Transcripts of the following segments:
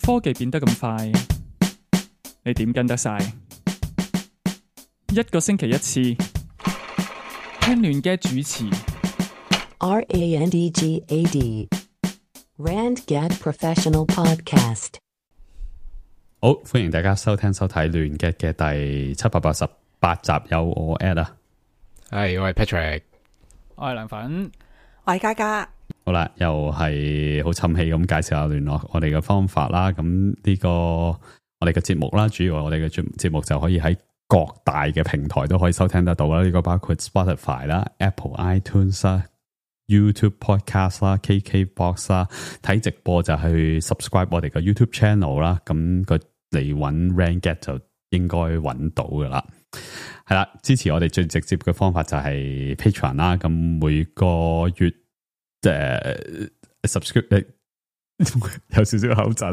科技變得咁快，你點跟得晒？一個星期一次，聽亂嘅主持。RANDGAD RandGad Professional Podcast。好，歡迎大家收聽收睇亂嘅第788集，有我 Ed 啊，係我係 Patrick，我係涼粉，我係嘉嘉。好啦，又係好沉氣咁介紹下聯絡我哋嘅方法啦。咁呢個我哋嘅節目啦，主要我哋嘅節目就可以喺各大嘅平台都可以收聽得到啦。呢個包括 Spotify 啦、Apple iTunes 啦、YouTube Podcast 啦、KKBox 啦。睇直播就去 subscribe 我哋嘅 YouTube Channel 啦。咁個嚟揾 RandGad 就應該揾到噶啦。係啦，支持我哋最直接嘅方法就係 Patreon 啦。咁每個月subscribe 有少少口窒，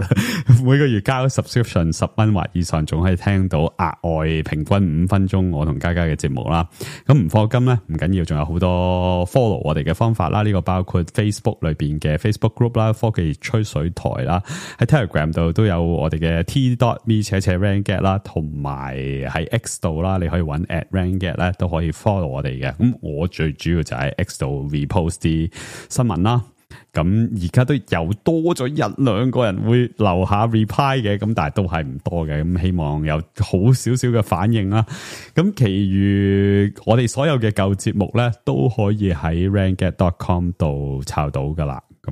每個月交 subscription 10蚊或以上，仲可以聽到額外平均5分鐘我同嘉嘉嘅節目啦。咁唔課金咧唔緊要，仲有好多 follow 我哋嘅方法啦。呢個包括 Facebook 裏邊嘅 Facebook group 啦，科技吹水台啦，喺 Telegram 度都有我哋嘅 t.me/RandGad 啦，同埋喺 X 度啦，你可以揾 @RandGad 咧，都可以 follow 我哋嘅。咁我最主要就喺 X 度 repost 啲新聞啦。咁而家都有多咗1-2個人會留下 reply 嘅，咁但係都係唔多嘅，咁希望有好少少嘅反應啦。咁其餘我哋所有嘅舊節目咧，都可以喺 randgad.com 度抄到噶啦。咁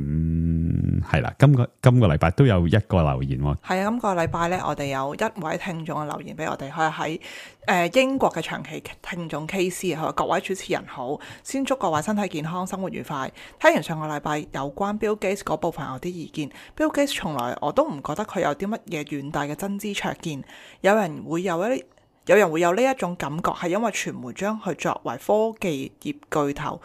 係啦，今個禮拜都有一個留言喎。係啊，今個禮拜咧，我哋有一位聽眾嘅留言俾我哋，佢係喺英國嘅長期聽眾 KC 啊，佢話各位主持人好，先祝各位身體健康，生活愉快。睇完上個禮拜有關 Bill Gates 嗰部分有啲意見，Bill Gates 從來我都唔覺得佢有啲乜嘢遠大嘅真知灼見，有人會有呢一種感覺，係因為傳媒將佢作為科技業巨頭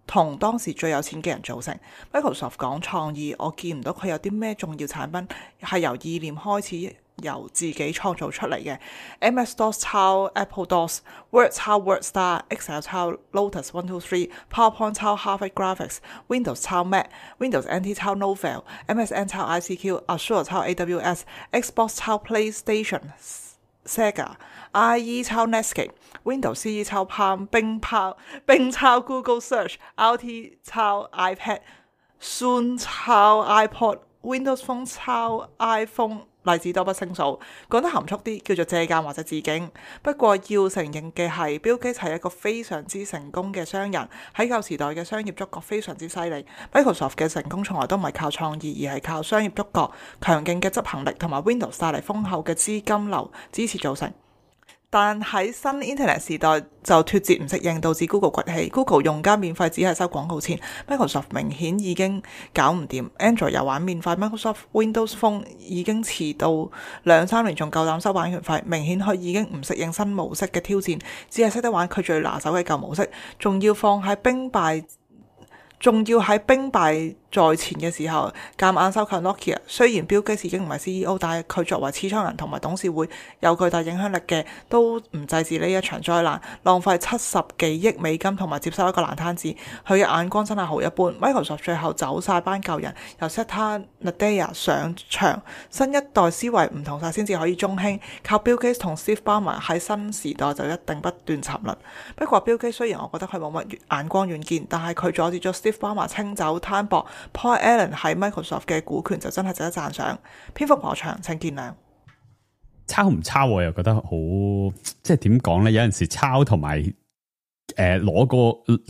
同當時最有錢嘅人組成。Microsoft 講創意，我見唔到佢有啲咩重要產品係由意念開始，由自己創造出嚟嘅。MS-DOS 抄 Apple DOS，Word 抄 WordStar，Excel 抄 Lotus 123，PowerPoint 抄 Harvard Graphics，Windows 抄 Mac，Windows NT 抄 Novell，MSN 抄 ICQ，Azure 抄 AWS，Xbox 抄 PlayStation、Sega，IE 抄 Netscape，Windows CE 抄 Palm，Bing 抄 Google Search，RT 抄 iPad，Zoom 抄 iPod，Windows Phone 抄 iPhone，例子多不勝數，講得含蓄啲叫做借鑑或者致敬。不過要承認嘅係，Bill Gates 係一個非常之成功嘅商人，喺舊時代嘅商業觸覺非常之犀利。Microsoft 嘅成功從來都唔係靠創意，而係靠商業觸覺、強勁嘅執行力同埋 Windows 帶嚟豐厚嘅資金流支持造成。但喺新 Internet 時代就脫節唔適應，導致 Google 崛起。Google 用家免費只係收廣告錢 ，Microsoft 明顯已經搞唔掂。Android 又玩免費 ，Microsoft Windows Phone 已經遲到2-3年，仲夠膽收版權費，明顯佢已經唔適應新模式嘅挑戰，只係識得玩佢最拿手嘅舊模式，仲要喺兵敗在前嘅時候，夾硬收購 Nokia。雖然 Bill Gates 已經唔係 CEO， 但係佢作為持倉人同埋董事會有巨大影響力嘅，都唔制止呢一場災難，浪費70幾億美金同埋接收一個爛攤子。佢嘅眼光真係好一般。Microsoft 最後走晒班舊人，由 Satya Nadella 上場，新一代思維唔同晒先至可以中興。靠 Bill Gates 同 Steve Ballmer 喺新時代就一定不斷沉淪。不過 Bill Gates 雖然我覺得佢冇乜眼光遠見，但係佢阻止咗 Steve Ballmer 清走攤薄。Paul Allen 喺 Microsoft 嘅股權就真係值得讚賞。篇幅頗長，請見諒。抄唔抄我又覺得好，即係點講咧？有陣時抄同埋攞個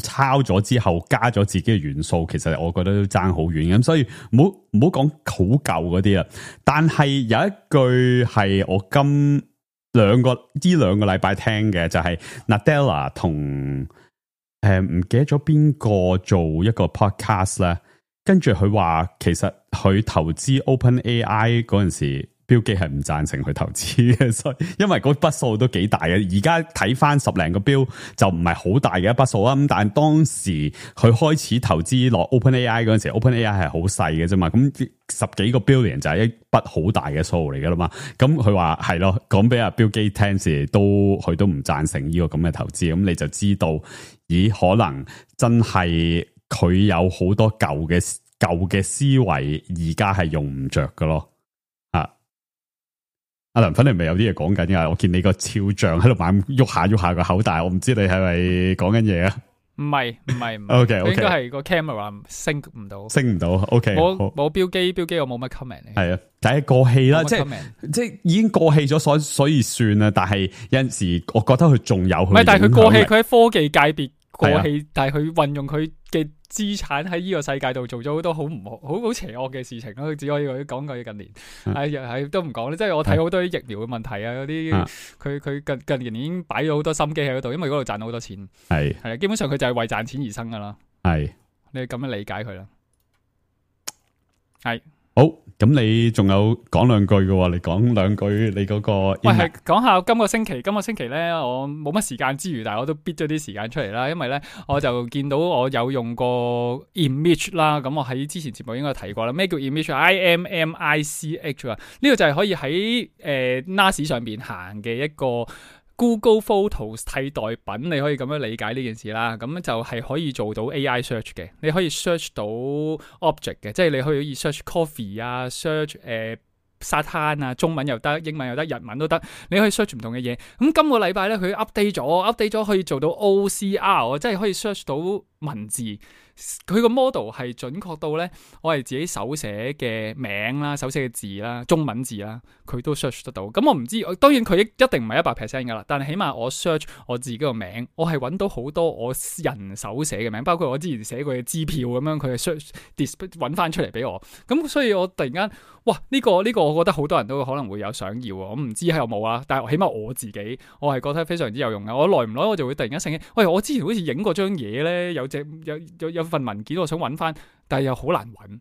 抄咗之後加咗自己嘅元素，其實我覺得都爭好遠咁，所以唔好講好舊嗰啲啦。但係有一句係我呢兩個禮拜聽嘅，就係 Nadella 同唔記得咗邊個做一個 podcast 咧。跟住佢話，其實佢投資 OpenAI 嗰陣時，Bill Gates係唔贊成佢投資嘅，所以因為嗰筆數都幾大嘅。而家睇翻10零個 Bill 就唔係好大嘅一筆數啦。咁但係當時佢開始投資落 OpenAI 嗰陣時，OpenAI 係好細嘅啫嘛。咁10幾個 billion 就係一筆好大嘅數嚟噶啦嘛。咁佢話係咯，講俾阿 Bill Gates 聽時，佢都唔贊成呢個咁嘅投資。咁你就知道，咦？可能真係。佢有好多舊嘅思維，而家係用唔着㗎咯，啊！阿梁粉你咪有啲嘢講緊噶，我見你個肖像喺度猛喐下個口，但係我唔知你係咪講緊嘢啊？唔係 OK， 應該係個 camera 升唔到。OK，冇標機我冇乜 comment 嚟。係啊，但係過氣啦，冇乜即係已經過氣咗，所以算啦。但係有陣時，我覺得佢仲有佢。唔係，但係佢過氣，佢喺科技界別過氣，係啊，但係佢運用佢嘅資產喺呢個世界度做咗好多好唔好邪惡嘅事情咯。只可以講佢近年係都唔講咧。即係我睇好多啲疫苗嘅問題啊，嗰啲佢近年已經擺咗好多心機喺嗰度，因為嗰度賺到好多錢。係啊，基本上佢就係為賺錢而生噶啦。係你咁樣理解佢啦。係。好，咁你仲有講兩句嘅喎，你講兩句你嗰個。喂，係講下今個星期咧，我冇乜時間之餘，但係我都逼咗啲時間出嚟啦，因為咧我就見到我有用過 image 啦，咁我喺之前節目應該提過啦。咩叫 image？IMMICH 啊，呢個就係可以喺NAS 上邊行嘅一個Google Photos 替代品，你可以咁樣理解呢件事啦。咁就係可以做到 AI search 嘅，你可以 search 到 object 嘅，即係你可以 search coffee 啊 ，search 沙灘啊，中文又得，英文又得，日文都得，你可以 search 唔同嘅嘢。咁今個禮拜咧，佢 update 咗可以做到 OCR， 即係可以 search 到文字。佢個 model 係準確到咧，我係自己手寫嘅名啦、手寫嘅字啦、中文字啦，佢都 search 得到。咁我唔知，當然佢一定唔係100% 噶啦，但係起碼我 search 我自己個名，我係揾到好多我人手寫嘅名，包括我之前寫過嘅支票咁樣，佢係 search display 揾翻出嚟俾我。咁所以我突然間，哇！呢個我覺得好多人都可能會有想要啊，我唔知係有冇啊，但係起碼我自己，我係覺得非常之有用嘅。我耐唔耐我就會突然間醒起，喂！我之前好似影過張嘢咧，有份文件我想揾翻，但係又好難揾。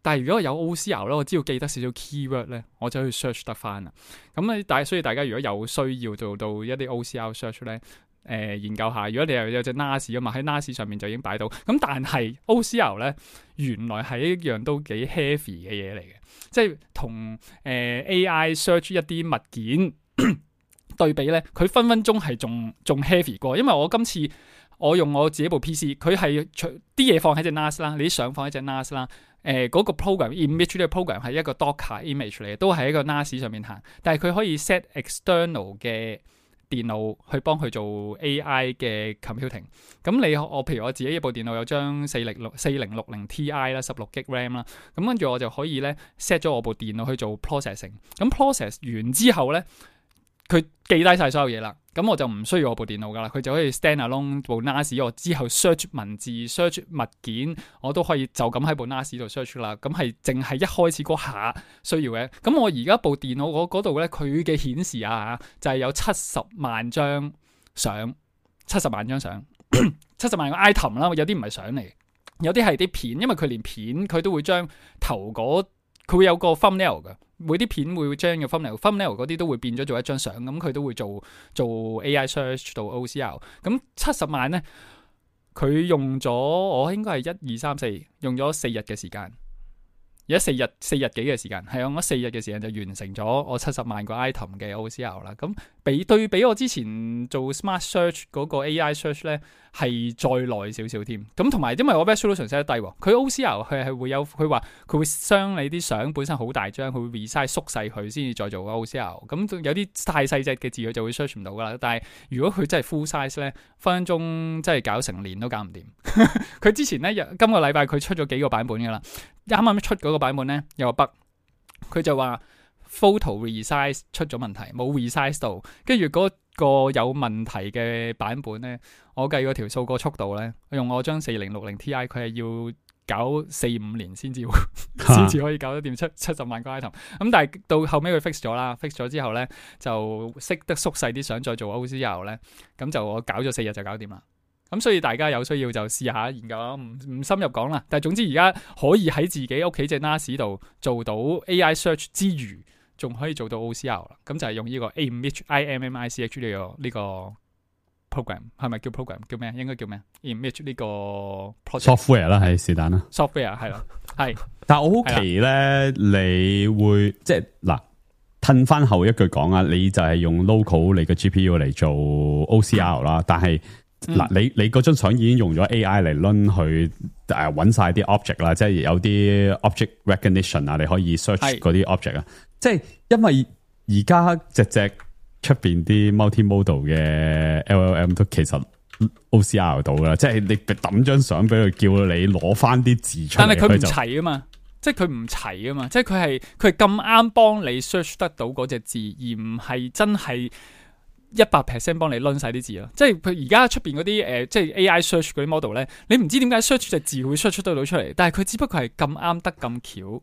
但係如果有 OCR 咧，我只要記得少少 keyword 咧，我就可以 search 得翻啦。咁咧，所以大家如果有需要做到一啲 OCR search 咧，研究下。如果你有隻 NAS 啊嘛，喺 NAS 上面就已經擺到。咁但係 OCR 咧，原來係一樣都幾 heavy 嘅嘢嚟嘅，即係同AI search 一啲物件對比咧，佢分分鐘係仲 heavy 過。因為我今次我用我自己部 PC， 佢係啲嘢放喺隻 NAS 啦，你啲相放喺隻 NAS 啦。嗰個 program image 呢個 program 係一個 Docker image 嚟嘅，都係喺個 NAS 上面行。但係佢可以 set external 嘅電腦去幫佢做 AI 嘅 computing。咁我譬如我自己一部電腦有張4060 Ti 啦，16GB RAM 啦，咁跟住我就可以咧 set 咗我部電腦去做 processing。咁 process 完之後咧，佢記低晒所有嘢啦，咁我就唔需要我部電腦噶啦，佢就可以 stand alone 部 NAS， 我之後 search 文字、search 物件，我都可以就咁喺部 NAS 度 search 啦。咁係淨係一開始嗰下需要嘅。咁我而家部電腦嗰度咧，佢嘅顯示啊，就係有70萬張相，70萬張相，70萬個 item 啦，有啲唔係相嚟，有啲係啲片，因為佢連片佢都會將頭佢會有個 thumbnail 嘅。每啲片會將個 thumbnail 嗰啲都會變咗做一張相，咁佢都會做 AI search 到 OCR。咁70萬咧，佢用咗我應該係1、2、3、4，用咗4日嘅時間。而家4日幾嘅時間，係用咗4日嘅時間就完成咗我70萬個 item 嘅 OCR 啦。咁對比我之前做 Smart Search 嗰個 AI Search 咧，係再耐少少添。咁同埋因為我 resolution set 得低，佢 OCR 佢係會有，佢話佢會將你啲相本身好大張，佢會 resize 縮細佢先至再做 OCR。咁有啲太細隻嘅字佢就會 search 唔到噶啦。但係如果佢真係 full size 咧，分分鐘真係搞成年都搞唔掂。佢之前咧今個禮拜佢出咗幾個版本噶啦。啱啱出嗰個版本咧有個 bug，佢就話 photo resize 出咗問題，冇 resize 到，跟住嗰個有問題嘅版本咧，我計嗰條數個速度咧，用我張4060 Ti， 佢係要搞4-5年先至可以搞得掂70萬個 item。咁但係到後尾佢 fix 咗啦，fix 咗之後咧就識得縮細啲相再做 OCR 咧，咁就我搞咗4日就搞掂啦。咁所以大家有需要就試下研究啦，唔深入講啦。但係總之而家可以喺自己屋企隻 NAS 度做到 AI search 之餘，仲可以做到 OCR 啦。咁就係用呢個 IMMICH 呢個 program， 係咪叫 program？ 叫咩？應該叫咩 ？Image 呢個 software 啦，係是但啦。software 係啦，係。但係我好奇咧，你會即係嗱，褪翻後一句講啊，你就係用 local 你嘅 GPU 嚟做 OCR 啦，但係。嗱，你嗰張相已經用咗 AI 嚟掄去揾晒啲 object 啦，即係有啲 object recognition 啊，你可以 search 嗰啲 object 啊。即係因為而家隻出邊啲 multimodal 嘅 LLM 都其實 OCR 到噶啦，即係你抌張相俾佢，叫你攞翻啲字出嚟，但係佢唔齊啊嘛，即係佢唔齊啊嘛，即係佢係咁啱幫你 search 得到嗰隻字，而唔係真係100% 幫你掄晒啲字咯。即係佢而家出邊嗰啲即係 AI search 嗰啲 model 咧，你唔知點解 search 隻字會 search 得到出嚟，但係佢只不過係咁啱得咁巧。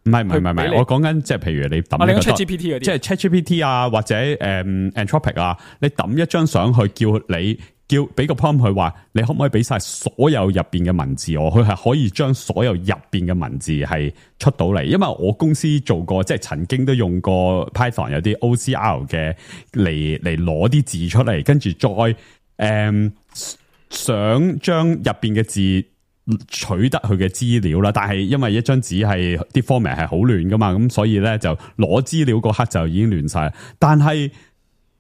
唔係，我講緊即係譬如你抌一個 ChatGPT 嗰啲，即係 ChatGPT 啊，或者Anthropic 啊，你抌一張相去叫俾個 prompt 佢話，你可唔可以俾晒所有入邊嘅文字我？佢係可以將所有入邊嘅文字係出到嚟，因為我公司做過，即係曾經都用過 Python 有啲 OCR 嘅嚟攞啲字出嚟，跟住再想將入邊嘅字取得佢嘅資料啦，但係因為一張紙係啲 format 係好亂噶嘛，咁所以咧就攞資料嗰刻就已經亂晒。但係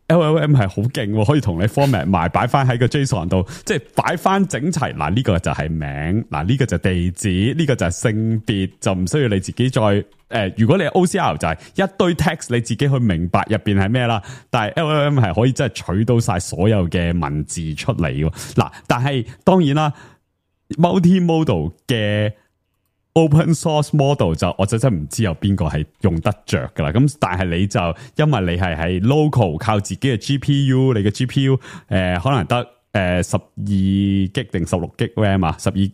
LLM 係好勁，可以同你 format 埋擺翻喺個 JSON 度，即係擺翻整齊。嗱，呢個就係名，嗱，呢個就地址，呢個就係性別，就唔需要你自己再如果你 OCR 就係一堆 text 你自己去明白入邊係咩啦，但係 LLM 係可以真係取到晒所有嘅文字出嚟嘅。嗱，但係當然啦。multimodal 嘅 open source model 我就真唔知有邊個係用得着噶啦，咁但係你就因為你係 local 靠自己嘅 GPU， 你嘅 GPU 可能得12G 定16G RAM 啊，16G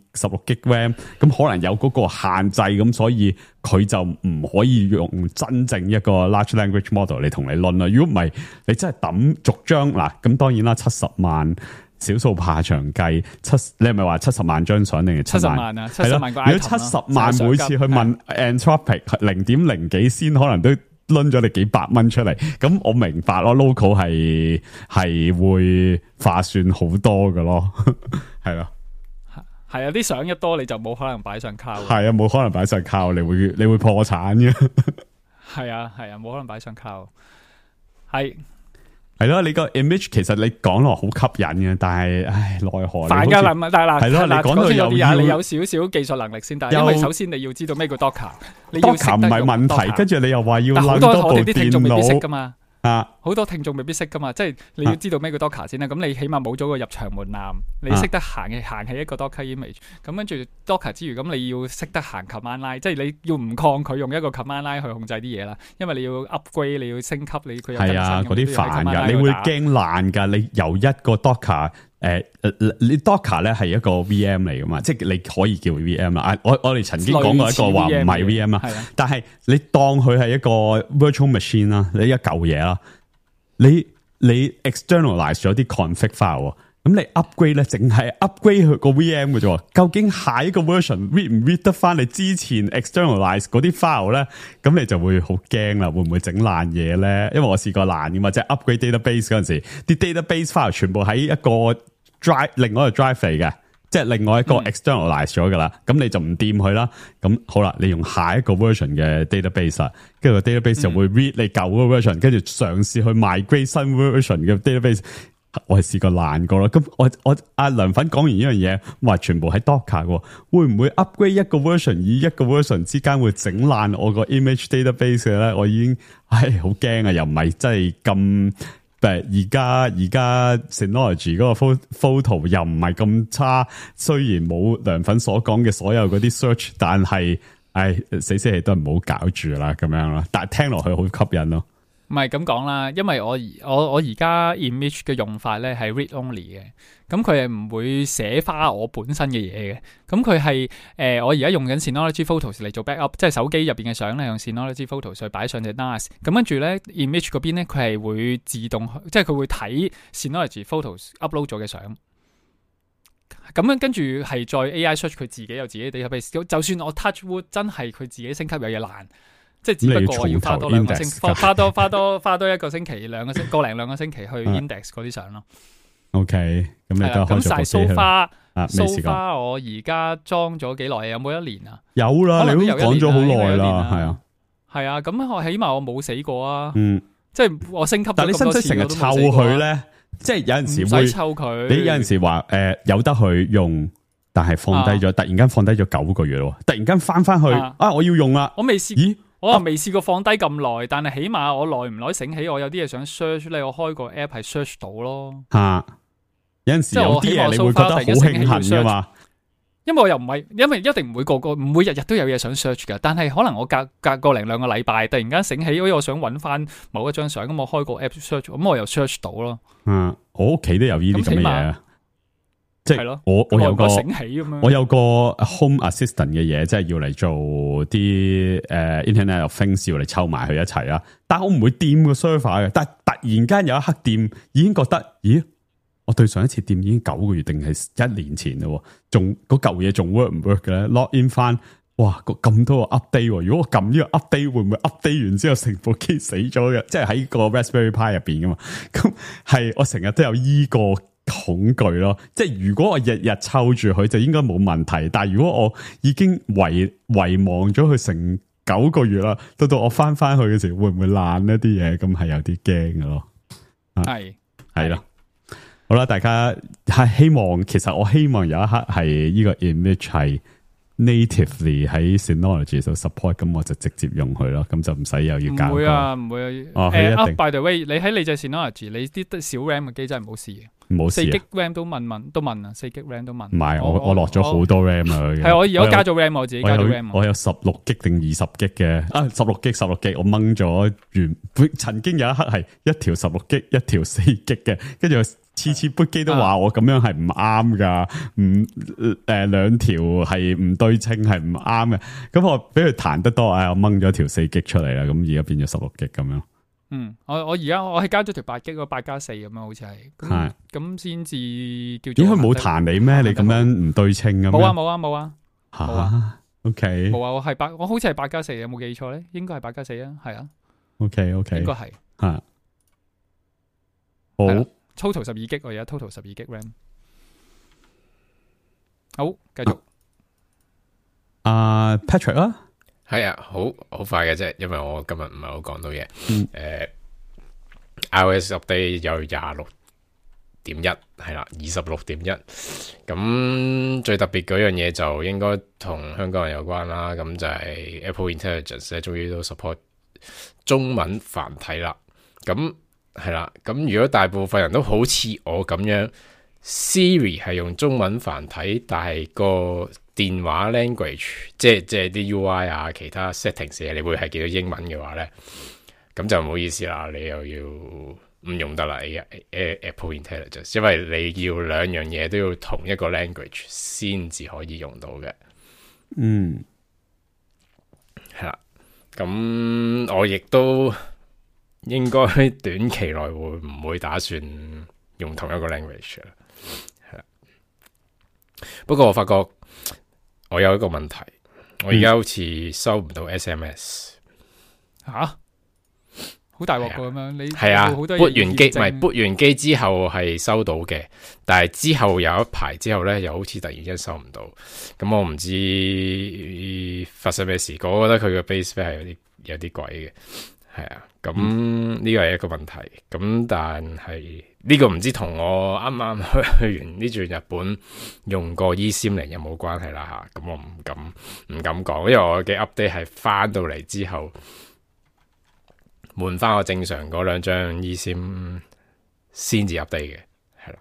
RAM， 咁可能有嗰個限制，咁所以佢就唔可以用真正一個 large language model 嚟同你論啦。如果唔係，你真係抌逐張嗱，咁當然啦，70萬。少數怕長計你係咪話70萬張相定係70萬啊？70萬個 item 如果70萬每次去問 Anthropic 0.0幾先，可能都掄咗你幾百蚊出嚟。咁我明白咯 ，local 係會划算好多㗎咯，係咯。係啊，啲相一多你就冇可能擺上 cloud。係啊，冇可能擺上 cloud，你會破產嘅。係啊，冇可能擺上 cloud。係咯，你個 image 其實你講落好吸引嘅，但係奈何煩噶啦，但係係咯，你講到有你有少少技術能力先得，因為首先你要知道咩叫 Docker，Docker 唔係問題，跟住你又話要好多我哋啲聽眾未必識噶嘛。好多聽眾未必識噶嘛，即係你要知道咩叫 Docker 先啦。咁你起碼冇咗個入場門檻，你識得行起一個 Docker image。咁跟住 Docker 之餘，咁你要識得行 command line，即係你要唔抗拒用一個 command line 去控制啲嘢啦。因為你要 upgrade， 你要升級，佢有更新嗰啲煩噶，你會驚爛噶。你由一個 Docker。你 Docker 咧係一個 VM 嚟噶嘛，即係你可以叫 VM 啦。我哋曾經講過一個話唔係 VM 啦，但係你當佢係一個 virtual machine 啦，你一嚿嘢啦，你 externalize 咗啲 config file， 咁你 upgrade 咧淨係 upgrade 佢個 VM 嘅啫。究竟下一個 version read 唔 read 得翻你之前 externalize 嗰啲 file 咧？咁你就會好驚啦，會唔會整爛嘢咧？因為我試過爛嘅嘛，即係 upgrade database 嗰陣時，啲 database file 全部喺一個 drive 另外一個 drive 嚟嘅，即係另外一個 externalize 咗噶啦。咁你就唔掂佢啦。咁好啦，你用下一個 version 嘅 database 啊，跟住個 database 就會 read 你舊嗰個 version，跟住嘗試去 migrate 新 version 嘅 database。我係試過爛過啦，咁我阿梁粉講完呢樣嘢，話全部喺 Docker 喎，會唔會 upgrade 一個 version 以一個 version 之間會整爛我個 image database 嘅咧？我已經好驚啊！又唔係真係咁，而家 Synology 嗰個 photo 又唔係咁差，雖然冇梁粉所講嘅所有嗰啲 search， 但係死氣都唔好搞住啦，咁樣啦。但係聽落去好吸引咯。唔係咁講啦，因為我而家 image 嘅用法咧係 read only 嘅，咁佢係唔會寫花我本身嘅嘢嘅，咁佢係我而家用緊 Synology Photos 嚟做 backup， 即係手機入邊嘅相咧用 Synology Photos 去擺上隻 NAS， 咁跟住咧 image 嗰邊咧佢係會自動，即係佢會睇 Synology Photos upload 咗嘅相，咁樣跟住係再 AI search 佢自己有自己 database， 就算我 touch wood 真係佢自己升級有嘢爛。即係只不過我要花多2個星期，花多1個星期，個零2個星期去 index 嗰啲相咯。OK， 咁你都咁晒 so far ，so far 我而家裝咗幾耐？有冇1年啊？有啦，你都講咗好耐啦，係啊。咁我起碼我冇死過啊。即係我升級咗咁多次，但你使唔使成日湊佢咧？即係有陣時會湊佢。你有陣時話有得去用。但係放低咗，突然間放低咗9個月咯，突然間翻去我要用啦，我未試，我又未試過放低咁耐，但係起碼我耐唔耐醒起，我有啲嘢想 search 咧，我開個 app 係 search 到咯。有陣時有啲嘢你會覺得好慶幸噶嘛。因為我又唔係，因為一定唔會日日都有嘢想 search 噶，但係可能我隔個零兩個禮拜，突然間醒起，我想揾翻某一張相，咁我開個 app search，咁我又 search 到咯。我屋企都有呢啲咁嘅嘢，即係我有個醒起咁樣，我有個 home assistant 嘅嘢，即係要嚟做啲Internet of Things 要嚟湊埋佢一齊啦。但係我唔會掂個 server 嘅，但係突然間有一刻掂，已經覺得咦？我對上一次掂已經9個月定係1年前啦，仲嗰嚿嘢仲 work 唔 work 嘅咧 ？log in 翻，哇，咁多個 update，如果我撳呢個 update，會唔會 update 完之後成部機死咗嘅？即係喺個 Raspberry Pi 入邊噶嘛？咁係我成日都有依個恐懼咯。即係如果我日日湊住佢，就應該冇問題。但係如果我已經遺忘咗佢成9個月啦，到我翻去嘅時候，會唔會爛呢啲嘢？咁係有啲驚嘅咯。係咯。好啦，大家係希望，其實我希望有一刻係呢個 image 係 natively 喺 Synology 度 support，咁我就直接用佢咯，咁就唔使又要搞。唔會啊，唔會啊。by the way， 你喺你隻 Synology， 你啲小 RAM 嘅機真係冇事嘅。冇事，4G RAM 都問啊，4G RAM 都問。唔係，我落咗好多 RAM 啊。係我而家加咗 RAM， 我自己加咗 RAM。我有16G 定20G 嘅，16G，我掹咗曾經有一刻係一條16G，一條4G 嘅，跟住次 boot 機都話我咁樣係唔啱噶，兩條係唔對稱係唔啱嘅。咁我俾佢彈得多，我掹咗條4G 出嚟啦，咁而家變咗16G 咁樣。我而家我係加咗條8G 個8+4咁樣，好似係咁先至叫做。點解冇彈你咩？你咁樣唔對稱咁？冇啊。OK。冇啊，我好似係8+4，有冇記錯咧？應該係8+4啊，係啊。OK， 應該係好。total 12G，我而家 total 12G RAM。好，繼續。Patrick 啊。係啊，好快嘅啫，因為我今日唔係好講到嘢。iOS update 有26.1，係啦，26.1。咁最特別嗰樣嘢就應該同香港人有關啦。咁就係 Apple Intelligence 咧，終於都 support 中文繁體啦。咁係啦，咁如果大部分人都好似我咁樣 ，Siri 係用中文繁體，但係個電話 language 即係啲 UI 啊，其他 settings 嘢，你會係見到英文嘅話咧，咁就唔好意思啦，你又要唔用得啦 Apple Intelligence， 因為你要兩樣嘢都要同一個 language 先至可以用到嘅。係啦，咁我亦都應該短期內唔會打算用同一個 language 啦。係啦，不過我發覺我有一個問題，我而家好似收唔到 SMS。好大鑊咁樣，你係啊，boot 完機唔係 boot 完機之後係收到嘅，但係之後有一排之後咧，又好似突然間收唔到。咁我唔知發生咩事，我覺得佢嘅 base fare 係有啲鬼嘅。係啊，咁呢個係一個問題。咁但係呢個唔知同我啱啱去完呢轉日本用過 eSIM 有冇關係啦吓。咁我唔敢講，因為我嘅 update 係翻到嚟之後換翻我正常嗰兩張 eSIM 先至 update 嘅，係啦。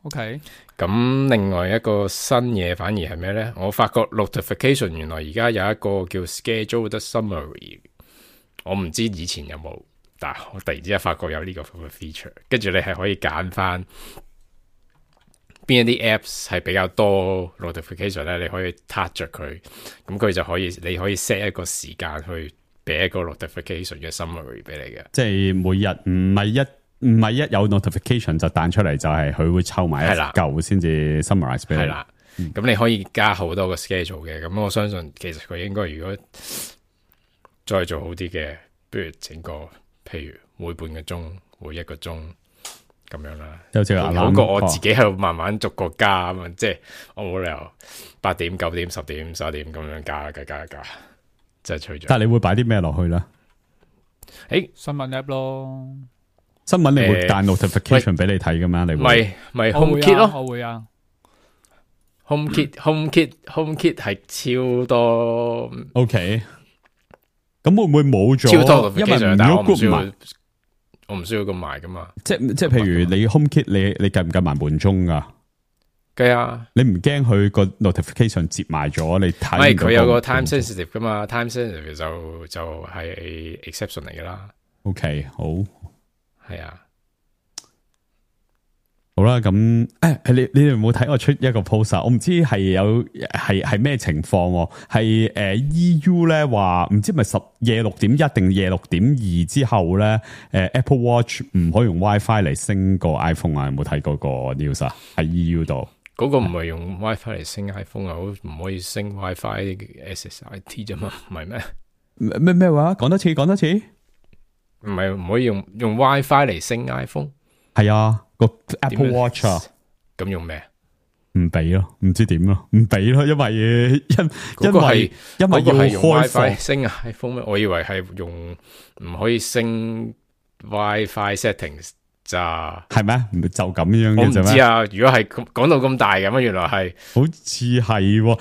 OK。咁另外一個新嘢反而係咩咧？我發覺 notification 原來而家有一個叫 scheduled summary， 我唔知以前有冇，但係我突然之間發覺有呢個咁嘅 feature， 跟住你係可以揀翻邊一啲 apps 係比較多 notification 咧，你可以 touch 着佢，咁佢就可以，你可以 set 一個時間去俾一個 notification 嘅 summary 俾你嘅，即係每日唔係一有 notification 就彈出嚟，就係佢會抽埋一嚿先至 summarize 俾你。係啦，咁你可以加好多個 schedule 嘅，咁我相信其實佢應該如果再做好啲嘅，不如整個譬如每半個鐘、每1個鐘咁樣啦，好過我自己喺度慢慢逐個加啊嘛，即係我冇理由8點、9點、10點、11點咁樣加，即係除咗。但係你會擺啲咩落去咧？新聞 app 咯。新聞你會彈 notification 俾你睇噶嘛？你會咪 HomeKit 咯？我會啊 HomeKit 係超多 OK， 咁會唔會冇咗？超多因為 notification，唔但係我唔需要咗 group 埋，我唔需要咁埋噶嘛。即係譬如你 HomeKit，你計唔計埋門鐘噶？計啊，你唔驚佢個 notification 接埋咗？你睇唔到唔係佢有個個 time sensitive 噶嘛，time sensitive 就係 exception 嚟噶啦。 OK， 好。係啊，好啦，咁你哋有冇睇我出一個 post 啊？我唔知係咩情況喎，係EU 咧話唔知咪夜6.1定夜6.2之後咧Apple Watch 唔可以用 WiFi 嚟升個 iPhone 啊？有冇睇嗰個 news 啊？喺 EU 度嗰個唔係用 WiFi 嚟升 iPhone 啊，唔可以升 WiFi SSID 啫嘛，唔係咩？咩話？講多次，唔係唔可以用 WiFi 嚟升 iPhone？係啊，個 Apple Watch 啊，咁用咩？唔俾咯，唔知點咯，唔俾咯，因為嗰個係要用開 WiFi 放。升 iPhone 咩？我以為係用唔可以升 WiFi settings 咋？係咩？就咁樣我唔嘅啫咩？知啊。如果係講到咁大咁啊，原來係好似係喎，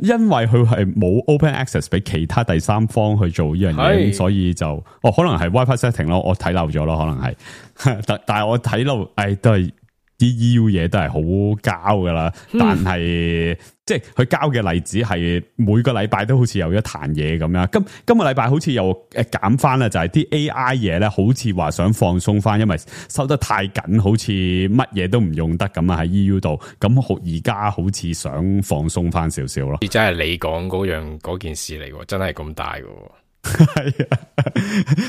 因為佢係冇 open access 俾其他第三方去做呢樣嘢，係咁所以就可能係 WiFi setting 咯，我睇漏咗咯，可能係，但係我睇漏，都係啲 EU 嘢都係好膠噶啦，但係即係佢交嘅例子係每個禮拜都好似有一壇嘢咁樣，今個禮拜好似又減翻啦，就係啲 AI 嘢咧，好似話想放鬆翻，因為收得太緊，好似乜嘢都唔用得咁啊喺 EU 度，咁而家好似想放鬆翻少少咯。真係你講嗰件事嚟喎，真係咁大噶。係啊，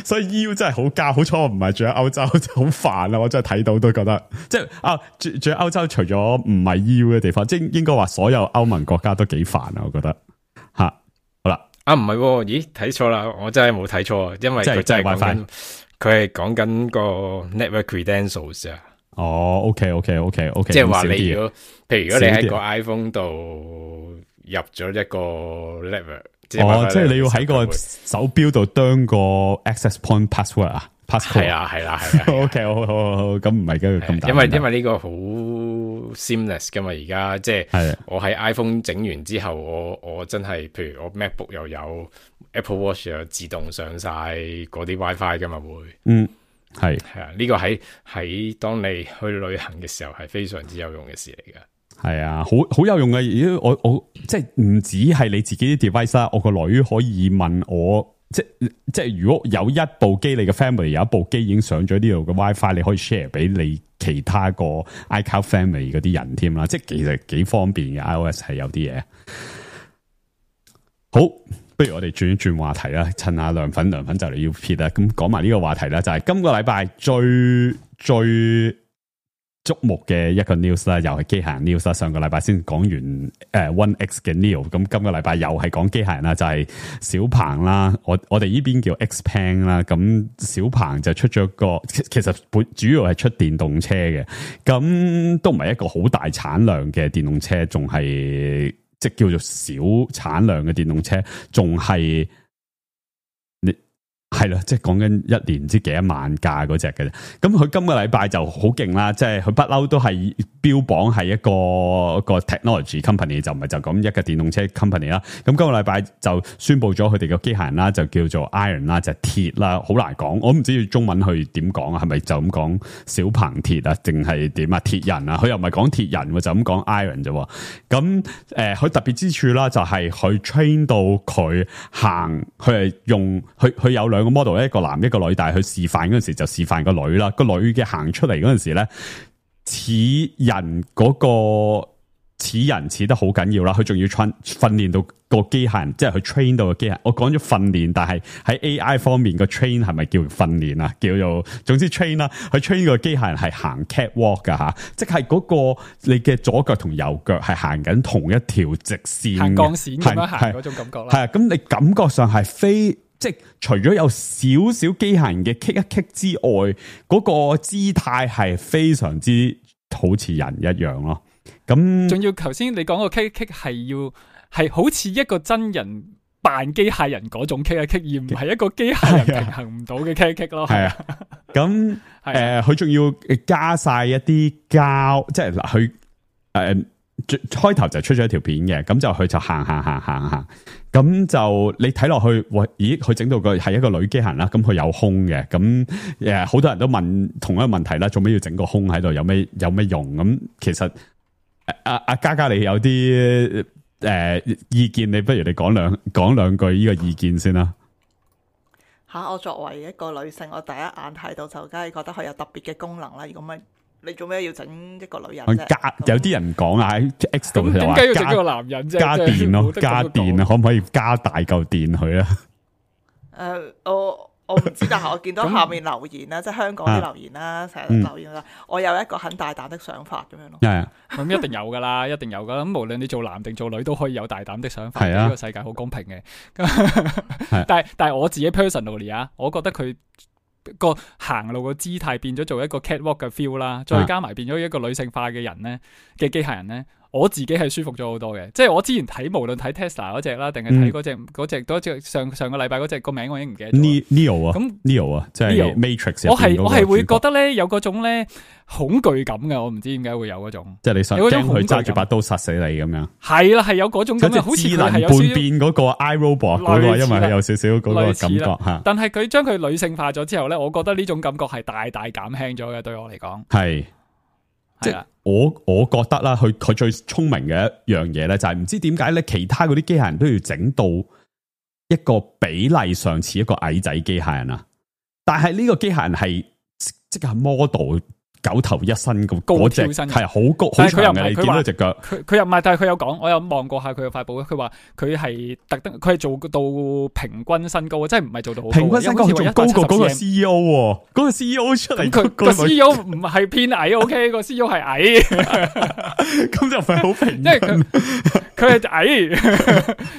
所以 EU 真係好膠，好彩我唔係住喺歐洲，好煩啊！我真係睇到都覺得，即係住喺歐洲，除咗唔係 EU 嘅地方，即係應該話所有歐盟國家都幾煩啊！我覺得吓，好啦，唔係喎，咦睇錯啦，我真係冇睇錯，因為佢真係講緊，佢係講緊個 network credentials 啊。哦 ，OK， 即係話你如果你喺個 iPhone 度入咗一個 network。即係你要喺個手錶度當個 access point password 啊 ，passcode 係啦。OK， 好，咁唔係咁大。因為呢個好 seamless 噶嘛，而家即係我喺 iPhone 整完之後，我真係譬如我 MacBook 又有 Apple Watch 又自動上晒嗰啲 WiFi 噶嘛會。係啊，呢個喺當你去旅行嘅時候係非常之有用嘅事嚟噶。係啊，好有用嘅。我即係唔止係你自己啲 device 啦，我個女可以問我，即係如果有一部機，你嘅 family 有一部機已經上咗呢度嘅 WiFi， 你可以 share 俾你其他個 iCloud family 嗰啲人添啦。即係其實幾方便嘅 iOS 係有啲嘢。好，不如我哋轉一轉話題啦，趁下涼粉就嚟要撇啦。咁講埋呢個話題啦，就係今個禮拜最矚目嘅一個 news 啦，又係機械人 news 啦。上個禮拜先講完One X 嘅 Neo，咁今個禮拜又係講機械人啦，就係小鵬啦。我哋呢邊叫 Xpeng 啦，咁小鵬就出咗個，其實主要係出電動車嘅，咁都唔係一個好大產量嘅電動車，仲係即係叫做小產量嘅電動車，仲係係啦，即係講緊一年唔知幾多萬架嗰隻嘅啫。咁佢今個禮拜就好勁啦，即係佢不嬲都係標榜係一個 technology company， 就唔係就咁一個電動車 company 啦。咁今個禮拜就宣布咗佢哋嘅機械人啦，就叫做 Iron 啦，就係鐵啦，好難講。我唔知中文去點講啊，係咪就咁講小鵬鐵啊，定係點啊？鐵人啊，佢又唔係講鐵人，就咁講 Iron 啫。咁佢特別之處啦，就係佢 train 到佢行，佢係用佢有兩個 model， 一個男一個女，但係佢示範嗰陣時就示範個女啦，個女嘅行出嚟嗰陣時咧，似人似得好緊要啦，佢仲要訓練到個機械人，即係佢 train 到個機械人。我講咗訓練，但係喺 AI 方面個 train 係咪叫訓練啊？叫做總之 train 啦，佢 train 個機械人係行 catwalk 噶吓，即係嗰個你嘅左腳同右腳係行緊同一條直線，行鋼線咁樣行嗰種感覺啦。係啊，咁你感覺上係即係除咗有少少機械人嘅 kick 一 kick 之外，嗰個姿態係非常之好似人一樣咯。咁仲要頭先你講個 kick kick 係好似一個真人扮機械人嗰種 kick kick，而唔係一個機械人平衡唔到嘅 kick kick 咯。係啊，咁佢仲要加晒一啲膠，即係佢開頭就出咗一條片嘅，咁就佢就行，咁就你睇落去，喂，咦，佢整到個係一個女機械人啦，咁佢有胸嘅，咁好多人都問同一個問題啦，做咩要整個胸喺度，有咩用？咁其實阿嘉嘉你有啲意見，你不如你講兩句呢個意見先啦。我作為一個女性，我第一眼睇到就梗係覺得佢有特別嘅功能啦。如果咪你做咩要整一個女人啫？有啲人講啊喺 X 度就話點解要整個男人啫？加電咯，加電啊，可唔可以加大嚿電佢啊？我唔知，但係我見到下面留言啦，即係香港啲留言啦，成日留言啦。我有一個很大膽的想法咁樣咯。係咁一定有噶啦，一定有噶啦。咁無論你做男定做女都可以有大膽的想法。係啊，呢個世界好公平嘅。但係我自己 personally 啊，我覺得佢個行路個姿態變咗做一個 catwalk 嘅 feel 啦，再加埋變咗一個女性化嘅人咧嘅機械人咧，我自己係舒服咗好多嘅。即係我之前睇無論睇 Tesla 嗰隻啦，定係睇嗰隻上個禮拜嗰隻個名我已經唔記得咗。Neo 啊，咁 Neo 啊，即係 Matrix。我係會覺得咧有嗰種咧恐懼感嘅，我唔知點解會有嗰種。即係你想驚佢揸住把刀殺死你咁樣。係啦，係有嗰種咁嘅，好似佢係有半變嗰個 iRobot 嗰個，因為係有少少嗰個感覺吓。但係佢將佢女性化咗之後咧，我覺得呢種感覺係大大減輕咗嘅，對我嚟講。係。即係我覺得啦，佢最聰明嘅一樣嘢咧，就係唔知點解咧，其他嗰啲機械人都要整到一個比例上似一個矮仔機械人啊，但係呢個機械人係即係 model 九頭一身咁嗰隻係好高好長嘅，你見到隻腳，佢又唔係，但係佢有講，我有望過下佢嘅塊布，佢話佢係特登，佢係做到平均身高，即係唔係做到好高，平均身高仲高過嗰個 CEO， 嗰個 CEO 出嚟，佢個 CEO 唔係偏矮，OK， 個 CEO 係矮，咁就唔係好平，因為佢係矮，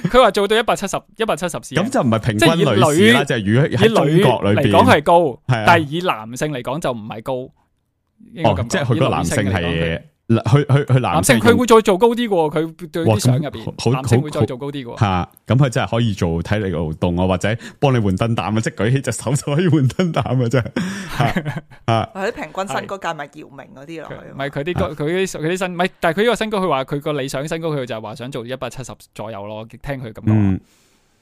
佢話做到170 cm，咁就唔係平均女士啦，即係如果喺中國裏邊嚟講係高，但係以男性嚟講就唔係高。即係佢個男性係，佢男性佢會再做高啲嘅，佢對啲相入邊，男性會再做高啲嘅。吓，咁佢真係可以做體力勞動啊，或者幫你換燈膽啊，即係舉起隻手就可以換燈膽啊，真係。或者平均身高計咪姚明嗰啲咯，唔係佢啲身，唔係，但係佢呢個身高，佢話佢個理想身高，佢就係話想做170左右咯。聽佢咁講，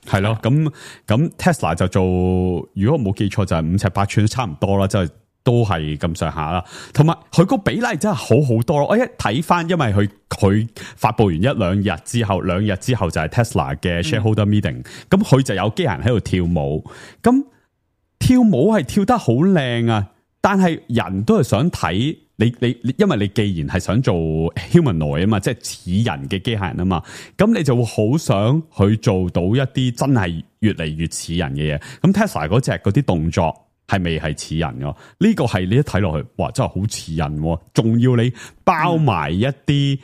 係咯，咁 Tesla 就做，如果我冇記錯就係5尺8寸差唔多啦，即係。都係咁上下啦，同埋佢個比例真係好好多咯。我一睇翻，因為佢發佈完2日之後就係 Tesla 嘅 shareholder meeting，咁佢就有機械人喺度跳舞，咁跳舞係跳得好靚啊！但係人都係想睇你，因為你既然係想做 humanoid 啊嘛，即係似人嘅機械人啊嘛，咁你就會好想去做到一啲真係越嚟越似人嘅嘢。咁 Tesla 嗰隻嗰啲動作。係咪係似人㗎？呢個係你一睇落去，哇，真係好似人，仲要你包埋一啲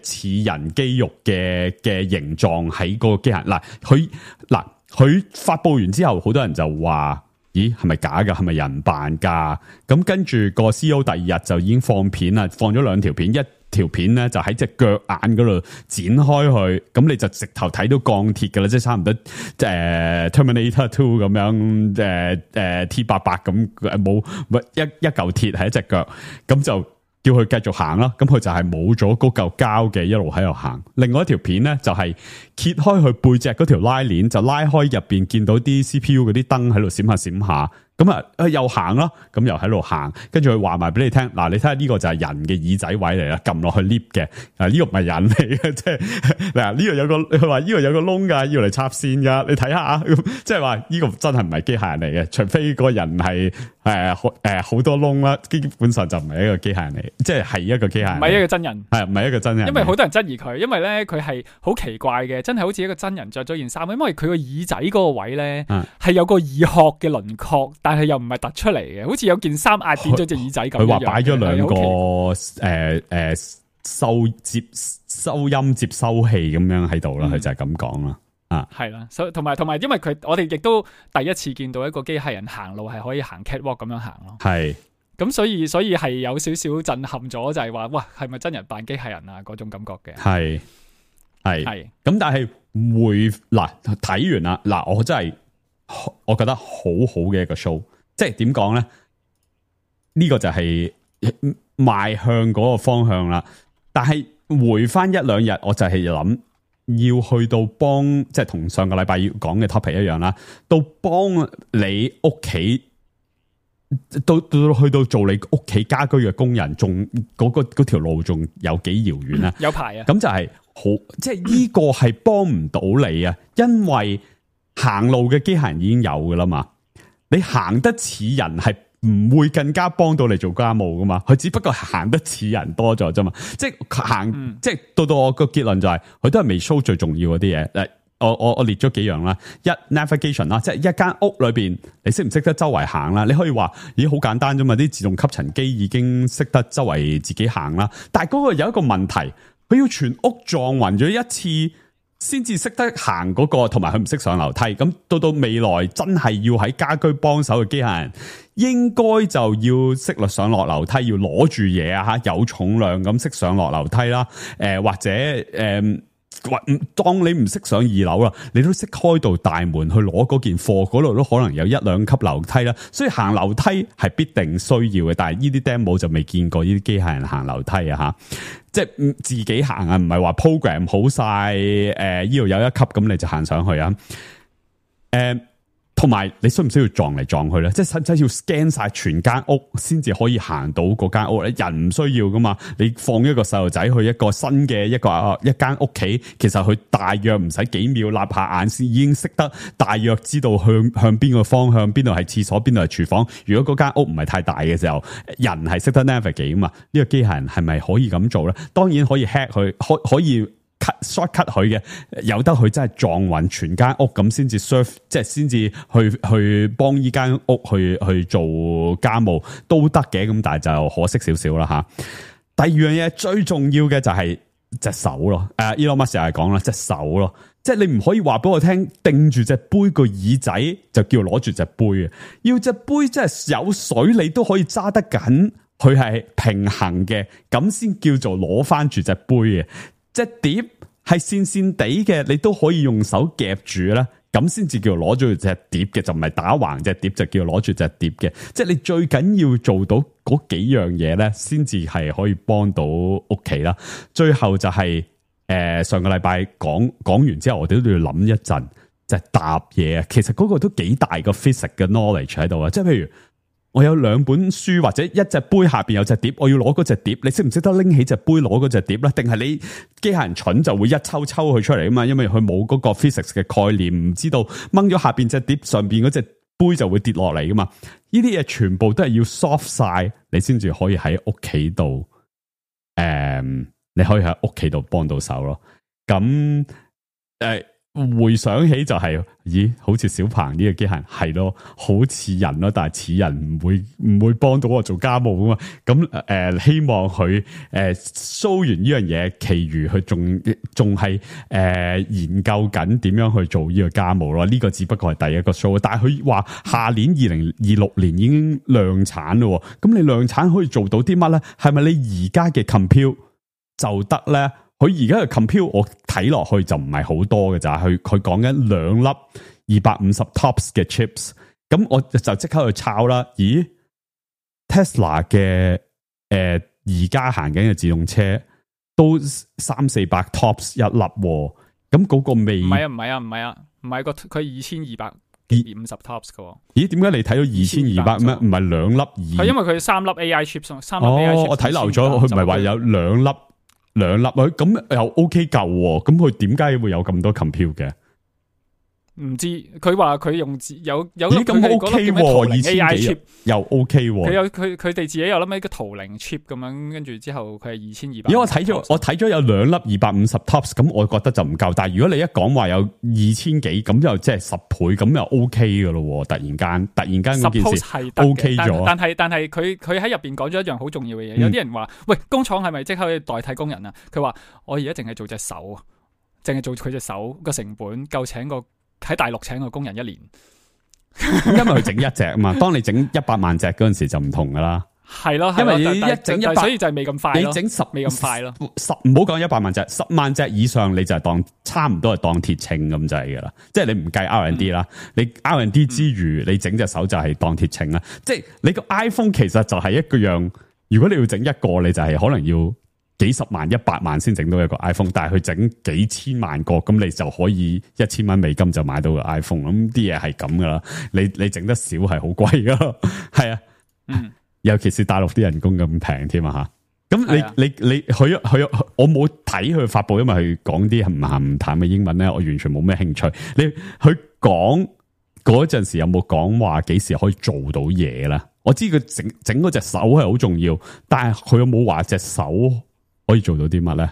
似人肌肉嘅形狀喺個機械人。佢發佈完之後，好多人就話：咦，係咪假㗎？係咪人扮㗎？咁跟住個 CEO 第2日就已經放片啦，放咗2條片，一條片咧就喺隻腳眼嗰度展開去，咁你就直頭睇到鋼鐵噶啦，即係差唔多Terminator 2咁樣T800咁冇一嚿鐵喺一隻腳，咁就叫佢繼續行啦。咁佢就係冇咗嗰嚿膠嘅，一路喺度行。另外一條片咧就係揭開佢背脊嗰條拉鏈，就拉開入邊見到啲 CPU 嗰啲燈喺度閃下閃下。咁啊，又行咯，咁又喺度行，跟住佢話埋俾你聽，嗱，你睇下呢個就係人嘅耳仔位嚟啦，撳落去 lift 嘅，呢個唔係人嚟嘅，即係嗱呢度有個，佢話呢度有個窿噶，要嚟插線噶，你睇下，即係話呢個真係唔係機械人嚟嘅，除非個人係好多窿啦，基本上就唔係一個機械人嚟，即係一個機械人，唔係一個真人，係唔係一個真人？因為好多人質疑佢，因為咧佢係好奇怪嘅，真係好似一個真人着咗件衫，因為佢個耳仔嗰個位咧係有個耳殼嘅輪廓。但係又唔係突出嚟嘅，好似有件衫壓扁咗隻耳仔咁。佢話擺咗2個收音接收器咁樣喺度啦，佢就係咁講啦。啊，係啦，同埋，因為我哋亦都第一次見到一個機械人行路係可以行 catwalk 咁樣行咯。係，咁所以係有少少震撼咗，就係話，哇，係咪真人扮機械人啊？嗰種感覺嘅。係，咁但係睇完啦，我真係。我覺得好好嘅一個 show， 即係點講咧？呢個就係邁向嗰個方向啦。但係回翻一兩日，我就係諗要去到幫，即係同上個禮拜要講嘅 topic 一樣啦，到幫你屋企。到去到做你屋企家居嘅工人，仲嗰條路仲有幾遙遠啊？有排啊！咁就係好，即係呢個係幫唔到你啊，因為行路嘅機械人已經有噶啦嘛，你行得似人係唔會更加幫到你做家務噶嘛，佢只不過行得似人多咗啫嘛，即係行，即係到我個結論就係，佢都係未 show 最重要嗰啲嘢。我列咗幾樣啦，一 navigation 啦，即係一間屋裏邊，你識唔識得周圍行啦？你可以話，咦，好簡單啫嘛，啲自動吸塵機已經識得周圍自己行啦。但係嗰個有一個問題，佢要全屋撞暈咗一次，先至識得行嗰個，同埋佢唔識上樓梯。咁到未來真係要喺家居幫手嘅機械人，應該就要識落上落樓梯，要攞住嘢啊吓，有重量咁識上落樓梯啦。或者當你唔識上2樓啦，你都識開到大門去攞嗰件貨，嗰度都可能有1、2級樓梯啦。所以行樓梯係必定需要嘅，但係呢啲 demo 就未見過呢啲機械人行樓梯啊吓，即係自己行啊，唔係話 program 好晒呢度有1級咁你就行上去啊。同埋你需唔需要撞嚟撞去咧？即係使唔使要 scan 晒全間屋先至可以行到嗰間屋咧？人唔需要噶嘛？你放一個細路仔去一個新嘅一間屋企，其實佢大約唔使幾秒，立下眼先已經識得大約知道向邊個方向，邊度係廁所，邊度係廚房。如果嗰間屋唔係太大嘅時候，人係識得 navigate 噶嘛？呢個機械人係咪可以咁做咧？當然可以 hack 佢，可以。shortcut 佢嘅，有得佢真係撞暈全間屋咁先至 serve， 即係先至去幫呢間屋去做家務都得嘅，咁但係就可惜少少啦吓。第二樣嘢最重要嘅就係隻手咯，Elon Musk 又係講啦，隻手咯，即係你唔可以話俾我聽，定住隻杯個耳仔就叫攞住隻杯嘅，要隻杯即係有水你都可以揸得緊，佢係平衡嘅，咁先叫做攞翻住隻杯嘅。隻碟係線線地嘅，你都可以用手夾住啦，咁先至叫攞住隻碟嘅，就唔係打橫隻碟就叫攞住隻碟嘅。即係你最緊要做到嗰幾樣嘢咧，先至係可以幫到屋企啦。最後就係上個禮拜講完之後，我哋都要諗一陣，就係搭嘢啊。其實嗰個都幾大個 physics 嘅 knowledge 喺度啊，即係譬如。我有2本書或者一隻杯下邊有隻碟，我要攞嗰隻碟，你識唔識得拎起隻杯攞嗰隻碟咧？定係你機械人蠢就會一抽佢出嚟啊嘛？因為佢冇嗰個 physics 嘅概念，唔知道掹咗下邊隻碟上邊嗰隻杯就會跌落嚟噶嘛？呢啲嘢全部都係要 soft 晒，你先至可以喺屋企度，你可以喺屋企度幫到手咯。咁回想起就係、咦，好似小鵬呢個機械人係咯，好似人咯，但係似人唔會幫到我做家務啊嘛。咁希望佢show 完呢樣嘢，其餘佢仲係研究緊點樣去做呢個家務咯。呢個只不過係第一個 show， 但係佢話下年2026年已經量產咯。咁你量產可以做到啲乜咧？係咪你而家嘅 compute 就得咧？佢而家嘅 compute 我睇落去就唔係好多嘅咋，佢講緊2粒250 TOPS 嘅 chips， 咁我就即刻去抄啦。咦 ，Tesla 嘅而家行緊嘅自動車都300-400 TOPS 一粒，咁嗰個未？唔係個佢2250 TOPS 嘅。咦？點解你睇到2200咩？唔係2粒2？係因為佢3粒 AI chips， 3粒 AI chips。我睇漏咗，佢唔係話有2粒。咁又 OK 夠喎，咁佢點解會有咁多 compute 嘅？唔知佢話佢用有咦咁 OK 喎，2000幾又 OK 喎。佢哋自己有諗起個圖靈 chip 咁樣，跟住之後佢係2200。如果我睇咗有2粒250 TOPS， 咁我覺得就唔夠。但係如果你一講話有2000幾，咁又即係10倍，咁又 OK 噶咯。突然間嗰件事係 OK 咗。但係佢喺入邊講咗一樣好重要嘅嘢。有啲人話：喂，工廠係咪即刻可以代替工人啊？佢話：我而家淨係做隻手，淨係做佢隻手個成本夠請個。喺大陸請個工人1年，因為佢整一隻啊嘛。當你整100萬隻嗰陣時就唔同噶啦，係咯，因為你一整100，所以就係未咁快咯。你整10未咁快咯，唔好講100萬隻，10萬隻以上你就係當差唔多係當鐵秤咁就係噶啦。即係你唔計 R&D 啦，你 R&D 之餘，你整隻手就係當鐵秤啦。即係你個 iPhone 其實就係一個樣，如果你要整一個，你就係可能要幾十萬、100萬先整到一個 iPhone， 但係佢整幾千萬個，咁你就可以$1000美金就買到個 iPhone。咁啲嘢係咁噶啦，你整得少係好貴噶，係啊，尤其是大陸啲人工咁平添啊吓。咁你佢我冇睇佢發布，因為佢講啲唔鹹唔淡嘅英文咧，我完全冇咩興趣。佢講嗰陣時有冇講話幾時可以做到嘢啦？我知佢整嗰隻手係好重要，但係佢有冇話隻手可以做到啲乜咧？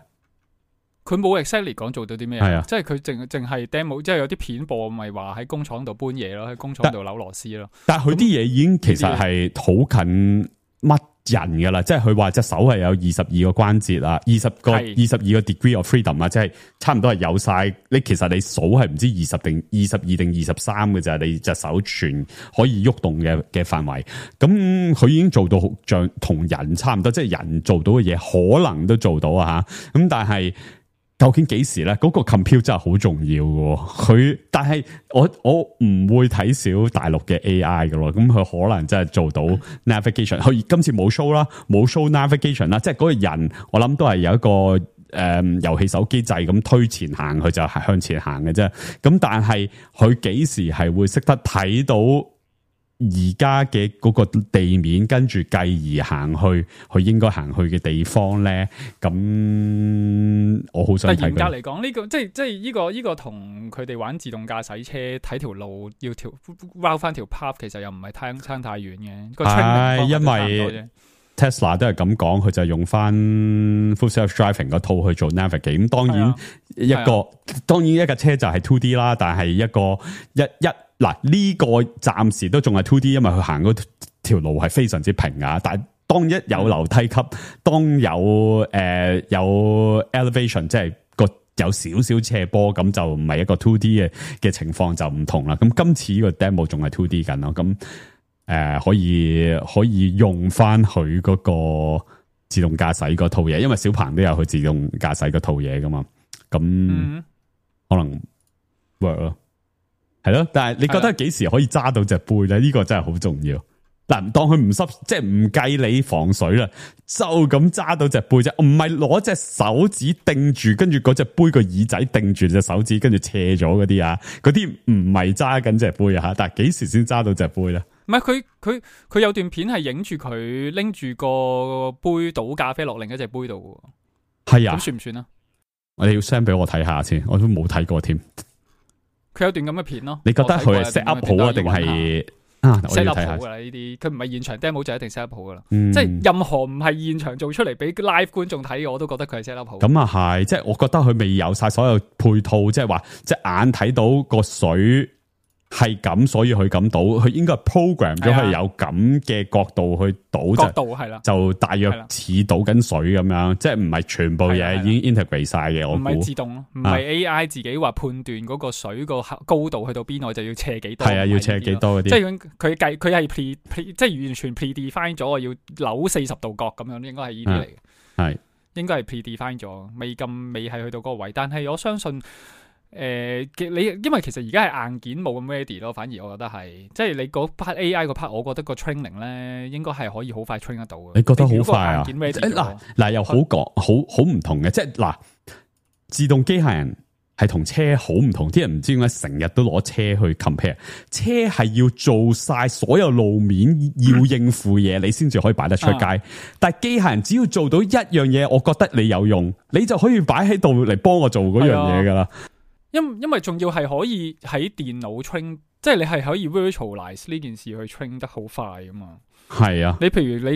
佢冇 exactly 講做到啲咩，係啊，即係佢淨係 demo， 即係有啲片播，咪話喺工廠度搬嘢咯，喺工廠度扭螺絲咯。但係佢啲嘢已經其實係好近乜人噶啦，即係佢話隻手係有22個關節啊，22個 degree of freedom 啊，即係差唔多係有晒。你其實你數係唔知20定22定23嘅就係你隻手全可以喐動嘅範圍。咁佢已經做到像同人差唔多，即係人做到嘅嘢可能都做到啊吓。咁但係究竟幾時咧？嗰個 compute 真係好重要嘅。但係我唔會睇少大陸嘅 AI 嘅咯。咁佢可能真係做到 navigation。佢今次冇 show 啦，冇 show navigation 啦。即係嗰個人，我諗都係有一個遊戲手機掣咁推前行，佢就係向前行嘅啫。咁但係佢幾時係會識得睇到而家嘅嗰個地面，跟住繼而行去佢應該行去嘅地方咧？咁我好想睇佢。但嚴格嚟講，呢個即係呢個同佢哋玩自動駕駛車睇條路要繞翻條 path， 其實又唔係差太遠嘅。係因為 Tesla 都係咁講，佢就係用翻 full self driving 嗰套去做 navigate。咁當然一架車就係 2D 啦，但係一嗱呢個暫時都仲係 2D， 因為佢行嗰條路係非常之平啊。但係當一有樓梯級，當有 elevation， 即係有少少斜坡，咁就唔係一個 2D 嘅情況，就唔同啦。咁今次呢個 demo 仲係 2D 緊咯。咁可以用翻佢嗰個自動駕駛嗰套嘢，因為小鵬都有佢自動駕駛嗰套嘢噶嘛。咁可能 work 咯。係咯，但係你覺得幾時可以揸到隻杯咧？呢個真係好重要。嗱，當佢唔濕，即係唔計你防水啦，就咁揸到隻杯啫，唔係攞隻手指定住，跟住嗰隻杯個耳仔定住隻手指，跟住斜咗嗰啲啊，嗰啲唔係揸緊隻杯啊吓。但係幾時先揸到隻杯咧？唔係佢有段片係影住佢拎住個杯倒咖啡落另一隻杯度。係啊，咁算唔算啊？我哋要 send 俾我睇下先，我都冇睇過添。佢有段咁嘅片咯。你覺得佢係 set up 好啊，定係set up 好噶啦？呢啲佢唔係現場 demo 就一定 set up 好噶啦。即係任何唔係現場做出嚟俾 live 觀眾睇嘅，我都覺得佢係 set up 好。咁啊係，即係我覺得佢未有晒所有配套，即係話隻眼睇到個水係咁，所以佢咁倒，佢應該係 program 咗係有咁嘅角度去倒，角度係啦，就大約似倒緊水咁樣，即係唔係全部嘢已經 integrate 晒嘅。我唔係自動咯，唔係 AI 自己話判斷嗰個水個高度去到邊，我就要斜幾多。係啊，要斜幾多嗰啲。即係佢計，佢係 即係完全 predefine 咗，我要扭40度角咁樣，應該係呢啲嚟嘅。係應該係 predefine 咗，未係去到嗰個位，但係我相信。你因為其實而家係硬件冇咁 ready 咯，反而我覺得係，即係你嗰 part AI 嗰 part，我覺得個 training 咧應該係可以好快 train 得到嘅。你覺得好快啊？嗱又好講好唔同嘅，即係嗱，自動機械人係同車好唔同，啲人唔知點解成日都攞車去 compare， 車係要做晒所有路面要應付嘢，你先至可以擺得出街。但係機械人只要做到一樣嘢，我覺得你有用，你就可以擺喺度嚟幫我做嗰樣嘢噶啦。因為仲要係可以喺電腦 train， 即係你係可以 virtualize 呢件事去 train 得好快噶嘛。係啊，你譬如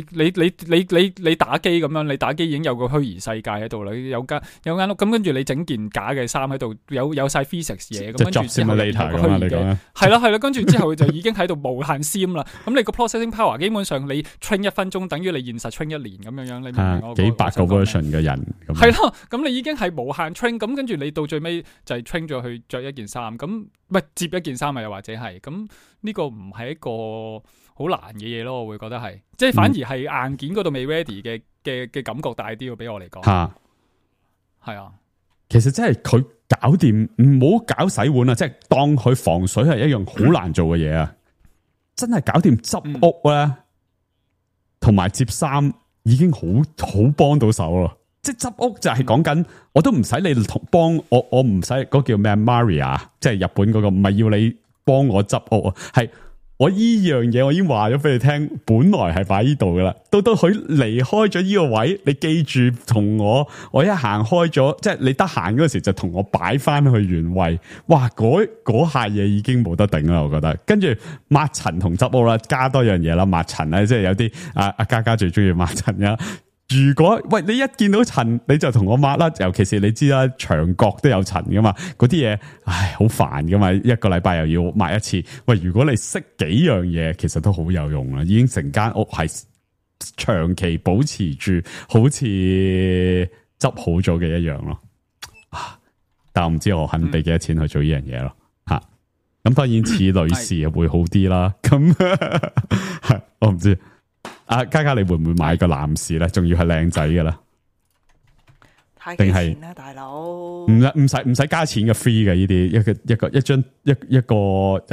你打機咁樣，你打機已經有個虛擬世界喺度啦，有間屋，咁跟住你整件假嘅衫喺度，有晒 physics 嘢，咁跟住之後有個虛擬嘅，係啦，跟住之後就已經喺度無限 sim 啦。咁你個 processing power 基本上你 train 1分鐘，等於你現實 train 1年咁樣，你明唔明我幾百個 version 嘅人係咯，咁你已經係無限 train，咁跟住你到最尾就係 train 咗去着一件衫，咁唔係接一件衫啊，又或者係咁，呢個唔係一個好難嘅嘢咯，我會覺得係，即係反而係硬件嗰度未 ready 嘅感覺大啲，俾我嚟講。係啊，其實真係佢搞掂，唔好搞洗碗啊！即係當佢防水係一樣好難做嘅嘢啊！真係搞掂執屋咧，同埋接衫已經好幫到手咯。即係執屋就係講緊，我都唔使你同幫我唔使嗰叫咩 Maria， 即係日本嗰個，唔係要你幫我執屋啊，係我依樣嘢我已經話咗俾你聽，本來係擺呢度噶啦，到佢離開咗呢個位，你記住同我一行開咗，即係你得閒嗰時就同我擺翻去原位。哇，嗰下嘢已經冇得頂啦，我覺得。跟住抹塵同執屋啦，加多樣嘢啦，抹塵咧，即係有啲阿嘉嘉最中意抹塵噶。如果喂你一見到塵你就同我抹啦，尤其是你知啦，牆角都有塵噶嘛，嗰啲嘢，唉，好煩噶嘛，一個禮拜又要抹一次。喂，如果你識幾樣嘢，其實都好有用啦，已經成間屋係長期保持住好似執好咗嘅一樣咯。但我唔知我肯俾幾多錢去做呢樣嘢咯。吓，咁當然似女士會好啲啦。咁我唔知。嘉嘉，你會唔會買個男士咧？仲要係靚仔嘅啦，太幾錢啦，大佬？唔使加錢嘅 free 嘅呢啲，一個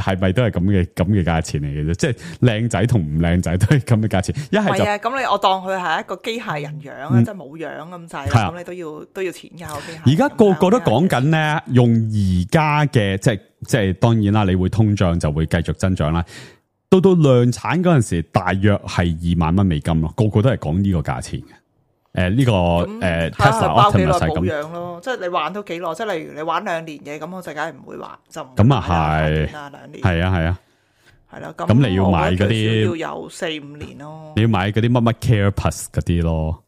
係咪都係咁嘅價錢嚟嘅啫？即係靚仔同唔靚仔都係咁嘅價錢。一係就咁我當佢係一個機械人樣啊，即係冇樣咁滯，咁你都要錢㗎。而家個個都講緊咧，用而家嘅即係當然啦，你會通脹就會繼續增長啦。到量產嗰陣時，大約係$20,000咯，個個都係講呢個價錢嘅。呢個Tesla Optimus 係咁樣咯，即係你玩都幾耐，即係例如你玩2年嘅，咁我就梗係唔會玩，就唔咁啊係2年，係啊，係啦。咁你要買嗰啲要有4-5年咯，你要買嗰啲乜 Care Plus 嗰啲咯。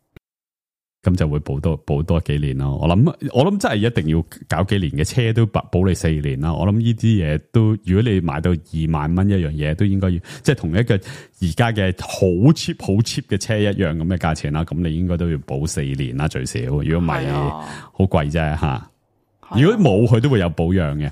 咁就會保多幾年咯。我諗真係一定要搞幾年嘅車都保你4年啦。我諗呢啲嘢都，如果你買到$20,000一樣嘢，都應該要即係同一個而家嘅好 cheap 嘅車一樣咁嘅價錢啦。咁你應該都要保4年啦最少。如果唔係，好貴啫吓。如果冇佢都會有保養嘅。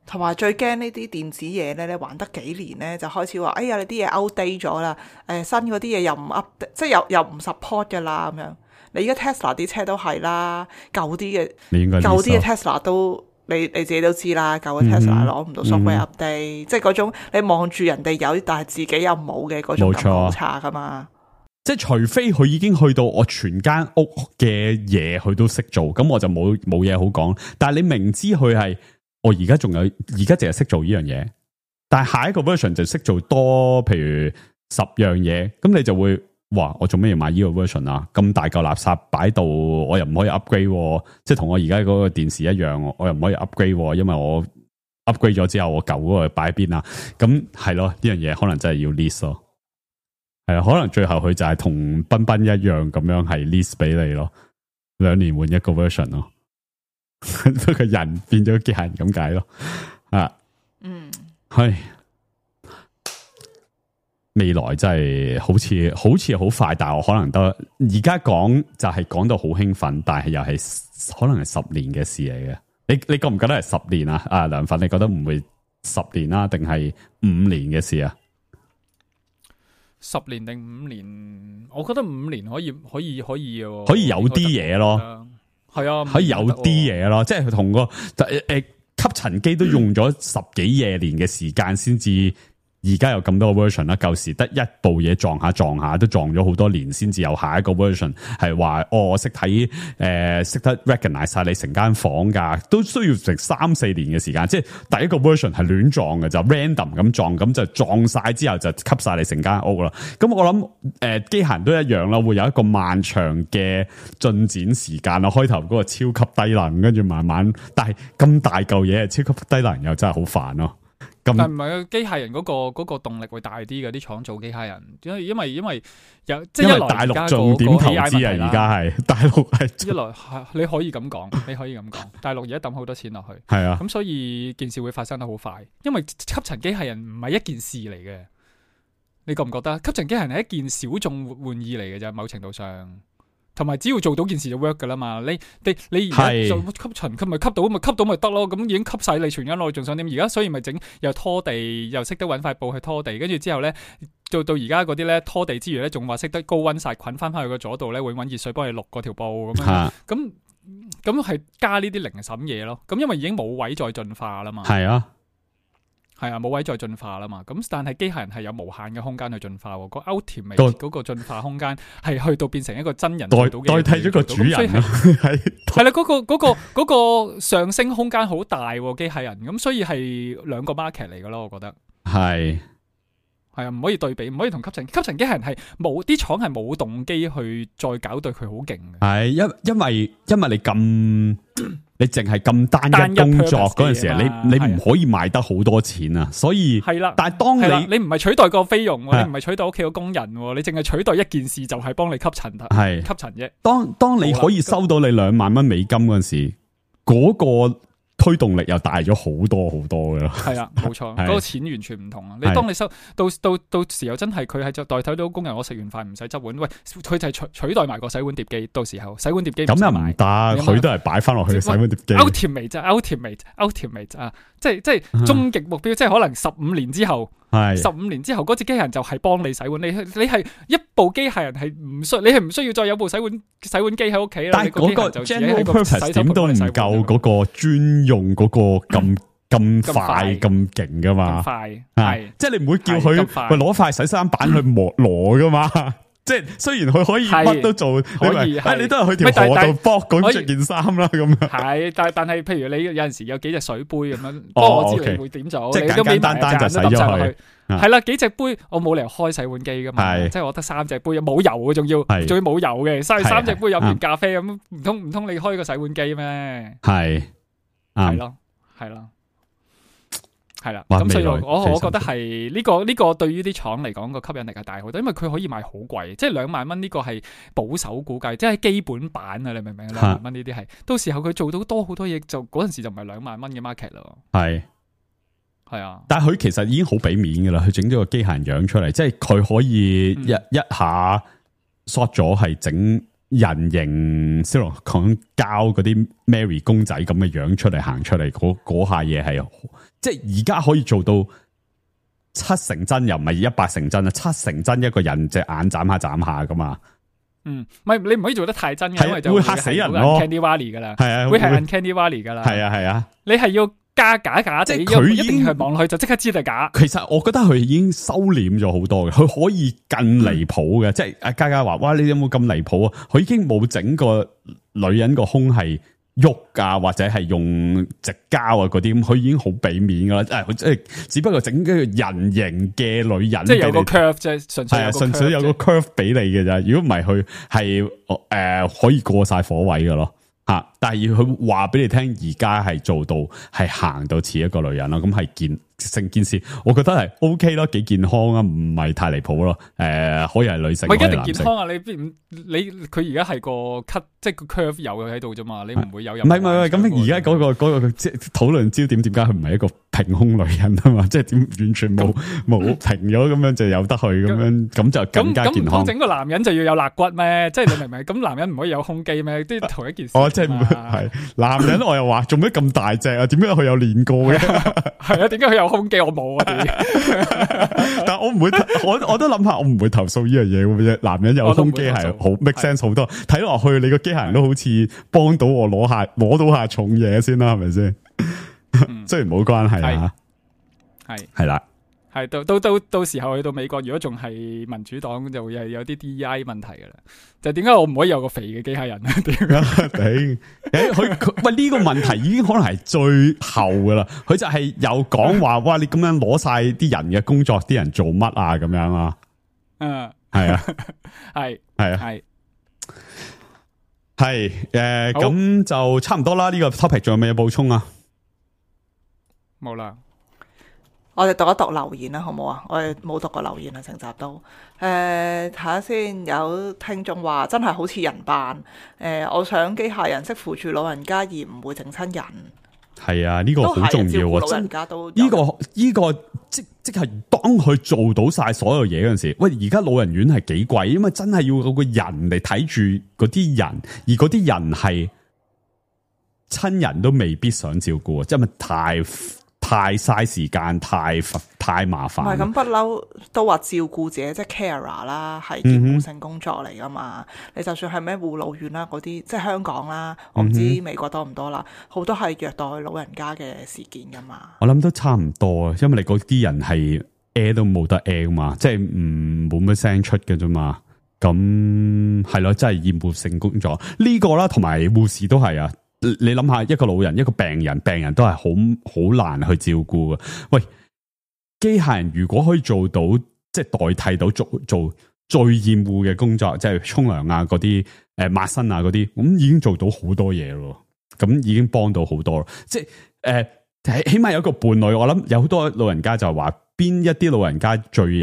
同埋最驚呢啲電子嘢咧，你玩得幾年咧，就開始話，哎呀，你啲嘢 outdate 咗啦，新嗰啲嘢又唔 update，即係又唔 support 噶啦咁樣。你而家 Tesla 啲車都係啦，舊啲嘅 Tesla 都你自己都知啦，舊嘅 Tesla 攞唔到 software update，即係嗰種你望住人哋有，但係自己又冇嘅嗰種感覺好差噶嘛。即係除非佢已經去到我全間屋嘅嘢佢都識做，咁我就冇嘢好講。但係你明知佢係我而家淨係識做呢樣嘢，但係下一個 version 就識做多，譬如10樣嘢，咁你就會。哇！我做咩要買呢個 version 啊？咁大嚿垃圾擺度，我又唔可以 upgrade，即係同我而家嗰個電視一樣，我又唔可以 upgrade，因為我 upgrade 咗之後，我舊嗰個擺喺邊啊？咁係咯，呢樣嘢可能真係要 lease 咯。係啊，可能最後佢就係同彬彬一樣咁樣係 lease 俾你咯，2年換一個 version 咯，都個人變咗機械人咁解咯。啊，係。未來真係好似好快，但係我可能都而家講就係講到好興奮，但係又係可能係10年嘅事嚟嘅。你覺唔覺得係10年啊？啊，涼粉，你覺得唔會10年啦，定係5年嘅事啊？10年定5年？我覺得5年可以嘅，可以有啲嘢咯。係啊，可以有啲嘢咯，即係同個吸塵機都用咗10幾廿年嘅時間先至。而家有咁多個 version 啦，舊時得一部嘢撞下都撞咗好多年，先至有下一個 version 係話我識睇識得 recognize 晒你成間房噶，都需要成3-4年嘅時間。即係第一個 version 係亂撞嘅，就 random 咁撞，咁就撞晒之後就吸晒你成間屋啦。咁我諗機械人都一樣啦，會有一個漫長嘅進展時間啦。開頭嗰個超級低能，跟住慢慢，但係咁大嚿嘢超級低能又真係好煩咯。但唔係啊，機械人嗰個動力會大啲嘅，啲廠做機械人，因為有即係一來大陸重點投資啊，而家係大陸係一來係你可以咁講，大陸而家抌好多錢落去，係啊，咁所以件事會發生得好快，因為吸塵機械人唔係一件事嚟嘅，你覺唔覺得？吸塵機械人係一件小眾玩意嚟嘅啫，某程度上。同埋只要做到件事就 work 噶啦嘛，你而家做吸塵，佢咪吸到咪得咯，咁已經吸晒你全間內，仲想點？而家所以咪整又拖地，又識得搵塊布去拖地，跟住之後咧，到而家嗰啲咧拖地之餘咧，仲話識得高溫殺菌，翻去個左度咧會搵熱水幫你渌嗰條布咁樣，咁係加呢啲零審嘢咯。咁因為已經冇位再進化啦嘛。係啊。係啊，冇位再進化啦嘛。咁但係機械人係有無限嘅空間去進化喎。個 Ultimate 嗰個進化空間係去到變成一個真人代做到嘅嘢替咗個主人啊，係啦，嗰個上升空間好大喎，機械人咁，所以係兩個 market 嚟噶咯，我覺得係啊，唔可以對比，唔可以同吸塵機械人係冇啲廠係冇動機去再搞對佢好勁嘅。係因為你咁。你淨係咁單一工作嗰陣時，你唔可以賣得好多錢啊！所以係啦，但係當你唔係取代個菲傭，你唔係取代屋企個工人，你淨係取代一件事，就係幫你吸塵啫。當你可以收到你2萬蚊美金嗰陣時，嗰個推動力又大咗好多好多嘅咯。係啊，冇錯，嗰個錢完全唔同啊！你當你收到時候真係佢係就代替到工人，我食完飯唔使執碗，喂，佢就係取代埋個洗碗碟機，到時候洗碗碟機咁又唔得，佢都係擺翻落去洗碗碟機。Ultimate 啊，即係終極目標，即係可能15年之後。15年之後，嗰隻機械人就係幫你洗碗。你係一部機械人係唔需，你係唔需要再有部洗碗機喺屋企啦。但係嗰個 general purpose 點都唔夠嗰個專用嗰個咁快咁勁噶嘛？快係，即係你唔會叫佢喂攞塊洗衫板去磨噶嘛？即係雖然佢可以乜都做，你都係去條河度剝咁着件衫啦咁樣。係，但係譬如你有陣時有幾隻水杯咁樣，我知你會點做，即係簡單就洗咗佢。係啦，幾隻杯我冇理由開洗碗機噶嘛，即係我得3隻杯，冇油嘅，仲要冇油嘅，嘥3隻杯飲完咖啡咁，唔通你開個洗碗機咩？係咯。係啦，咁所以我覺得係呢個對於啲廠嚟講個吸引力係大好多，因為佢可以賣好貴，即係2萬蚊呢個係保守估計，即係基本版啊，你明唔明？2萬蚊呢啲係，到時候佢做到多好多嘢，就嗰陣時就唔係2萬蚊嘅 market 咯。係啊，但係佢其實已經好俾面噶啦，佢整咗個機械人樣出嚟，即係佢可以一下 shot 咗係整人形 silicone 膠嗰啲 Mary 公仔咁嘅樣出嚟行出嚟，嗰下嘢係。即係而家可以做到7成真，又唔係100成真啊！7成真，一個人隻眼眨下噶嘛。唔係你唔可以做得太真嘅，因為就會嚇死人咯。Uncanny Valley 噶啦，係啊，會係 Uncanny Valley 噶啦，係啊。你係要加假，即係佢一定係望落去就即刻知係假。其實我覺得佢已經收斂咗好多嘅，佢可以更離譜嘅。即係阿嘉話：，哇，你有冇咁離譜啊？佢已經冇整個女人個胸係喐啊，或者係用直膠啊嗰啲，咁佢已經好俾面噶啦。即係只不過整個人形嘅女人，即係有個 curve 啫，純粹有個 curve 俾你嘅咋。如果唔係，佢係可以過晒火位噶咯吓。但係佢話俾你聽，而家係做到係行到似一個女人啦。咁係成件事，我覺得係 OK 咯，幾健康啊，唔係太離譜咯。可以係女性，唔係一定健康啊。你佢而家係個 cut，即係個 curve 有喺度啫嘛，你唔會有任何。唔係咁而家嗰個即係討論焦點，點解佢唔係一個平胸女人啊嘛？即係點完全冇平咗咁樣就有得去咁樣，咁就更加健康。咁整個男人就要有肋骨咩？即係你明唔明？咁男人唔可以有胸肌咩？都同一件事。即係係男人，我又話做咩咁大隻啊？點解佢有練過嘅？係啊，點解佢有胸肌？我冇啊！但係我唔會，我都諗下，我唔會投訴呢樣嘢嘅啫。男人有胸肌係好 make sense 好多，睇落去你個機械人都好似幫到我攞到下重嘢先啦，係咪先？雖然冇關係啊，係啦。係到時候去到美國，如果仲係民主黨，就會係有啲 DEI 問題噶啦。就點解我唔可以有個肥嘅機械人咧？頂！佢喂呢個問題已經可能係最後噶啦。佢就係有講話，哇！你咁樣攞晒啲人嘅工作，啲人做乜啊？咁樣啊？係啊，係咁就差唔多啦。呢個 topic 仲有咩嘢補充啊？冇啦。我哋讀一讀留言啦，好唔好啊？我哋冇讀過留言啊，成集都睇下先。有聽眾話真係好似人扮我想機械人識扶住老人家而唔會整親人。係啊，呢個好重要啊！老人家都呢個即係當佢做到晒所有嘢嗰陣時，喂，而家老人院係幾貴，因為真係要有個人嚟睇住嗰啲人，而嗰啲人係親人都未必想照顧，即係咪太太嘥時間，太麻煩。唔係咁不嬲都話照顧者即係 carer 啦，係兼顧性工作嚟噶嘛。你就算係咩護老院啦嗰啲，即係香港啦，我唔知美國多唔多啦，好多係虐待老人家嘅事件噶嘛。我諗都差唔多啊，因為你嗰啲人係 air 都冇得 air 嘛，即係冇乜聲出嘅啫嘛。咁係咯，真係厭惡性工作呢個啦，同埋護士都係啊。你諗下，一個老人，一個病人都係好難去照顧嘅。喂，機械人如果可以做到，即係代替到做最厭惡嘅工作，即係沖涼啊嗰啲，抹身啊嗰啲，咁已經做到好多嘢咯。咁已經幫到好多咯。即係起碼有一個伴侶。我諗有好多老人家就話，邊一啲老人家最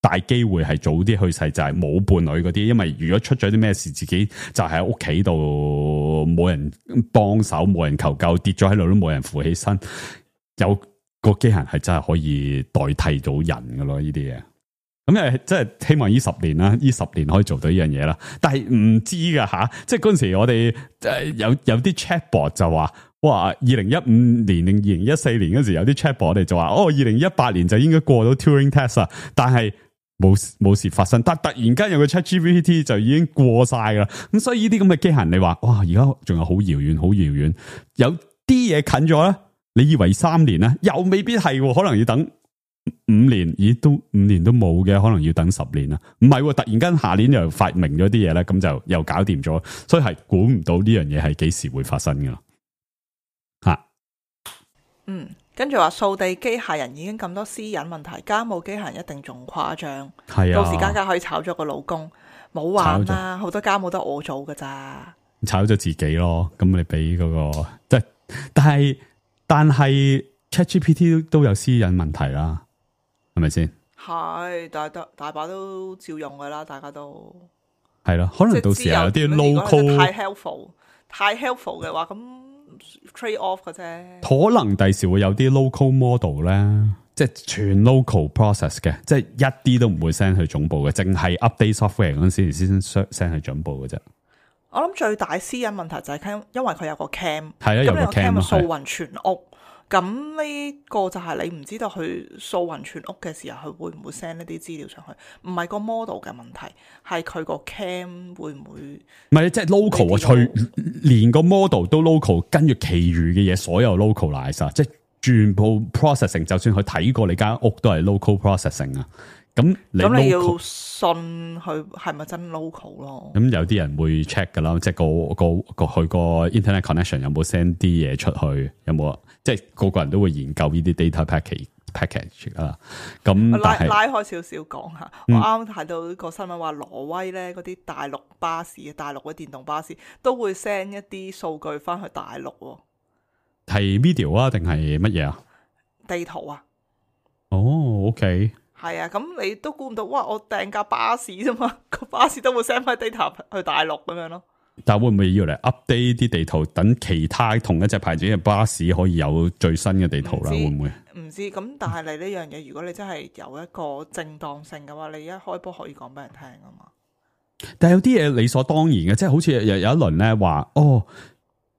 大機會係早啲去世，就係冇伴侶嗰啲，因為如果出咗啲咩事，自己就喺屋企度冇人幫手，冇人求救，跌咗喺度都冇人扶起身。有個機械人係真係可以代替到人噶咯，呢啲嘢。咁即係希望呢10年啦，呢10年可以做到呢樣嘢啦。但係唔知噶吓，即係嗰陣時我哋有啲 chatbot 就話，哇，2015年定2014年嗰時有啲 chatbot 我哋就話，2018年就應該過到 Turing test 啦，但係冇事發生，但突然間有個 ChatGPT 就已經過晒啦。咁所以呢啲咁嘅機械人，你話哇，而家仲有好遙遠，有啲嘢近咗咧，你以為3年咧，又未必係，可能要等5年，咦，都5年都冇嘅，可能要等10年啦。唔係，突然間下年又發明咗啲嘢咧，咁就又搞掂咗，所以係估唔到呢樣嘢係幾時會發生噶啦。跟住話掃地機械人已經咁多私隱問題，家務機械人一定仲誇張。係啊，到時家家可以炒咗個老公，冇玩啦，好多家務都我做噶咋，炒咗自己咯。咁你俾嗰個，即係但係 ChatGPT 都有私隱問題啦，係咪先？係，但係大把都照用噶啦，大家都係咯。可能到時候有啲 local 太 helpful 嘅話，咁 trade off 嘅啫。可能第時會有啲 local model 咧，即係全 local process 嘅，即係一啲都唔會 send 去總部嘅，淨係 update software 嗰陣時先 send 去總部嘅啫。我諗最大私隱問題就係因為佢有個 cam，係啊，有個 cam 掃勻全屋。咁呢個就係你唔知道佢掃勻全屋嘅時候，佢會唔會 send 呢啲資料上去？唔係個 model 嘅問題，係佢個 cam 會唔會？唔係，即係 local 啊，除連個 model 都 local，跟住其餘嘅嘢所有 localize 啊，即係全部 processing， 就算佢睇過你間屋都係 local processing 啊。咁你要信佢係咪真 local 咯？咁有啲人會 check 噶啦，即係佢個 internet connection 有冇 send 啲嘢出去，有冇？即係個人都會研究呢啲 data package 啦。咁拉開少少講下，我啱啱睇到個新聞話，挪威咧嗰啲大陸巴士、大陸嘅電動巴士都會 send 一啲數據翻去大陸喎。係 video 啊，定係乜嘢啊？地圖啊。哦，OK。係啊，咁你都估唔到，哇！我訂架巴士啫嘛，個巴士都會 send 翻 data 去大陸咁樣咯。但會唔會要嚟 update 啲地圖，等其他同一隻牌子嘅巴士可以有最新嘅地圖啦？會唔會？唔知咁，但係你呢樣嘢，如果你真係有一個正當性嘅話，你一開波可以講俾人聽噶嘛。但係有啲嘢理所當然嘅，即係好似有一輪咧話，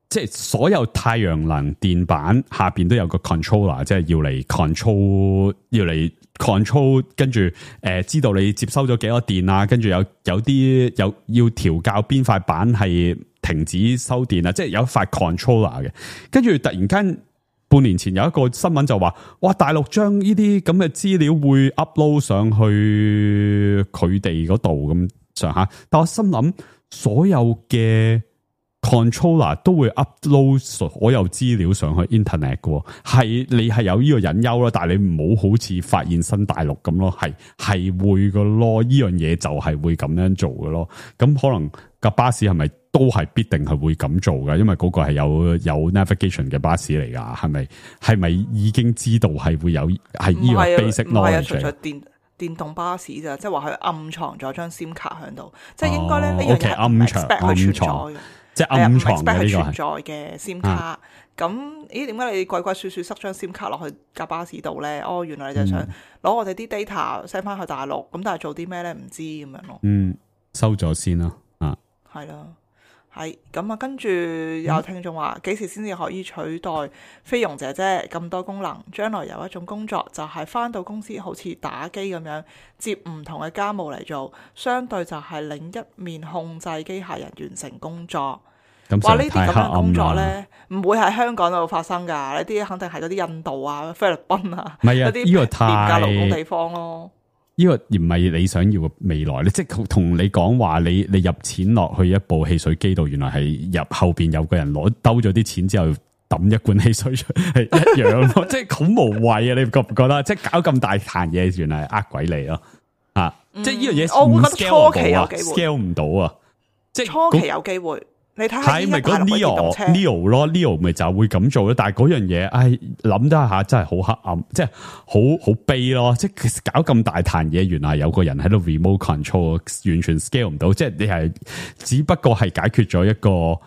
即係所有太陽能電板下邊都有個 controller， 即係要嚟 control， 跟住知道你接收咗幾多電啊，跟住有啲要調校邊塊板係停止收電啊，即係有一塊 controller 嘅。跟住突然間半年前有一個新聞就話，哇！大陸將呢啲咁嘅資料會 upload 上去佢哋嗰度咁上下，但我心諗所有嘅 controller 都會 upload 所有資料上去 internet 嘅，係你係有呢個隱憂啦，但係你唔好好似發現新大陸咁咯，係會嘅咯，呢樣嘢就係會咁樣做嘅咯。咁可能架巴士係咪都係必定係會咁做嘅？因為嗰個係有 navigation 嘅巴士嚟噶，係咪已經知道係會有係呢個 basic knowledge？唔係啊，電動巴士咋，即係話佢暗藏咗張 SIM 卡喺度，即係應該咧呢樣嘢唔 expect 佢存在嘅。即係暗藏嘅呢個存在嘅 SIM 卡，咁咦？點解你鬼鬼祟祟塞張 SIM 卡落去架巴士度咧？原來你就想攞我哋啲 data send 翻去大陸，咁但係做啲咩咧？唔知咁樣咯。收咗先啦，係咯，係咁啊，跟住有聽眾話幾時先至可以取代菲傭姐姐咁多功能？將來有一種工作就係返到公司好似打機咁樣接唔同嘅家務嚟做，相對就係另一面控制機械人完成工作。話呢啲咁樣工作呢，唔會喺香港度發生㗎，呢啲肯定係嗰啲印度啊、菲律賓啊嗰啲廉價勞工地方咯。呢個唔係你想要嘅未來，你即係同你講話，你入錢落去一部汽水機度，原來係入後邊有個人攞兜咗啲錢之後抌一罐汽水出，係一樣咯，即係好無謂啊！你覺唔覺得？即係搞咁大壇嘢，原來係呃鬼嚟咯啊！即係呢樣嘢，我會覺得初期有機會 scale 唔到啊！即係初期有機會。你睇下依家大陸嘅電動車 Neo 咯 ，Neo 咪就會咁做咯。但係嗰樣嘢，諗得下真係好黑暗，即係好悲咯。即係搞咁大壇嘢，原來有個人喺度 remote control，完全 scale 唔到。即係你係只不過係解決咗一個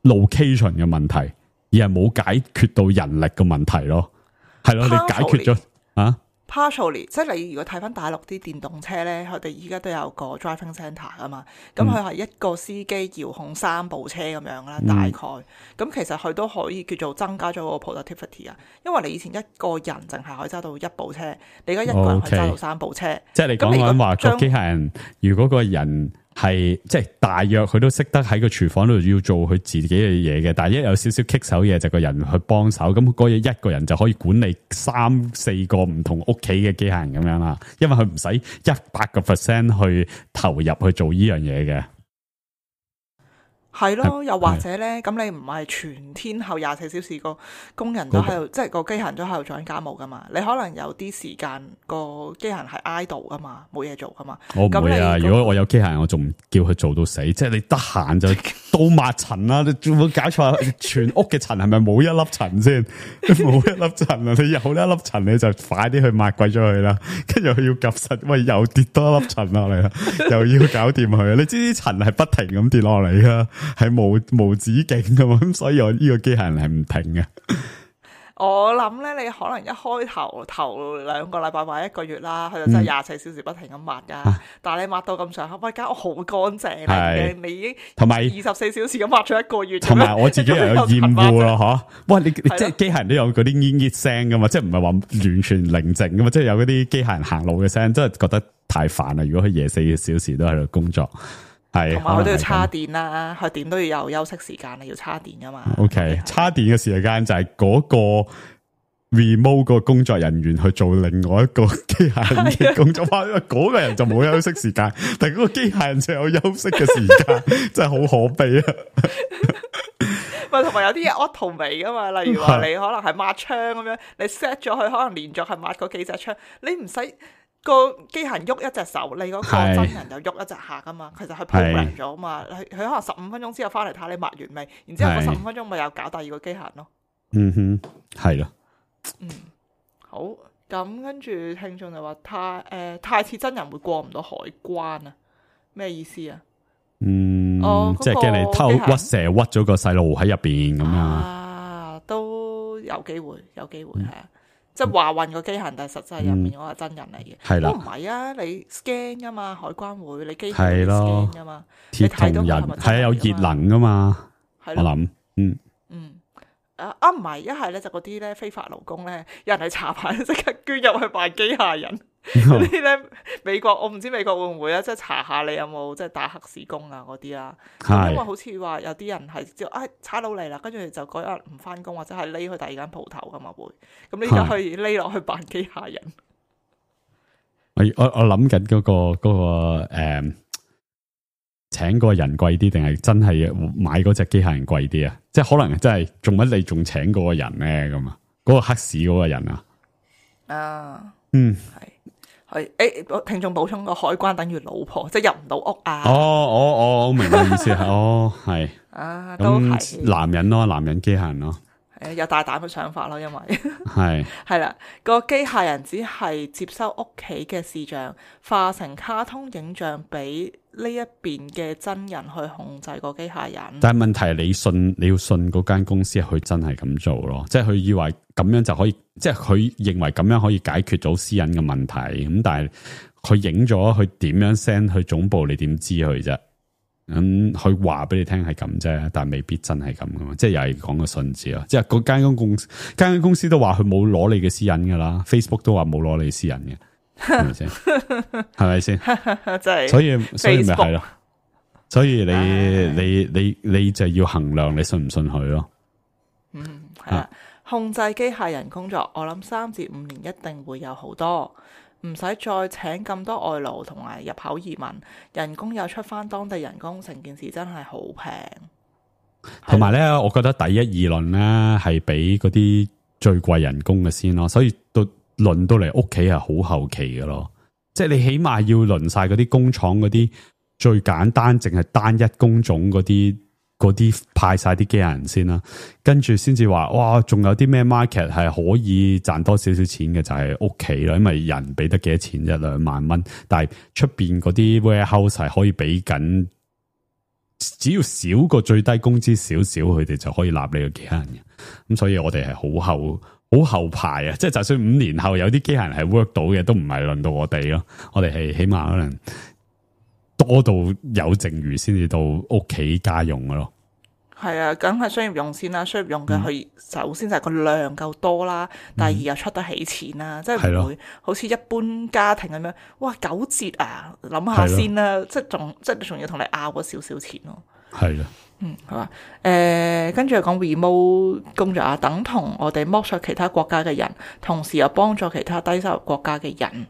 location 嘅問題，而係冇解決到人力嘅問題咯。係咯，你解決咗啊？ Partially， 即係你如果睇翻大陸啲電動車咧，佢哋依家都有個 driving centre 啊嘛，咁佢係一個司機遙控3部車咁樣啦，大概。咁其實佢都可以叫做增加咗個 productivity 啊，因為你以前一個人淨係可以揸到1部車，你而家一個人可以揸到3部車。即係你講緊話個機械人，如果個人係即係大約佢都識得喺個廚房度要做佢自己嘅嘢嘅，但係一有少少棘手嘢就個人去幫手，咁嗰嘢一個人就可以管理3-4個唔同屋企嘅機械人咁樣啦，因為佢唔使100% 去投入去做呢樣嘢嘅。係咯，又或者咧，咁你唔係全天候24小時個工人都喺度，即係個機械人都喺度做緊家務噶嘛？你可能有啲時間個機械人係 idle 噶嘛，冇嘢做噶嘛。我唔會啊！如果我有機械人，我仲唔叫佢做到死。即係你得閒就倒抹塵啦，你仲會搞錯？全屋嘅塵係咪冇一粒塵先？冇一粒塵啊！你有一粒塵，你就快啲去抹鬼咗佢啦。跟住佢要及實，喂，又跌多一粒塵落嚟啦，又要搞掂佢。你知啲塵係不停咁跌落嚟噶。係無止境噶嘛，咁所以我呢個機械人係唔停嘅。我諗咧，你可能一開頭2個禮拜或1個月啦，佢就真係24小時不停咁抹噶。但係你抹到咁上下，喂，間屋好乾淨啦，你已經同埋24小時咁抹咗1個月。同埋我自己又有厭惡咯，吓。喂，你即係機械人都有嗰啲咿聲噶嘛，即係唔係話完全寧靜噶嘛，即係有嗰啲機械人行路嘅聲，真係覺得太煩啦。如果佢24小時都喺度工作。係，同埋佢都要叉電啦，佢點都要有休息時間，你要叉電噶嘛。OK， 叉電嘅時間就係嗰個 remote 個工作人員去做另外一個機械人嘅工作，哇！嗰個人就冇休息時間，但係嗰個機械人就有休息嘅時間，真係好可悲啊！喂，同埋有啲嘢 automate 噶嘛，例如話你可能係抹窗咁樣，你 set 咗佢可能連續係抹嗰幾隻窗，你唔使。個機械人喐一隻手，你嗰個真人就喐一隻下噶嘛，其實佢 program 咗嘛，佢可能15分鐘之後翻嚟睇你抹完未，然之後嗰15分鐘咪又搞第二個機械人咯。嗯哼，係咯。好，咁跟住聽眾就話太似真人會過唔到海關啊？咩意思啊？即係驚你偷屈蛇屈咗個細路喺入邊咁啊？都有機會，有機會係啊。即係話運個機械人，但係實際入面嗰個真人嚟嘅，係啦，都唔係啊！你 scan 噶嘛，海關會你機器人 scan 噶嘛，你睇到係咪係有熱能噶嘛？我諗，唔係，一係咧就嗰啲咧非法勞工咧，有人嚟查牌即刻捐入去扮機械人。嗰啲咧美國，我唔知美國會唔會啊？即係查下你有冇即係打黑市工啊嗰啲啦。因為好似話有啲人係知道差佬嚟啦，跟住就嗰日唔翻工或者係匿去第二間鋪頭噶嘛會。咁你就可以匿落去扮機械人。我諗緊嗰個請個人貴啲，定係真係買嗰隻機械人貴啲啊？即係可能真係做乜你仲請嗰個人咧咁啊？嗰個黑市嗰個人啊？係聽眾補充個海關等於老婆，即係入唔到屋啊！我明白意思係，係都係男人咯，男人機械人咯，有大膽嘅想法咯，因為係啦，個機械人只係接收屋企嘅視像，化成卡通影像俾呢一邊嘅真人去控制個機械人。但係問題係你要信嗰間公司佢真係咁做咯，即係佢以為咁樣就可以，即係佢認為咁樣可以解決到私隱嘅問題。咁但係佢影咗佢點樣 send 去總部，你點知佢啫？佢話俾你聽係咁啫，但未必真係咁噶嘛，即係又係講個信字咯。即係嗰間公司都話佢冇攞你嘅私隱噶啦 ，Facebook 都話冇攞你私隱嘅，係咪先？係咪先？真係，所以咪係咯。所以你就要衡量你信唔信佢咯。係啦。控制機械人工作，我諗3至5年一定會有好多，唔使再請咁多外勞同埋入口移民，人工又出翻當地人工，成件事真係好平。同埋咧，我覺得第一二輪咧係俾嗰啲最貴人工嘅先咯，所以到輪到嚟屋企係好後期嘅咯。即係你起碼要輪晒嗰啲工廠嗰啲最簡單，淨係單一工種嗰啲派晒啲機械人先啦，跟住先至話哇，仲有啲咩 market 係可以賺多少少錢嘅，就係屋企啦，因為人俾得幾多錢啫，2萬蚊，但係出邊嗰啲 warehouse 係可以俾緊，只要少過最低工資少少，佢哋就可以納你個機械人嘅。咁所以我哋係好後排啊，即係就算5年後有啲機械人係 work 到嘅，都唔係輪到我哋咯，我哋係起碼可能多到有剩餘先至到屋企家用嘅咯。係啊，梗係商業用先啦，商業用嘅佢首先就係個量夠多啦，第二又出得起錢啦，即係唔會好似一般家庭咁樣，哇9折啊，諗下先啦，即係仲要同你拗嗰少少錢咯。係啦，好啊，跟住又講 remote 工作啊，等同我哋剝削其他國家嘅人，同時又幫助其他低收入國家嘅人。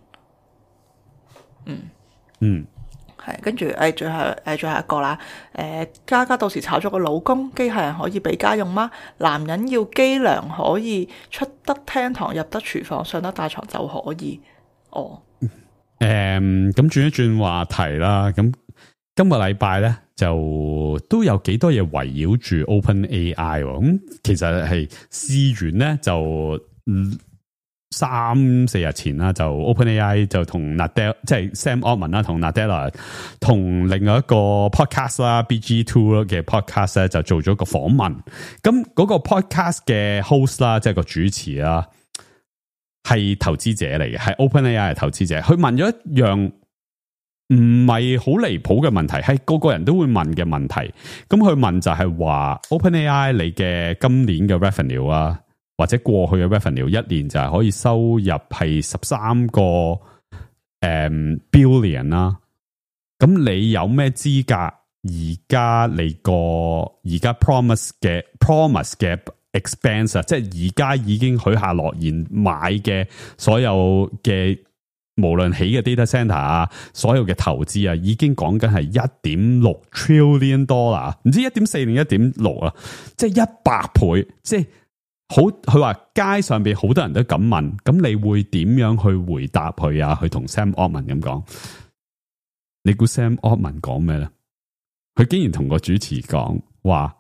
係，跟住最後一個啦。家到時炒咗個老公，機械人可以俾家用嗎？男人要機良可以出得廳堂，入得廚房，上得大床就可以。咁轉一轉話題啦。咁今個禮拜咧就都有幾多嘢圍繞住 OpenAI。咁其實係試完咧就3-4日前啦，就 OpenAI 就同 Nadella 即係 Sam Altman 啦，同 Nadella 同另外一個 podcast 啦 BG2 嘅 podcast 咧就做咗個訪問。咁嗰個 podcast 嘅 host 啦，即係個主持啦，係投資者嚟嘅，係 OpenAI 嘅投資者。佢問咗一樣唔係好離譜嘅問題，係個個人都會問嘅問題。咁佢問就係話 OpenAI 你嘅今年嘅 revenue 啊，或者過去嘅 revenue 一年就係可以收入係13個billion 啦。咁你有咩資格而家 promise 嘅 expense 啊？即係而家已經許下諾言買嘅所有嘅無論起嘅 data center 啊，所有嘅投資啊，已經講緊係1.6 trillion dollar， 唔知1.4定1.6啊，即係100倍，即係。好，佢話街上邊好多人都咁問，咁你會點樣去回答佢啊？去同 Sam Altman 咁講，你估 Sam Altman 講咩咧？佢竟然同個主持講話，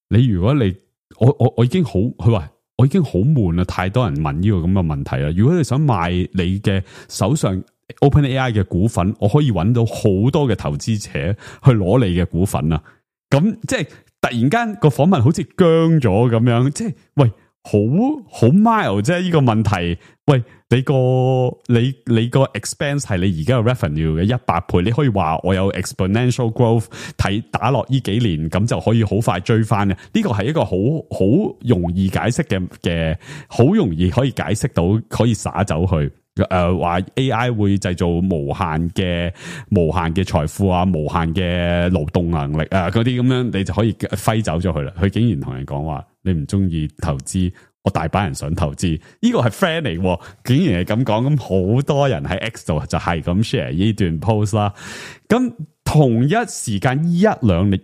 如果你我已經好，佢話我已經好悶啦，太多人問呢個咁嘅問題啦。如果你想賣你嘅手上 OpenAI 嘅股份，我可以揾到好多嘅投資者去攞你嘅股份啊！咁即係。突然間個訪問好似僵咗咁樣，即係喂，好 mild 啫呢個問題。喂，你個 expense 係你而家嘅 revenue 嘅100倍，你可以話我有 exponential growth， 打落呢幾年咁就可以好快追翻嘅。呢個係一個好容易解釋嘅，好容易可以解釋到，可以灑走去。話 AI 會製造無限嘅財富啊，無限嘅勞動能力啊，嗰啲咁樣你就可以揮走咗佢啦。佢竟然同人講話，你唔中意投資，我大把人想投資，呢個係 friend 嚟，竟然係咁講，咁好多人喺 X 度就係咁 share 呢段 post 啦。咁同一時間呢一兩日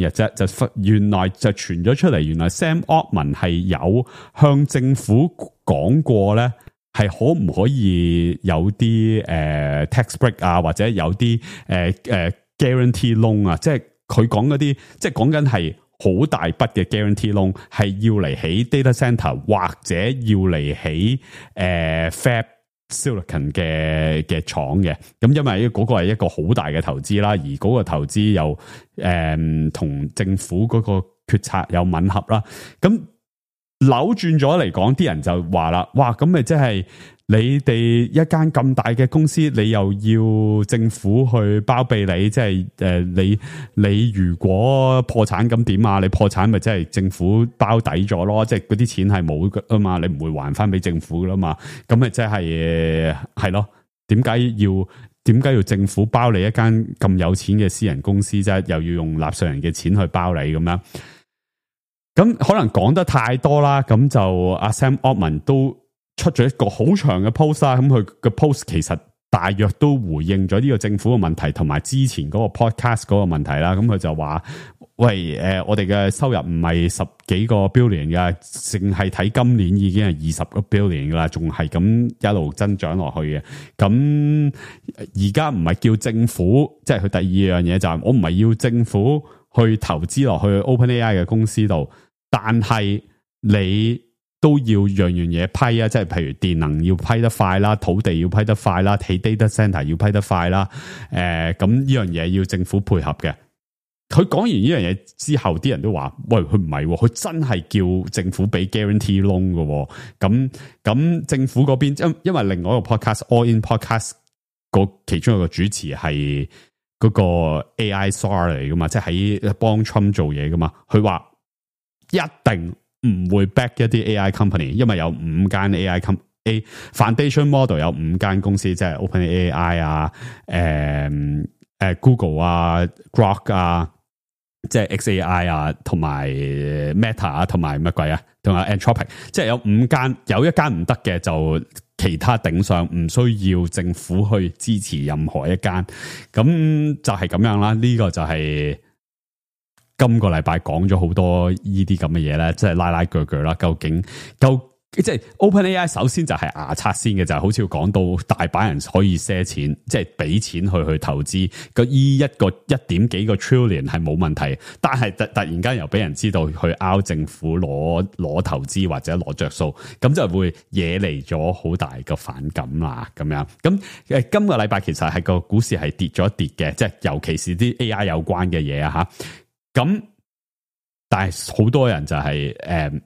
啫，就原來就傳咗出嚟，原來 Sam Altman 係有向政府講過咧。係可唔可以有啲tax break 啊，或者有啲guarantee loan 啊？即係佢講嗰啲，即係講緊係好大筆嘅 guarantee loan， 係要嚟起 data center 或者要嚟起fab silicon 嘅廠嘅。咁因為嗰個係一個好大嘅投資啦，而嗰個投資又同政府嗰個決策有吻合啦。咁扭轉咗嚟講，啲人就話啦，哇，咁咪即係你哋一間咁大嘅公司，你又要政府去包庇你，即係你如果破產咁點啊？你破產咪即係政府包底咗咯，即係嗰啲錢係冇噶嘛，你唔會還翻俾政府噶啦嘛，咁咪即係咯？點解要政府包你一間咁有錢嘅私人公司啫？又要用納稅人嘅錢去包你咁樣？咁可能講得太多啦，咁就阿 Sam Altman 都出咗一個好長嘅 post 啦，咁佢個 post 其實大約都回應咗呢個政府嘅問題，同埋之前嗰個 podcast 嗰個問題啦。咁佢就話：喂，我哋嘅收入唔係10幾個 billion 噶，淨係睇今年已經係20個 billion 噶啦，仲係咁一路增長落去嘅。咁而家唔係叫政府，即係佢第二樣嘢就係我唔係要政府去投資落去 OpenAI 嘅公司度。但係你都要樣嘢批啊，即係譬如電能要批得快啦，土地要批得快啦，起 data center 要批得快啦，咁呢樣嘢要政府配合嘅。佢講完呢樣嘢之後，啲人都話：喂，佢唔係，佢真係叫政府俾 guarantee loan 嘅。咁政府嗰邊，因為另外一個 podcast All In Podcast 其中一個主持係嗰個 AI czar 嚟噶嘛，即係喺幫 Trump 做嘢噶嘛，佢話。一定唔會 back 一啲 AI company， 因為有5間 AI foundation model 有5間公司，即係 OpenAI 啊、Google 啊、Grok 啊，即係 XAI 啊，同埋 Meta 啊，同埋乜鬼啊，同埋 Anthropic， 即係有5間，有一間唔得嘅就其他頂上，唔需要政府去支持任何一間，咁就係咁樣啦。呢個就係。今個禮拜講咗好多呢啲咁嘅嘢咧，即係拉拉鋸鋸啦。究竟即係 OpenAI 首先就係牙刷先嘅，就係好似講到大把人可以賒錢，即係俾錢去投資。依一個1點幾個 trillion 係冇問題，但係突然間又俾人知道去拗政府攞投資或者攞着數，咁就會惹嚟咗好大嘅反感啦。咁樣咁今個禮拜其實係個股市係跌咗一跌嘅，即係尤其是啲 AI 有關嘅嘢啊吓。咁，但係好多人就係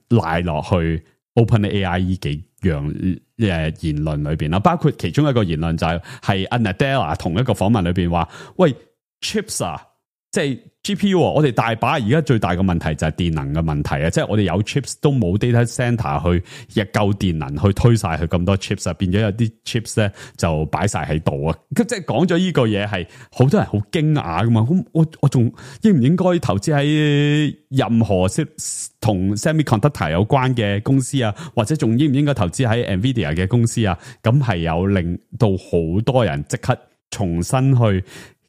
賴落去 OpenAI 呢幾樣言論裏邊啦，包括其中一個言論就係 Nadella 同一個訪問裏邊話：喂 ，chips 啊，即係 GPU，我哋大把，而家最大嘅問題就係電能嘅問題啊！即係我哋有 chips 都冇 data center 去亦夠電能去推晒佢咁多 chips 啊，變咗有啲 chips 咧就擺晒喺度啊！即係講咗呢個嘢係好多人好驚訝噶嘛？咁我仲應唔應該投資喺任何同 semiconductor 有關嘅公司啊？或者仲應唔應該投資喺 Nvidia 嘅公司啊？咁係有令到好多人即刻重新去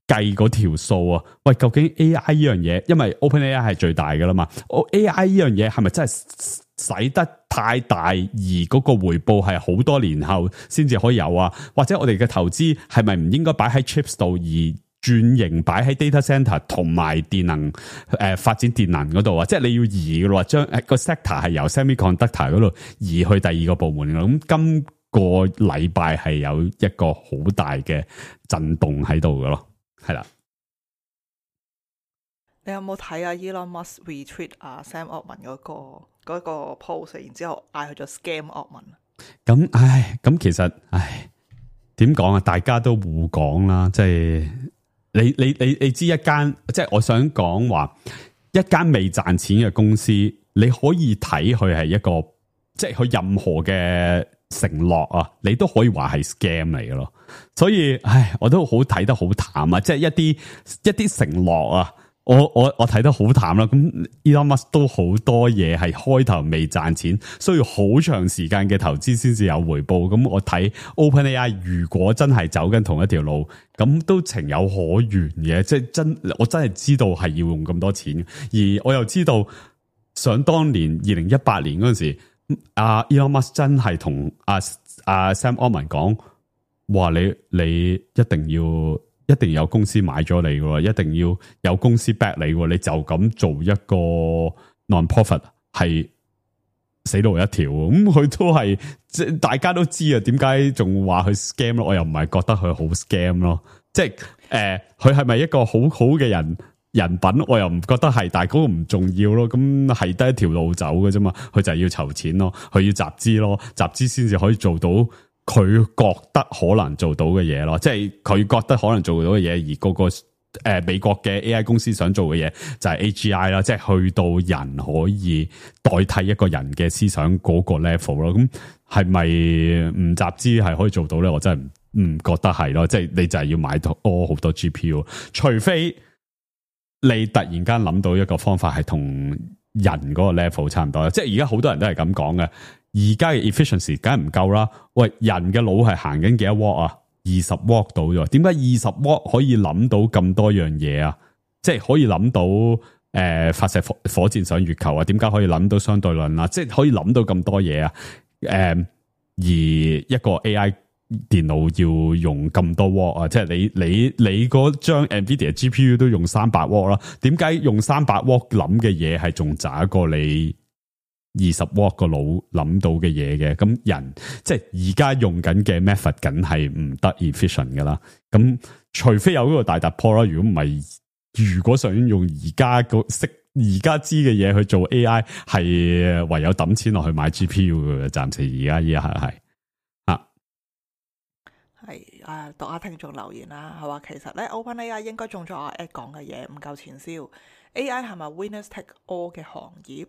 計嗰條數啊！喂，究竟 AI 呢樣嘢，因為 OpenAI 係最大噶啦嘛，AI 呢樣嘢係咪真係使得太大，而嗰個回報係好多年後先至可以有啊？或者我哋嘅投資係咪唔應該擺喺 chips 度，而轉型擺喺 data center 同埋電能發展電能嗰度啊？即係你要移噶咯，將個 sector 係由 semiconductor 嗰度移去第二個部門噶。咁今個禮拜係有一個好大嘅震動喺度噶咯。係啦，你有冇睇啊 Elon Musk retweet 啊 Sam Altman 嗰個 post， 然之後嗌佢做 scam Altman？咁其實點講啊？大家都互講啦，即係你知一間，即係我想講話一間未賺錢嘅公司，你可以睇佢係一個，即係佢任何嘅承諾啊，你都可以話係 scam 嚟嘅咯。所以，我都好睇得好淡啊！即係一啲承諾啊，我睇得好淡啦。咁 Elon Musk 都好多嘢係開頭未賺錢，需要好長時間嘅投資先至有回報。咁我睇 OpenAI 如果真係走緊同一條路，咁都情有可原嘅。即係我真係知道係要用咁多錢，而我又知道想當年2018年嗰陣時，Elon Musk 真係同Sam Altman 講。話你一定要有公司買咗你嘅，一定要有公司 back 你，你就咁做一個 non-profit 係死路一條。咁佢都係即係大家都知啊，點解仲話佢 scam 咯？我又唔係覺得佢好 scam 咯。即係佢係咪一個好好嘅人？人品，我又唔覺得係，但係嗰個唔重要咯。咁係得一條路走嘅啫嘛，佢就係要籌錢咯，佢要集資咯，集資先至可以做到佢覺得可能做到嘅嘢咯。即係佢覺得可能做到嘅嘢，而個美國嘅 AI 公司想做嘅嘢就係 AGI 啦，即係去到人可以代替一個人嘅思想嗰個 level 咯。咁係咪唔集資係可以做到咧？我真係唔覺得係咯。即係你就係要買多好多 GPU，除非你突然間諗到一個方法係同人嗰個 level 差唔多。即係而家好多人都係咁講嘅，而家嘅 efficiency 梗係唔夠啦。喂，人嘅腦係行緊幾多 watt 啊？20 watt 到咗，點解20 watt 可以諗到咁多樣嘢啊？即係可以諗到發射火箭上月球啊？點解可以諗到相對論啊？即係可以諗到咁多嘢啊？而一個 AI 電腦要用咁多 watt 啊？即係你嗰張 NVIDIA GPU 都用300 watt 啦，點解用300 watt 諗嘅嘢係仲渣過你20 watt 個腦諗到嘅嘢嘅？咁人即係而家用緊嘅 method 梗係唔得 efficient 噶啦。咁除非有嗰個大突破啦，如果唔係，如果想用而家而家知嘅嘢去做 AI， 係唯有抌錢落去買 GPU 嘅。暫時而家依一刻係啊，係讀下聽眾留言啦，係話其實咧 OpenAI 應該中咗阿 Ed 講嘅嘢，唔夠錢燒。AI 係咪 winners take all 嘅行業？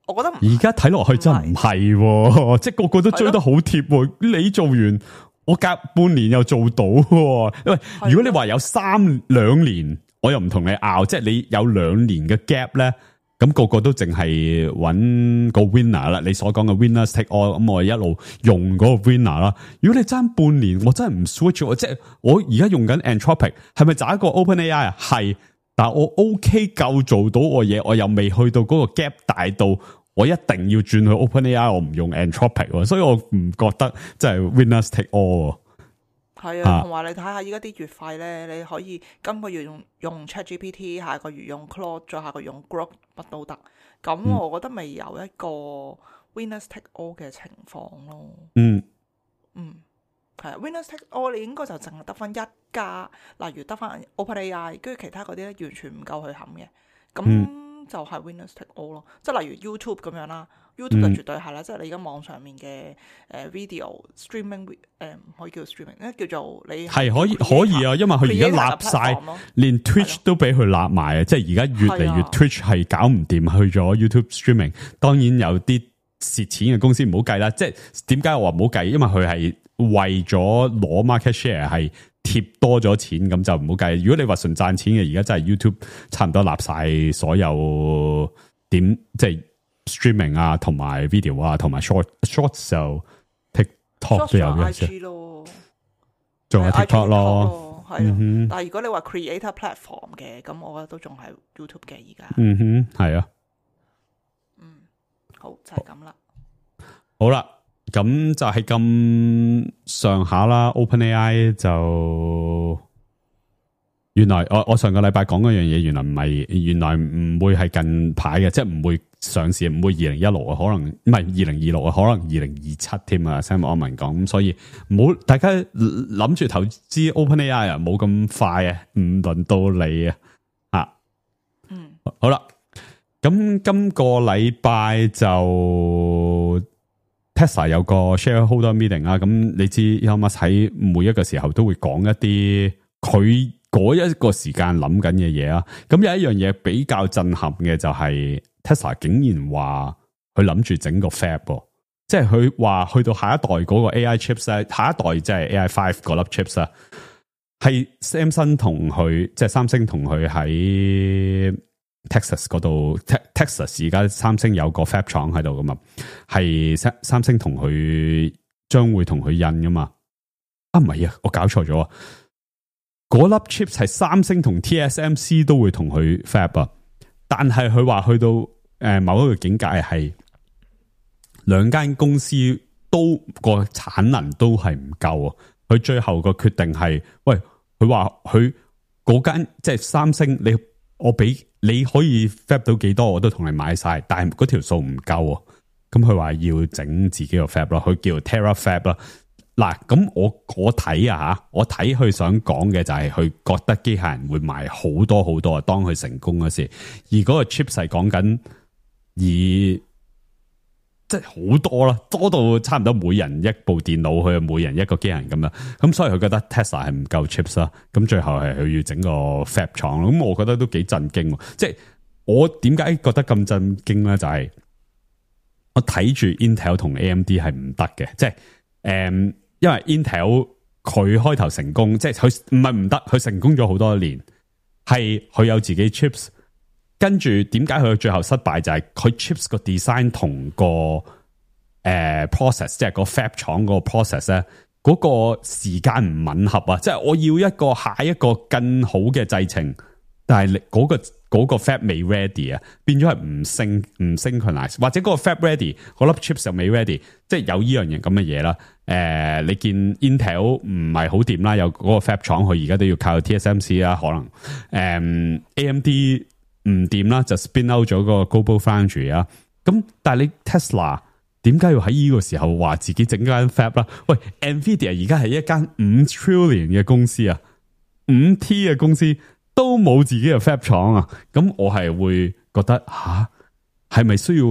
我覺得而家睇落去真唔係，即係個個都追得好貼。你做完，我隔半年又做到。因為如果你話有2年，我又唔同你拗，即係你有2年嘅 gap 咧，咁個個都淨係揾個 winner 啦。你所講嘅 winners take all，咁我一路用嗰個 winner 啦。如果你爭半年，我真係唔 switch， 即係我而家用緊 Anthropic， 係咪就一個 OpenAI 啊？係。但我 OK 夠做到我嘢，我又未去到嗰個 gap 大到我一定要轉去 OpenAI， 我唔用 Anthropic， 所以我唔覺得即係 winners take all。係啊，同埋你睇下依家啲月費咧，你可以今個月用 ChatGPT， 下個月用 Claude， 再下個月用 Grok， 乜都得。咁我覺得未有一個 winners take all 嘅情況咯。係啊 ，winners take all 你應該就淨係得翻一家，例如得翻 OpenAI， 跟住其他嗰啲咧完全唔夠去冚嘅，咁就係 winners take all 咯。即係例如 YouTube 咁樣啦，YouTube 就絕對係啦，即係你而家網上面嘅video streaming 唔可以叫 streaming， 叫做你係可以啊，因為佢而家立晒，連 Twitch 都俾佢立埋啊，即係而家越嚟越 Twitch 係搞唔掂，去咗 YouTube streaming。當然有啲蝕錢嘅公司唔好計啦，即係點解我話唔好計？因為佢係為咗攞 market share 係貼多咗錢，咁就唔好計。如果你話純賺錢嘅，而家真係 YouTube 差唔多立晒所有點，即係 streaming 啊，同埋 video 啊，同埋 short 就 TikTok 都有嘅，仲有 TikTok 咯，係啊。但係如果你話 creator platform 嘅，咁我覺得都仲係 YouTube 嘅而家。係啊。好就係咁啦。好啦。咁就係咁上下啦 ，OpenAI 就原來我上個禮拜講嗰樣嘢，原來唔會係近排嘅，即係唔會上市，唔會2016啊，可能唔係2026啊，可能2027添啊。Sam 阿文講，咁所以唔好大家諗住投資 OpenAI 啊，冇咁快啊，唔輪到你啊，好啦，咁今個禮拜就。Tesla 有個 shareholder meeting 啦，咁你知 Elon Musk 喺每一個時候都會講一啲佢嗰一個時間諗緊嘅嘢啊。咁有一樣嘢比較震撼嘅就係 Tesla 竟然話佢諗住整個 fab， 即係佢話去到下一代嗰個 AI chips 咧，下一代即係 AI5 嗰粒 chips 啊，係 Samsung 同佢即係三星同佢喺Texas 嗰度 ，Texas 而家三星有個 fab 廠喺度噶嘛，係三星同佢將會同佢印噶嘛？啊唔係啊，我搞錯咗啊！嗰粒 chips 係三星同 TSMC 都會同佢 fab 啊，但係佢話去到某一個境界係兩間公司都個產能都係唔夠啊！佢最後個決定係，喂，佢話佢嗰間即係三星，我俾你可以 fab 到幾多，我都同你買晒，但係嗰條數唔夠啊！咁佢話要整自己個 fab 咯，佢叫 Terra Fab 啦。嗱，咁我睇啊吓，我睇佢想講嘅就係佢覺得機械人會賣好多好多啊，當佢成功嗰時，而嗰個 chip 係講緊以即係好多啦，多到差唔多每人一部電腦，佢每人一個機械人咁樣，咁所以佢覺得 Tesla 係唔夠 chips 啦，咁最後係佢要整個 fab 廠咯，咁我覺得都幾震驚，即係我點解覺得咁震驚咧？就係我睇住 Intel 同 AMD 係唔得嘅，即係因為 Intel 佢開頭成功，即係佢唔係唔得，佢成功咗好多年，係佢有自己 chips。跟住點解佢最後失敗就係佢 chips 個 design 同個process， 即係個 fab 廠個 process 咧，嗰個時間唔吻合啊！即係我要下一個更好嘅製程，但係嗰個 fab 未 ready 啊，變咗係唔 synchronize， 或者嗰個 fab ready， 嗰粒 chips 又未 ready， 即係有依樣嘢咁嘅嘢啦。你見 Intel 唔係好掂啦，有嗰個 fab 廠佢而家都要靠 TSMC 啦，可能AMD 唔掂啦，就 spin out 咗個 Global Foundry 啊。咁但係你 Tesla 點解要喺呢個時候話自己整間 fab 啦？喂 ，Nvidia 而家係一間5 trillion 嘅公司啊，5T 嘅公司都冇自己嘅 fab 廠啊。咁我係會覺得係咪需要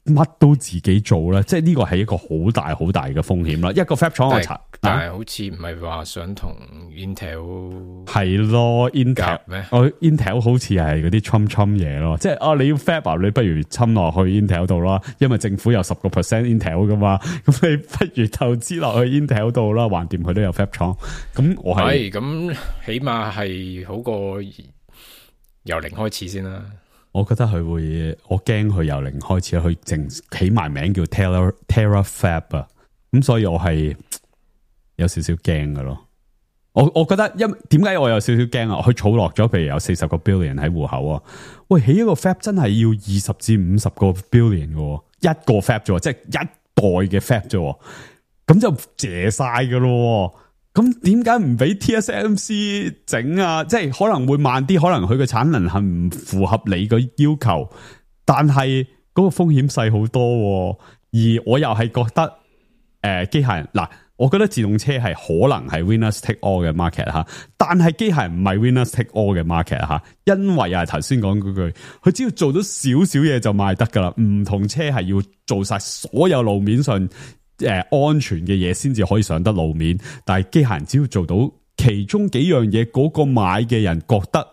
乜都自己做咧？即係呢個係一個好大好大嘅風險啦。一個 fab 廠我查，但係好似唔係話想同 Intel 係咯 ，Intel 咩？Intel 好似係嗰啲侵嘢咯，即係你要 fab 啊，你不如侵落去 Intel 度啦，因為政府有10% Intel 噶嘛，咁你不如投資落去 Intel 度啦，橫掂佢都有 fab 廠。咁我係咁，起碼係好過由零開始先啦。我覺得佢會，我驚佢由零開始，佢淨起埋名叫 Terafab 啊，咁所以我係有少少驚㗎咯。我覺得點解我有少少驚啊？佢儲落咗，譬如有40個 billion 喺戶口啊，喂，起一個 fab 真係要20至50個 billion 嘅，一個 fab 啫，即係一代嘅 fab 啫，咁就謝晒㗎咯。咁點解唔俾 TSMC 整啊？即係可能會慢啲，可能佢嘅產能係唔符合你嘅要求，但係嗰個風險細好多。而我又係覺得，機械人嗱，我覺得自動車係可能係 winners take all 嘅 market 吓，但係機械人唔係 winners take all 嘅 market 吓，因為啊頭先講嗰句，佢只要做到少少嘢就賣得噶啦，唔同車係要做晒所有路面上安全嘅嘢先至可以上得路面，但係機械人只要做到其中幾樣嘢，嗰個買嘅人覺得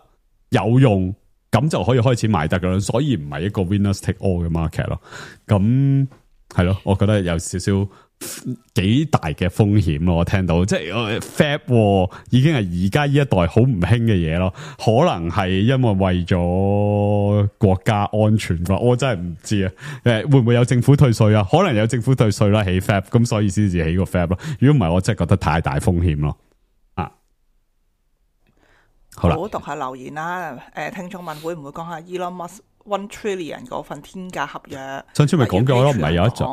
有用，咁就可以開始賣得噶啦，所以唔係一個 winners take all 嘅 market 咯。咁係咯，我覺得有少少幾大嘅風險咯。我聽到即係fab 已經係而家呢一代好唔興嘅嘢咯，可能係因為為咗國家安全吧，我真係唔知啊。會唔會有政府退稅啊？可能有政府退稅啦，起 fab 咁，所以先至起個 fab 咯。如果唔係，我真係覺得太大風險咯。好啦，好，讀下留言啦。聽眾問會唔會講下 Elon Musk 1 trillion 嗰份天價合約？上次咪講咗咯，唔係有一集，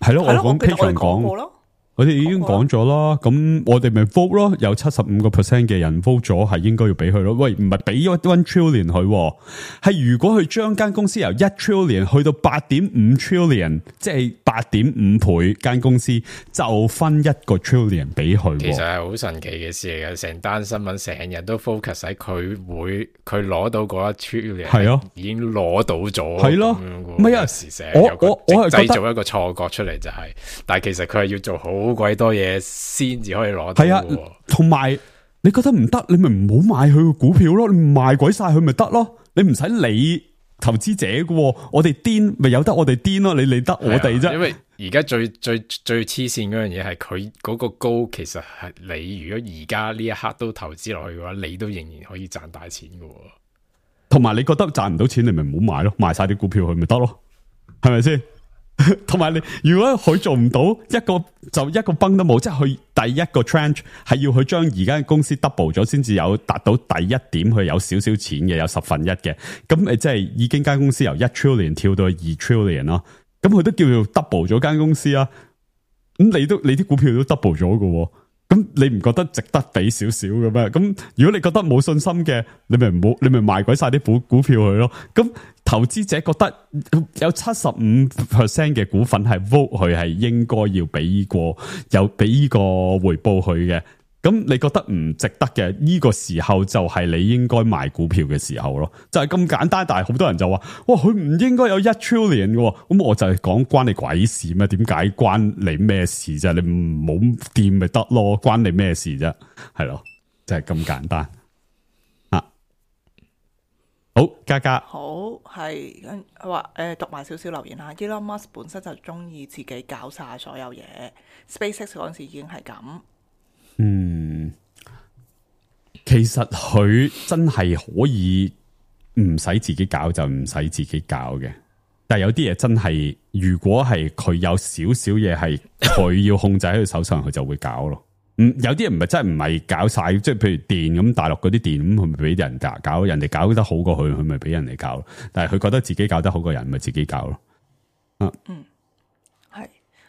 係咯，我講 Patreon 講咯。我哋已經講咗啦，咁我哋咪 vote 咯，有75% 嘅人 vote 咗，係應該要俾佢咯。喂，唔係俾1 trillion 佢，係如果佢將間公司由1 trillion 去到8.5 trillion， 即係8.5倍間公司就分1個 trillion 俾佢。其實係好神奇嘅事嚟嘅，成單新聞成日都 focus 喺佢攞到嗰1 trillion， 係啊，已經攞到咗，係咯，唔係啊，我係製造一個錯覺出嚟就係，但係其實佢係要做好鬼多嘢先至可以攞到。係啊，同埋你覺得唔得，你咪唔好買佢個股票咯，你賣鬼晒佢咪得咯，你唔使理投資者嘅，我哋癲咪有得我哋癲咯，你理得我哋啫。因為而家最黐線嗰樣嘢係佢嗰個高，其實係你如果而家呢一刻都投資落去嘅話，你都仍然可以賺大錢嘅。同埋你覺得賺唔到錢，你咪唔好買咯，賣晒啲股票佢咪得咯，係咪先？同埋你如果佢做唔到一個崩都冇，即係佢第一個 tranche 係要佢將而家嘅公司 double 咗先至有達到第一點，佢有少少錢嘅，有1/10嘅，咁誒即係已經間公司由1 trillion 跳到去2 trillion 咯，咁佢都叫做 double 咗間公司啊，咁你啲股票都 double 咗嘅，咁你唔覺得值得俾少少嘅咩？咁如果你覺得冇信心嘅，你咪唔好，你咪賣鬼晒啲股票去咯。咁投資者覺得有75%嘅股份係 vote 佢係應該要俾呢個回報佢嘅。咁你覺得唔值得嘅呢個時候就係你應該賣股票嘅時候咯，就係咁簡單。但係好多人就話，哇，佢唔應該有1 trillion 嘅，咁我就係講關你鬼事咩？點解關你咩事啫？你唔好掂咪得咯，關你咩事啫？係咯，就係咁簡單啊。好，嘉嘉，好係話讀埋少少留言嚇。Elon Musk 本身就中意自己搞晒所有嘢，SpaceX 嗰陣時已經係咁。其實佢真係可以唔使自己搞就唔使自己搞嘅，但係有啲嘢真係，如果係佢有少少嘢係佢要控制喺佢手上，佢就會搞咯。有啲人唔係真係唔係搞晒，即係譬如電咁，大陸嗰啲電咁，佢咪俾人搞，人哋搞得好過佢，佢咪俾人哋搞。但係佢覺得自己搞得好過人，咪自己搞咯。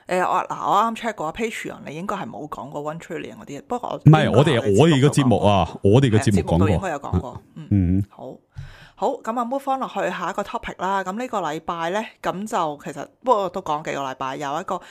係我啱 check 過 Patreon， 你應該係冇講過1 trillion 嗰啲，不過唔係我哋個節目啊，我哋個節目講過，應該有講過。好，咁啊 move 翻落去下一個 topic 啦。咁呢個禮拜咧，咁就其實不過都講幾個禮拜，有一個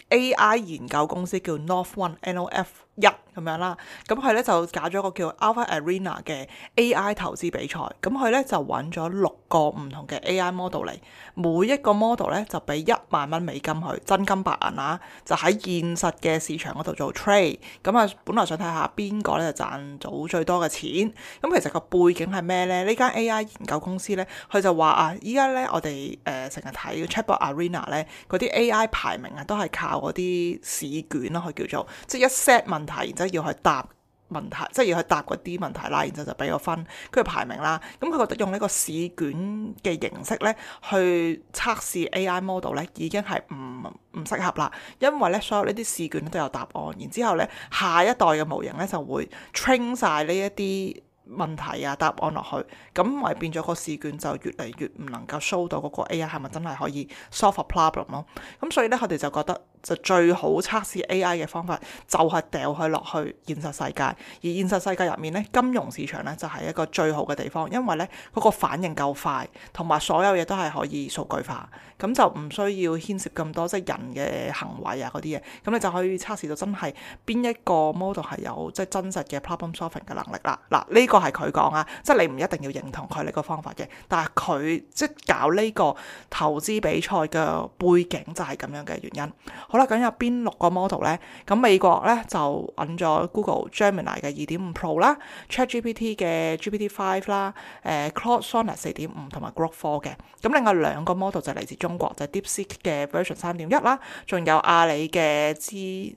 AI 研究公司叫 North1 NOF1 咁樣啦，咁佢咧就搞咗個叫 Alpha Arena 嘅 AI 投資比賽，咁佢咧就揾咗6個唔同嘅 AI model 嚟，每一個 model 咧就俾1萬蚊美金去，真金白銀啊，就喺現實嘅市場嗰度做 trade， 咁啊本來想睇下邊個咧就賺到最多嘅錢，咁其實個背景係咩咧？呢間 AI 研究公司咧，佢就話啊，依家咧我哋成日睇 Chatbot Arena 咧，嗰啲 AI 排名啊都係靠嗰啲試卷咯，佢叫做即係一 set 問題，然之後要去答問題，即係要去答嗰啲問題啦，然之後就俾個分，跟住排名啦。咁佢覺得用呢個試卷嘅形式咧，去測試 AI model 咧，已經係唔適合啦，因為咧所有呢啲試卷都有答案，然之後咧下一代嘅模型咧就會 train 晒呢一啲問題啊答案落去，咁咪變咗個試卷就越嚟越唔能夠 show 到嗰個 AI 係咪真係可以 solve a problem 咯。咁所以咧佢哋就覺得就最好測試 AI 嘅方法就係掉佢落去現實世界，而現實世界入面咧金融市場咧就係一個最好嘅地方，因為咧嗰個反應夠快，同埋所有嘢都係可以數據化，咁就唔需要牽涉咁多即係人嘅行為啊嗰啲嘢，咁你就可以測試到真係邊一個 model 係有即係真實嘅 problem solving 嘅能力啦。嗱呢個係佢講啊，即係你唔一定要認同佢呢個方法嘅，但係佢即係搞呢個投資比賽嘅背景就係咁樣嘅原因。好啦，咁有邊6個 model 咧？咁美國咧就揾咗 Google Gemini 嘅2.5 Pro 啦 ，ChatGPT 嘅 GPT-5 啦，Claude Sonnet 4.5同埋 Grok 4嘅。咁另外2個 model 就嚟自中國，就係 DeepSeek 嘅 version 3.1啦，仲有阿里嘅千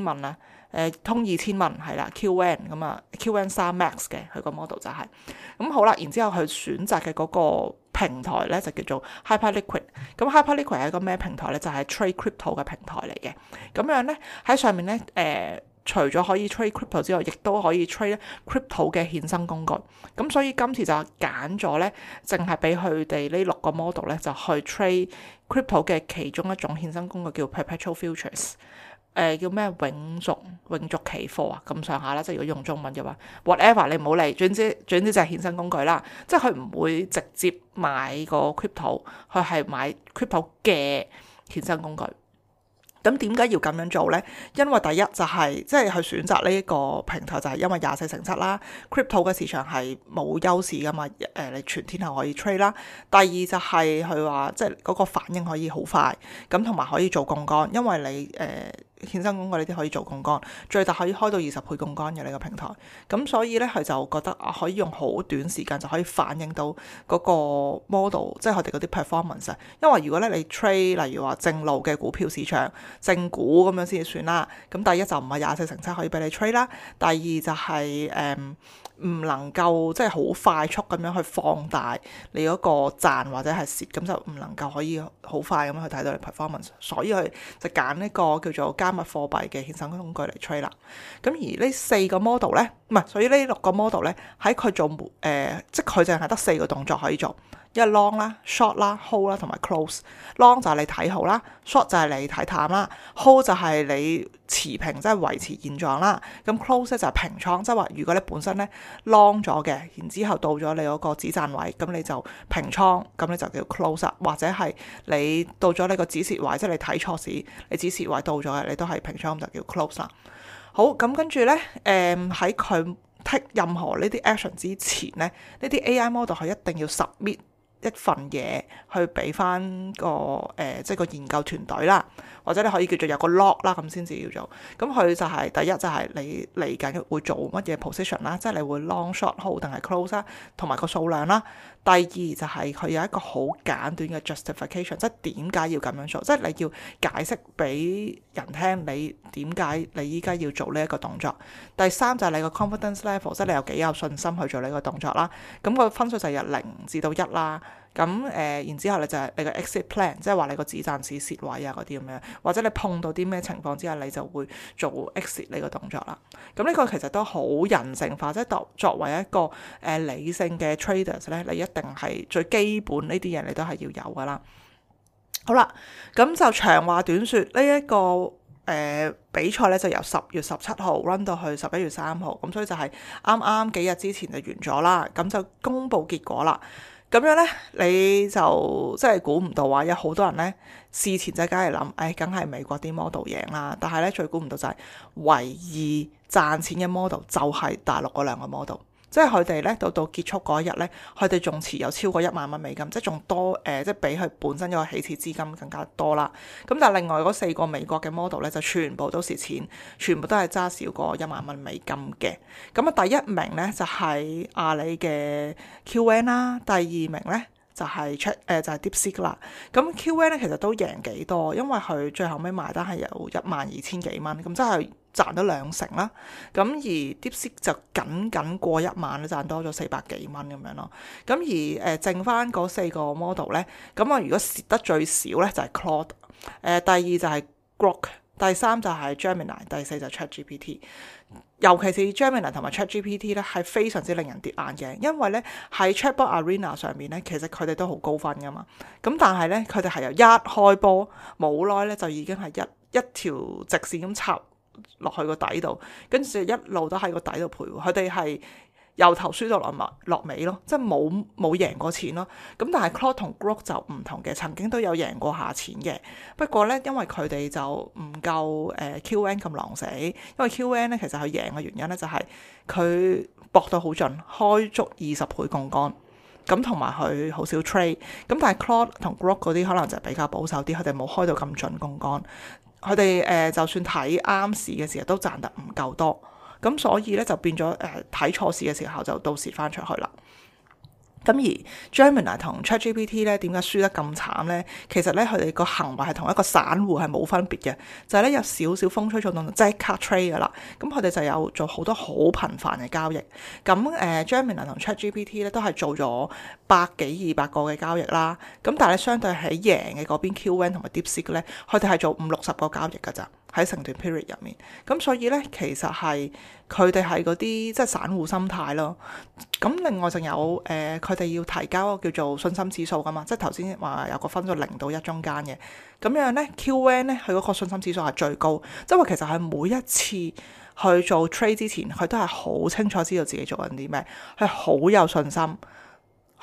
問啊。通2000問係啦 QN 咁啊 QN3 Max 嘅佢個 model 就係咁好啦，然之後佢選擇嘅嗰個平台咧就叫做 Hyperliquid， 咁 Hyperliquid 係一個咩平台咧？就係 trade crypto 嘅平台嚟嘅，咁樣咧喺上面咧除咗可以 trade crypto 之外，亦都可以 trade crypto 嘅衍生工具，咁所以今次就揀咗咧，淨係俾佢哋呢6個 model 咧就去 trade crypto 嘅其中一種衍生工具叫 Perpetual Futures。叫咩永續期貨啊咁上下啦，即係如果用中文嘅話 ，whatever 你唔好理，總之就係衍生工具啦，即係佢唔會直接買個 crypto， 佢係買 crypto 嘅衍生工具。咁點解要咁樣做呢？因為第一就係即係佢選擇呢一個平台就係因為24/7啦 ，crypto 嘅市場係冇優勢噶嘛，你全天候可以 trade 啦。第二就係佢話即係嗰個反應可以好快，咁同埋可以做槓桿，因為你衍生工具呢啲可以做槓桿，最大可以開到20倍槓桿嘅呢個平台。咁所以咧佢就覺得可以用好短時間就可以反映到嗰個 model， 即係佢哋嗰啲 performance。因為如果咧你 trade 例如話正路嘅股票市場正股咁樣先至算啦。咁第一就唔係24/7可以俾你 trade 啦，第二就係唔能夠即係好快速咁樣去放大你嗰個賺或者係蝕，咁就唔能夠可以好快咁樣去睇到你 performance， 所以佢就揀呢個叫做加密貨幣嘅衍生工具嚟 trade 啦。咁而呢4個 model 咧，唔係，所以呢6個 model 咧喺佢做即係佢淨係得4個動作可以做，一係 long 啦、short 啦、hold 啦同埋 close。long 就係你睇好啦 ，short 就係你睇淡啦 ，hold 就係你持平，即係維持現狀啦。咁 close 咧就係平倉，即係話如果你本身咧 long 咗嘅，然之後到咗你嗰個止賺位，咁你就平倉，咁你就叫 close 啦。或者係你到咗你個止蝕位，即係你睇錯市，你止蝕位到咗嘅，你都係平倉，咁就叫 close 啦。好，咁跟住咧，喺佢 take 任何呢啲 action 之前咧，呢啲 AI model 係一定要 submit 一份嘢去俾翻個即係個研究團隊啦，或者你可以叫做有個 log 啦，咁先至叫做。咁佢就係第一就係你嚟緊會做乜嘢 position 啦，即係你會 long short hold 定係 close 啦，同埋個數量啦。第二就係佢有一個好簡短嘅 justification，即係點解要咁樣做，即係你要解釋俾人聽你點解你依家要做呢一個動作。第三就係你個 confidence level， 即係你有幾有信心去做呢個動作啦。咁個分數就係由0至到1啦。咁然之後你就係你個 exit plan， 即係話你個止賺止蝕位啊嗰啲咁樣，或者你碰到啲咩情況之下，你就會做 exit 呢個動作啦。咁呢個其實都好人性化，即係作為一個理性嘅 traders 咧，你一定係最基本呢啲嘢你都係要有噶啦。好啦，咁就長話短說，呢一個比賽咧就由10月17號 run 到去11月3號，咁所以就係啱啱幾日之前就完咗啦，咁就公布結果啦。咁樣咧，你就真係估唔到啊！有好多人咧事前就梗係諗，梗係美國啲 model 贏啦。但係咧最估唔到就係唯二賺錢嘅 model 就係大陸嗰2個 model，即係佢哋咧到結束嗰一日咧，佢哋仲持有超過1萬蚊美金，即係仲多即係比佢本身嗰個起始資金更加多啦。咁但係另外嗰4個美國嘅 model 咧就全部都蝕錢，全部都係揸少過1萬蚊美金嘅。咁啊第一名咧就係阿里嘅 QN 啦，第二名咧就係就係 DeepSeek 啦。咁 QN 咧其實都贏幾多，因為佢最後尾埋單係有12000幾蚊，咁即係賺咗2成啦。咁而 DeepSeek 就僅過1萬咧，賺多咗400幾蚊咁樣咯。咁而剩翻嗰4個 model 咧，咁啊如果蝕得最少咧就係 Claude，第二就係 Grok， 第三就係 Gemini， 第四就係 ChatGPT。尤其是 Gemini 同埋 ChatGPT 咧係非常之令人跌眼鏡，因為咧喺 Chatbot Arena 上面咧，其實佢哋都好高分噶嘛。咁但係咧佢哋係由一開波冇耐咧就已經係一條直線咁插落去個底度，跟住一路都喺個底度徘徊。佢哋係由頭輸到落尾咯，即係冇贏過錢咯。咁但係 Claude 同 Grok 就唔同嘅，曾經都有贏過下錢嘅。不過咧，因為佢哋就唔夠QN 咁狼死，因為 QN 咧其實佢贏嘅原因咧就係佢搏到好盡，開足20倍槓桿。咁同埋佢好少 trade。咁但係 Claude 同 Grok 嗰啲可能就比較保守啲，佢哋冇開到咁盡槓桿。佢哋就算睇啱市嘅時候都賺得唔夠多。咁所以咧就變咗睇錯市嘅時候就到時翻出去啦。咁而 Gemini 同 ChatGPT 咧點解輸得咁慘咧？其實咧佢哋個行為係同一個散戶係冇分別嘅，就係咧有少少風吹草動就即刻 trade 噶啦。咁佢哋就有做好多好頻繁嘅交易。咁Gemini 同 ChatGPT 咧都係做咗100幾200個嘅交易啦。咁但係相對喺贏嘅嗰邊 QN 同埋 DeepSeek 咧，佢哋係做50-60個交易噶咋。喺成段 period 入面，咁所以咧，其實係佢哋係嗰啲即係散戶心態咯。咁另外仲有佢哋要提交一個叫做信心指數噶嘛，即係頭先話有個分咗0到1中間嘅。咁樣咧 QN 咧佢嗰個信心指數係最高，即係話其實係每一次去做 trade 之前，佢都係好清楚知道自己做緊啲咩，佢好有信心。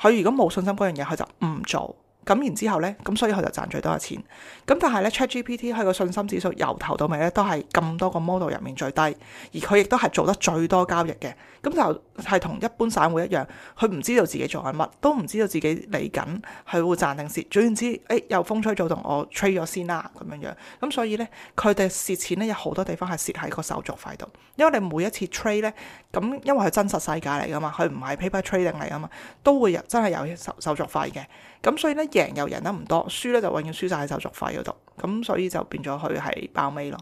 佢如果冇信心嗰樣嘢，佢就唔做。咁然之後咧，咁所以佢就賺最多嘅錢。咁但係咧 ChatGPT 佢個信心指數由頭到尾咧都係咁多個 model 入面最低，而佢亦都係做得最多交易嘅。咁就係同一般散戶一樣，佢唔知道自己做緊乜，都唔知道自己嚟緊佢會賺定蝕。總之，有風吹草動，我 trade 咗先啦咁樣樣。咁所以咧，佢哋蝕錢咧有好多地方係蝕喺個手續費度，因為你每一次 trade 咧，咁因為佢真實世界嚟噶嘛，佢唔係 paper trading 嚟噶嘛，都會真係有手續費嘅。咁所以咧贏又贏得唔多，輸咧就永遠輸晒喺手續費嗰度。咁所以就變咗佢係爆尾咯。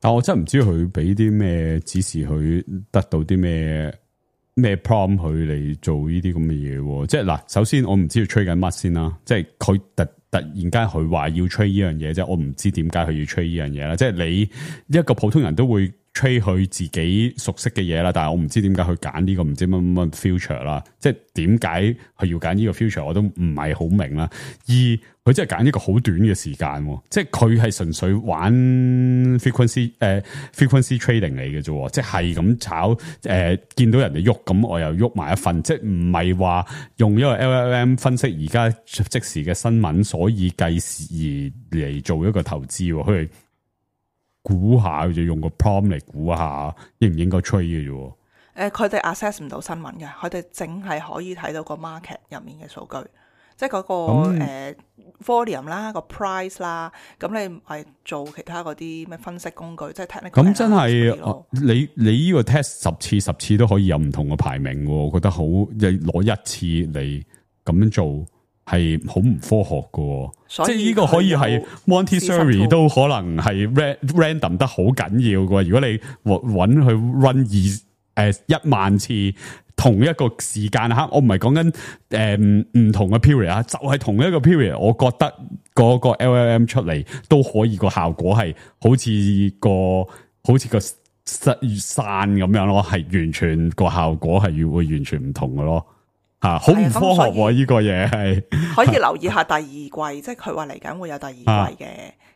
但我真係唔知佢俾啲咩指示佢得到啲咩 prompt 佢嚟做呢啲咁嘅嘢。即係嗱，首先我唔知佢 trade 緊乜先啦。即係佢突然間佢話要 trade 呢樣嘢啫，我唔知點解佢要 trade 呢樣嘢啦。即係你一個普通人都會 trade 佢自己熟悉嘅嘢啦，但係我唔知點解佢揀呢個唔知乜乜 future 啦，即係點解佢要揀呢個 future 我都唔係好明啦。二佢真係揀一個好短嘅時間，即係佢係純粹玩 frequency trading 嚟嘅啫，即係咁炒見到人哋喐咁我又喐埋一份，即係唔係話用一個 LLM 分析而家即時嘅新聞，所以計時而嚟做一個投資，佢係估下就用個 prompt 嚟估下應唔應該 trade 嘅啫。佢哋 access 唔到新聞嘅，佢哋淨係可以睇到個 market 入面嘅數據。即係嗰個volume 啦，個 price 啦，咁你係做其他嗰啲咩分析工具，即係 technical。咁真係你呢個 test 10次都可以有唔同嘅排名，我覺得好，你攞一次嚟咁樣做係好唔科學嘅。即係呢個可以係 Montessori 都可能係 random 得好緊要嘅。如果你揾去 run 10000次。同一個時間吓，我唔係講緊唔同嘅 period 啊，就係同一個 period，我覺得嗰個 LLM 出嚟都可以個效果係好似個散咁樣咯，係完全個效果係會完全唔同嘅咯，吓好唔科學喎呢個嘢係。可以留意下第二季，即係佢話嚟緊會有第二季嘅。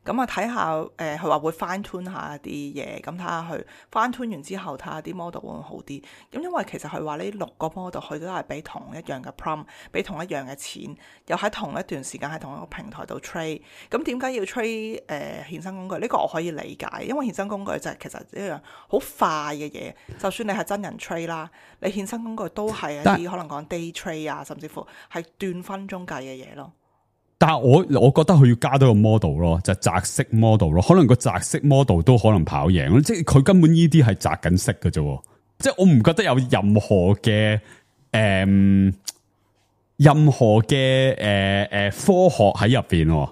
咁啊睇下佢話會 fine tune 下啲嘢，咁睇下佢 fine tune 完之後睇下啲 model 會唔會好啲。咁因為其實佢話呢6個 model 佢都係俾同一樣嘅 prompt， 俾同一樣嘅錢，又喺同一段時間喺同一個平台度 trade。咁點解要 trade 衍生工具？呢個我可以理解，因為衍生工具就係其實一樣好快嘅嘢。就算你係真人 trade 啦，你衍生工具都係一啲可能講 day trade 啊，甚至乎係斷分鐘計嘅嘢咯。但係我覺得佢要加多個 model 咯，就係擲色 model 咯。可能個擲色 model 都可能跑贏，即係佢根本呢啲係擲緊色嘅啫。即係我唔覺得有任何嘅科學喺入邊。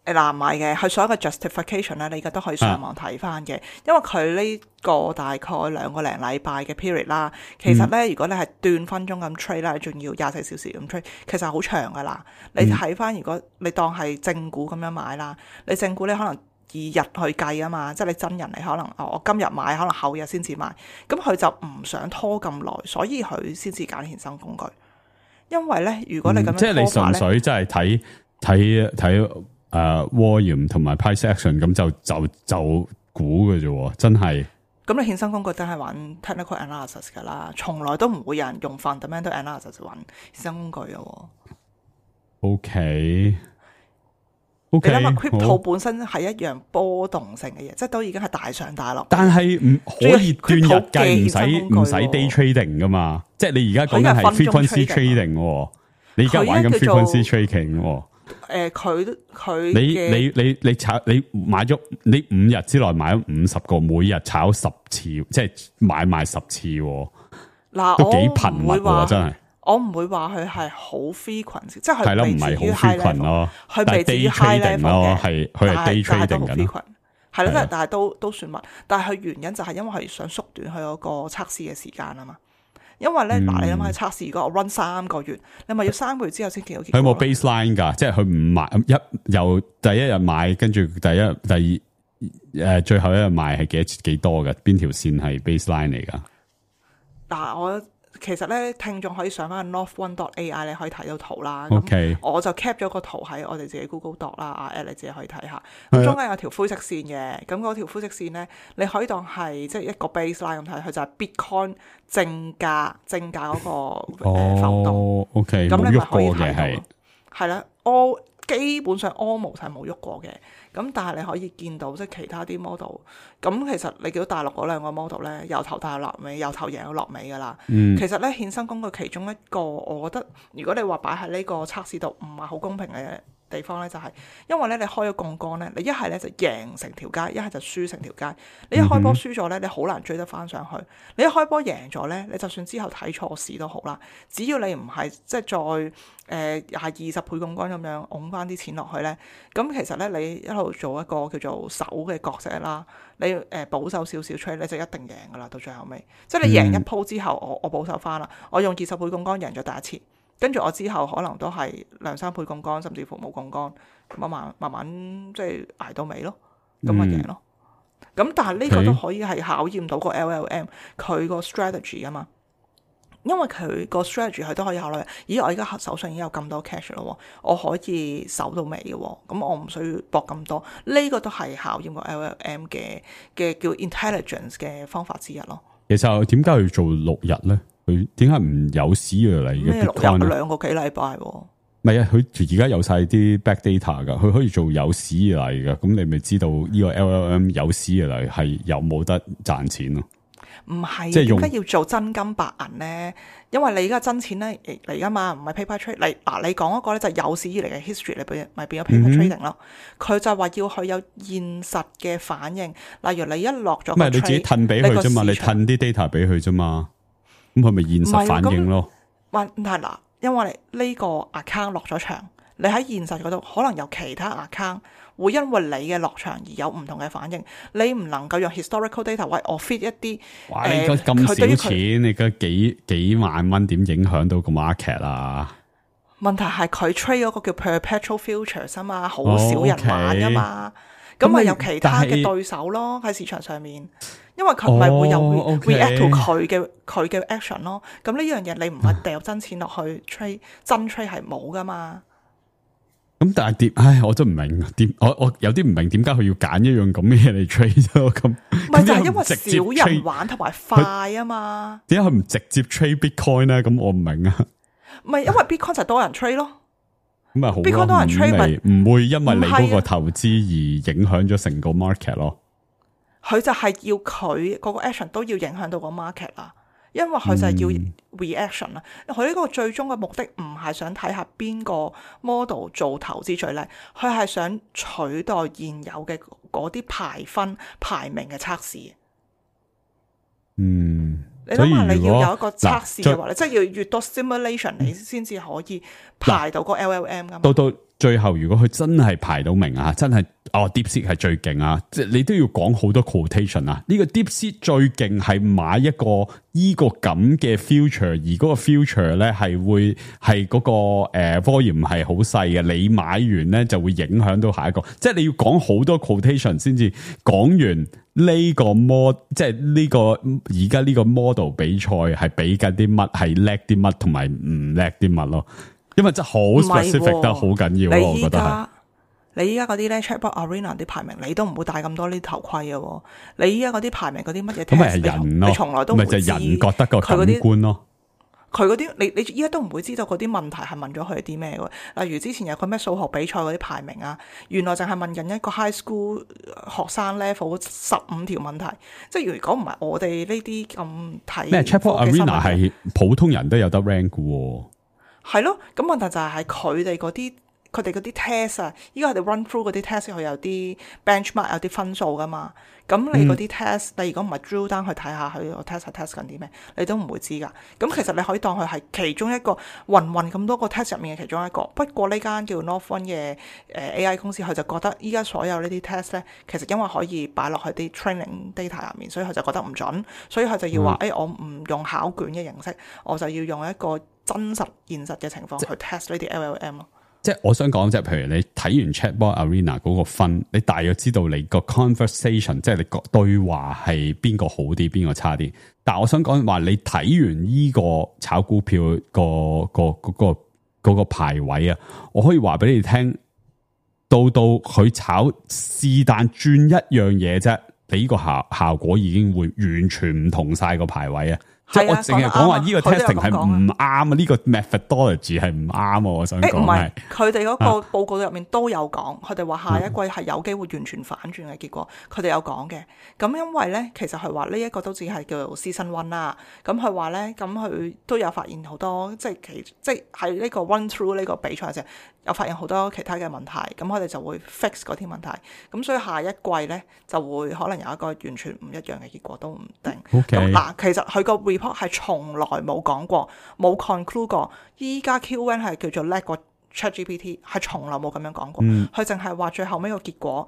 嗱唔係嘅，佢所有嘅 justification 咧，你而家都可以上網睇翻嘅，因為佢呢個大概2個零禮拜嘅 period 啦，其實咧如果你係斷分鐘咁 trade 啦，仲要24小時咁 trade，其實好長噶啦。你睇翻如果你當係正股咁樣買啦，你正股你可能以日去計啊嘛，即係你真人你可能我今日買，可能後日先至買，咁佢就唔想拖咁耐，所以佢先至揀衍生工具。因為咧，如果你咁樣即係你純粹即係睇volume 同埋 price action 咁就估嘅啫，真係。咁你衍生工具真係玩 technical analysis 噶啦，從來都唔會有人用 fundamental analysis 玩衍生工具嘅。OK，你諗下 crypto 本身係一樣波動性嘅嘢，即係都已經係大上大落。但係唔可以斷日計，唔使 day trading 噶嘛？即係你而家講緊係 frequency trading，你而家玩緊 frequency trading。你炒你買咗你5日之內買咗50個，每日炒10次，即係買賣10次，嗱都幾頻密喎，真係。我唔會話佢係好 frequency， 即係係咯，唔係好 frequent 咯，佢未至於 high level 咯，係佢係 day trading 緊咯，係咯，但係都算密。但係佢原因就係因為佢想縮短佢嗰個測試嘅時間啊嘛。因為咧，你諗下測試，如果我 run 3個月，你咪要3個月之後先見到結果。佢冇 baseline 㗎，即係佢唔買由第一日買，跟住第二最後一日賣係幾多嘅？邊條線係 baseline 嚟㗎？嗱，我其實咧，聽眾可以上翻 north1.ai 你可以睇到圖啦。OK，我就 cap 咗個圖喺我哋自己 Google Doc 啦，你自己可以睇下。咁中間有條灰色線嘅，咁嗰條灰色線咧，你可以當係即係一個 baseline 咁睇，佢就係 Bitcoin 正價嗰個浮動。OK，咁你咪可以冇喐過嘅睇到。係啦，基本上 almost 係冇喐過嘅。咁但係你可以見到即係其他啲 model， 咁其實你見到大陸嗰2個 model 咧，由頭大落尾，由頭贏到落尾噶啦。其實咧，衍生工具其中一個，我覺得如果你話擺喺呢個測試度唔係好公平嘅地方咧，就係因為咧你開咗槓桿咧，你一係咧就贏成條街，一係就輸成條街。你一開波輸咗咧，你好難追得翻上去。你一開波贏咗咧，你就算之後睇錯市都好啦，只要你唔係即係再係20倍槓桿咁樣拱翻啲錢落去咧，咁其實咧你一路做一個叫做守嘅角色啦，你保守少少 trade 你就一定贏噶啦，到最後尾。即係你贏一鋪之後，我保守翻啦，我用20倍槓桿贏咗第一次。跟住我之後可能都係2-3倍槓桿，甚至乎冇槓桿，咁慢慢即係捱到尾咯，咁咪贏咯。咁但係呢個都可以係考驗到個 LLM 佢個 strategy 啊嘛。因為佢個 strategy 佢都可以考慮，咦我而家手上已經有咁多 cash 咯，我可以守到尾嘅，咁我唔需要搏咁多，呢、個都係考驗個 LLM 嘅叫 intelligence 嘅方法之一咯。其實點解要做6日咧？佢點解唔有史以嚟嘅咩6 Bitcoin 日咧？2個幾禮拜喎？唔係啊，佢而家有晒啲 back data 噶，佢可以做有史以嚟嘅，咁你咪知道呢個 LLM 有史以嚟係有冇得賺錢咯？唔係，即係用點解要做真金白銀咧？因為你而家真錢咧嚟噶嘛，唔係 paper trade。你講嗰個咧就係有史以嚟嘅 history 嚟，咪變咗 paper trading 咯。佢就話要佢有現實嘅反應，例如你一落咗，唔係你自己褪俾佢啫嘛，你褪啲 data 俾佢啫嘛，咁佢咪現實反應咯？問題嗱，因為呢個 account 落咗場，你喺現實嗰度可能有其他 account。會因為你嘅落場而有唔同嘅反應，你唔能夠用 historical data 喂我 fit 一啲，哇！你而家咁少錢，你而家幾萬蚊點影響到個 market 啊？問題係佢 trade 嗰個叫 perpetual futures 啊嘛，好少人玩啊嘛，咁咪有其他嘅對手咯喺市場上面，因為佢咪會有 react to 佢嘅 action 咯。咁呢樣嘢你唔係掉真錢落去 trade 真 trade 係冇噶嘛。咁但係唉，我真唔明點，我有啲唔明點解佢要揀一樣咁嘅嘢嚟 trade 咯？咁唔係就係因為少人玩同埋快啊嘛？點解佢唔直接 trade Bitcoin 咧？咁我唔明啊。唔係因為 Bitcoin 就多人 trade 咯，咁咪好 Bitcoin 多人 trade 咪唔會因為你嗰個投資而影響咗成個 market 咯。佢就係要佢嗰個 action 都要影響到個 market 啦。因為佢就係要 reaction 啦，佢呢個最終嘅目的唔係想睇下邊個 model 做投資最叻，佢係想取代現有嘅嗰啲排名嘅測試。你諗下，你要有一個測試嘅話，你即係要越多 simulation，你先至可以排到個 LLM 噶嘛。到最後，如果佢真係排到名啊，真係DeepSeek 係最勁啊！即係你都要講好多 quotation 啊。呢個 DeepSeek 最勁係買一個依個咁嘅 future，而嗰個 future 咧係會係嗰個volume 係好細嘅。你買完咧就會影響到下一個，即係你要講好多 quotation 先至講完呢個 model，即係呢個而家呢個 model 比賽係比緊啲乜，係叻啲乜，同埋唔叻啲乜咯。因為真係好 specific 得好緊要咯，我覺得係。你依家嗰啲咧 Chatbot Arena 啲排名，你都唔會戴咁多呢啲頭盔嘅。你依家嗰啲排名嗰啲乜嘢 test，咁咪係人咯，你從來都唔會知。咪就係人覺得個感官咯。佢嗰啲你依家都唔會知道嗰啲問題係問咗佢啲咩嘅。例如之前有個咩數學比賽嗰啲排名啊，原來淨係問緊一個 high school 學生 level 15條問題。即係如果唔係我哋呢啲咁睇咩 Chatbot Arena 係普通人都有得 rank 嘅。係咯，咁問題就係佢哋嗰啲 test 啊，依家佢哋 run through 嗰啲 test 佢有啲 benchmark 有啲分數噶嘛，咁你嗰啲 test，你如果唔係 drill down 去睇下佢個 test 係 test 緊啲咩，你都唔會知噶。咁其實你可以當佢係其中一個混咁多個 test 入面嘅其中一個。不過呢間叫 Northwind 嘅AI 公司，佢就覺得依家所有呢啲 test 咧，其實因為可以擺落去啲 training data 入面，所以佢就覺得唔準，所以佢就要話我唔用考卷嘅形式，我就要用一個真實現實嘅情況去 test 呢啲 LLM 咯。即係我想講，即係譬如你睇完 Chatbot Arena 嗰個分，你大約知道你個 conversation， 即係你個對話係邊個好啲，邊個差啲。但係我想講話，你睇完呢個炒股票嗰個排位啊，我可以話俾你聽，到佢炒是但轉一樣嘢啫，你呢個效果已經會完全唔同晒個排位啊！即係我淨係講話呢個 testing 係唔啱啊，呢個 methodology 係唔啱啊！我想講係佢哋嗰個報告入面都有講，佢哋話下一季係有機會完全反轉嘅結果，佢哋有講嘅。咁因為咧，其實佢話呢一個都只係叫做 season one 啦。咁佢話咧，咁佢都有發現好多，即係喺呢個 run through 呢個比賽嘅有發現好多其他嘅問題，咁佢哋就會 fix 嗰啲問題。咁所以下一季咧就會可能有一個完全唔一樣嘅結果都唔定。咁嗱，其實佢個 report 係從來冇講過，冇 conclude 過。依家 QN 係叫做叻過 ChatGPT， 係從來冇咁樣講過。佢淨係話最後尾個結果，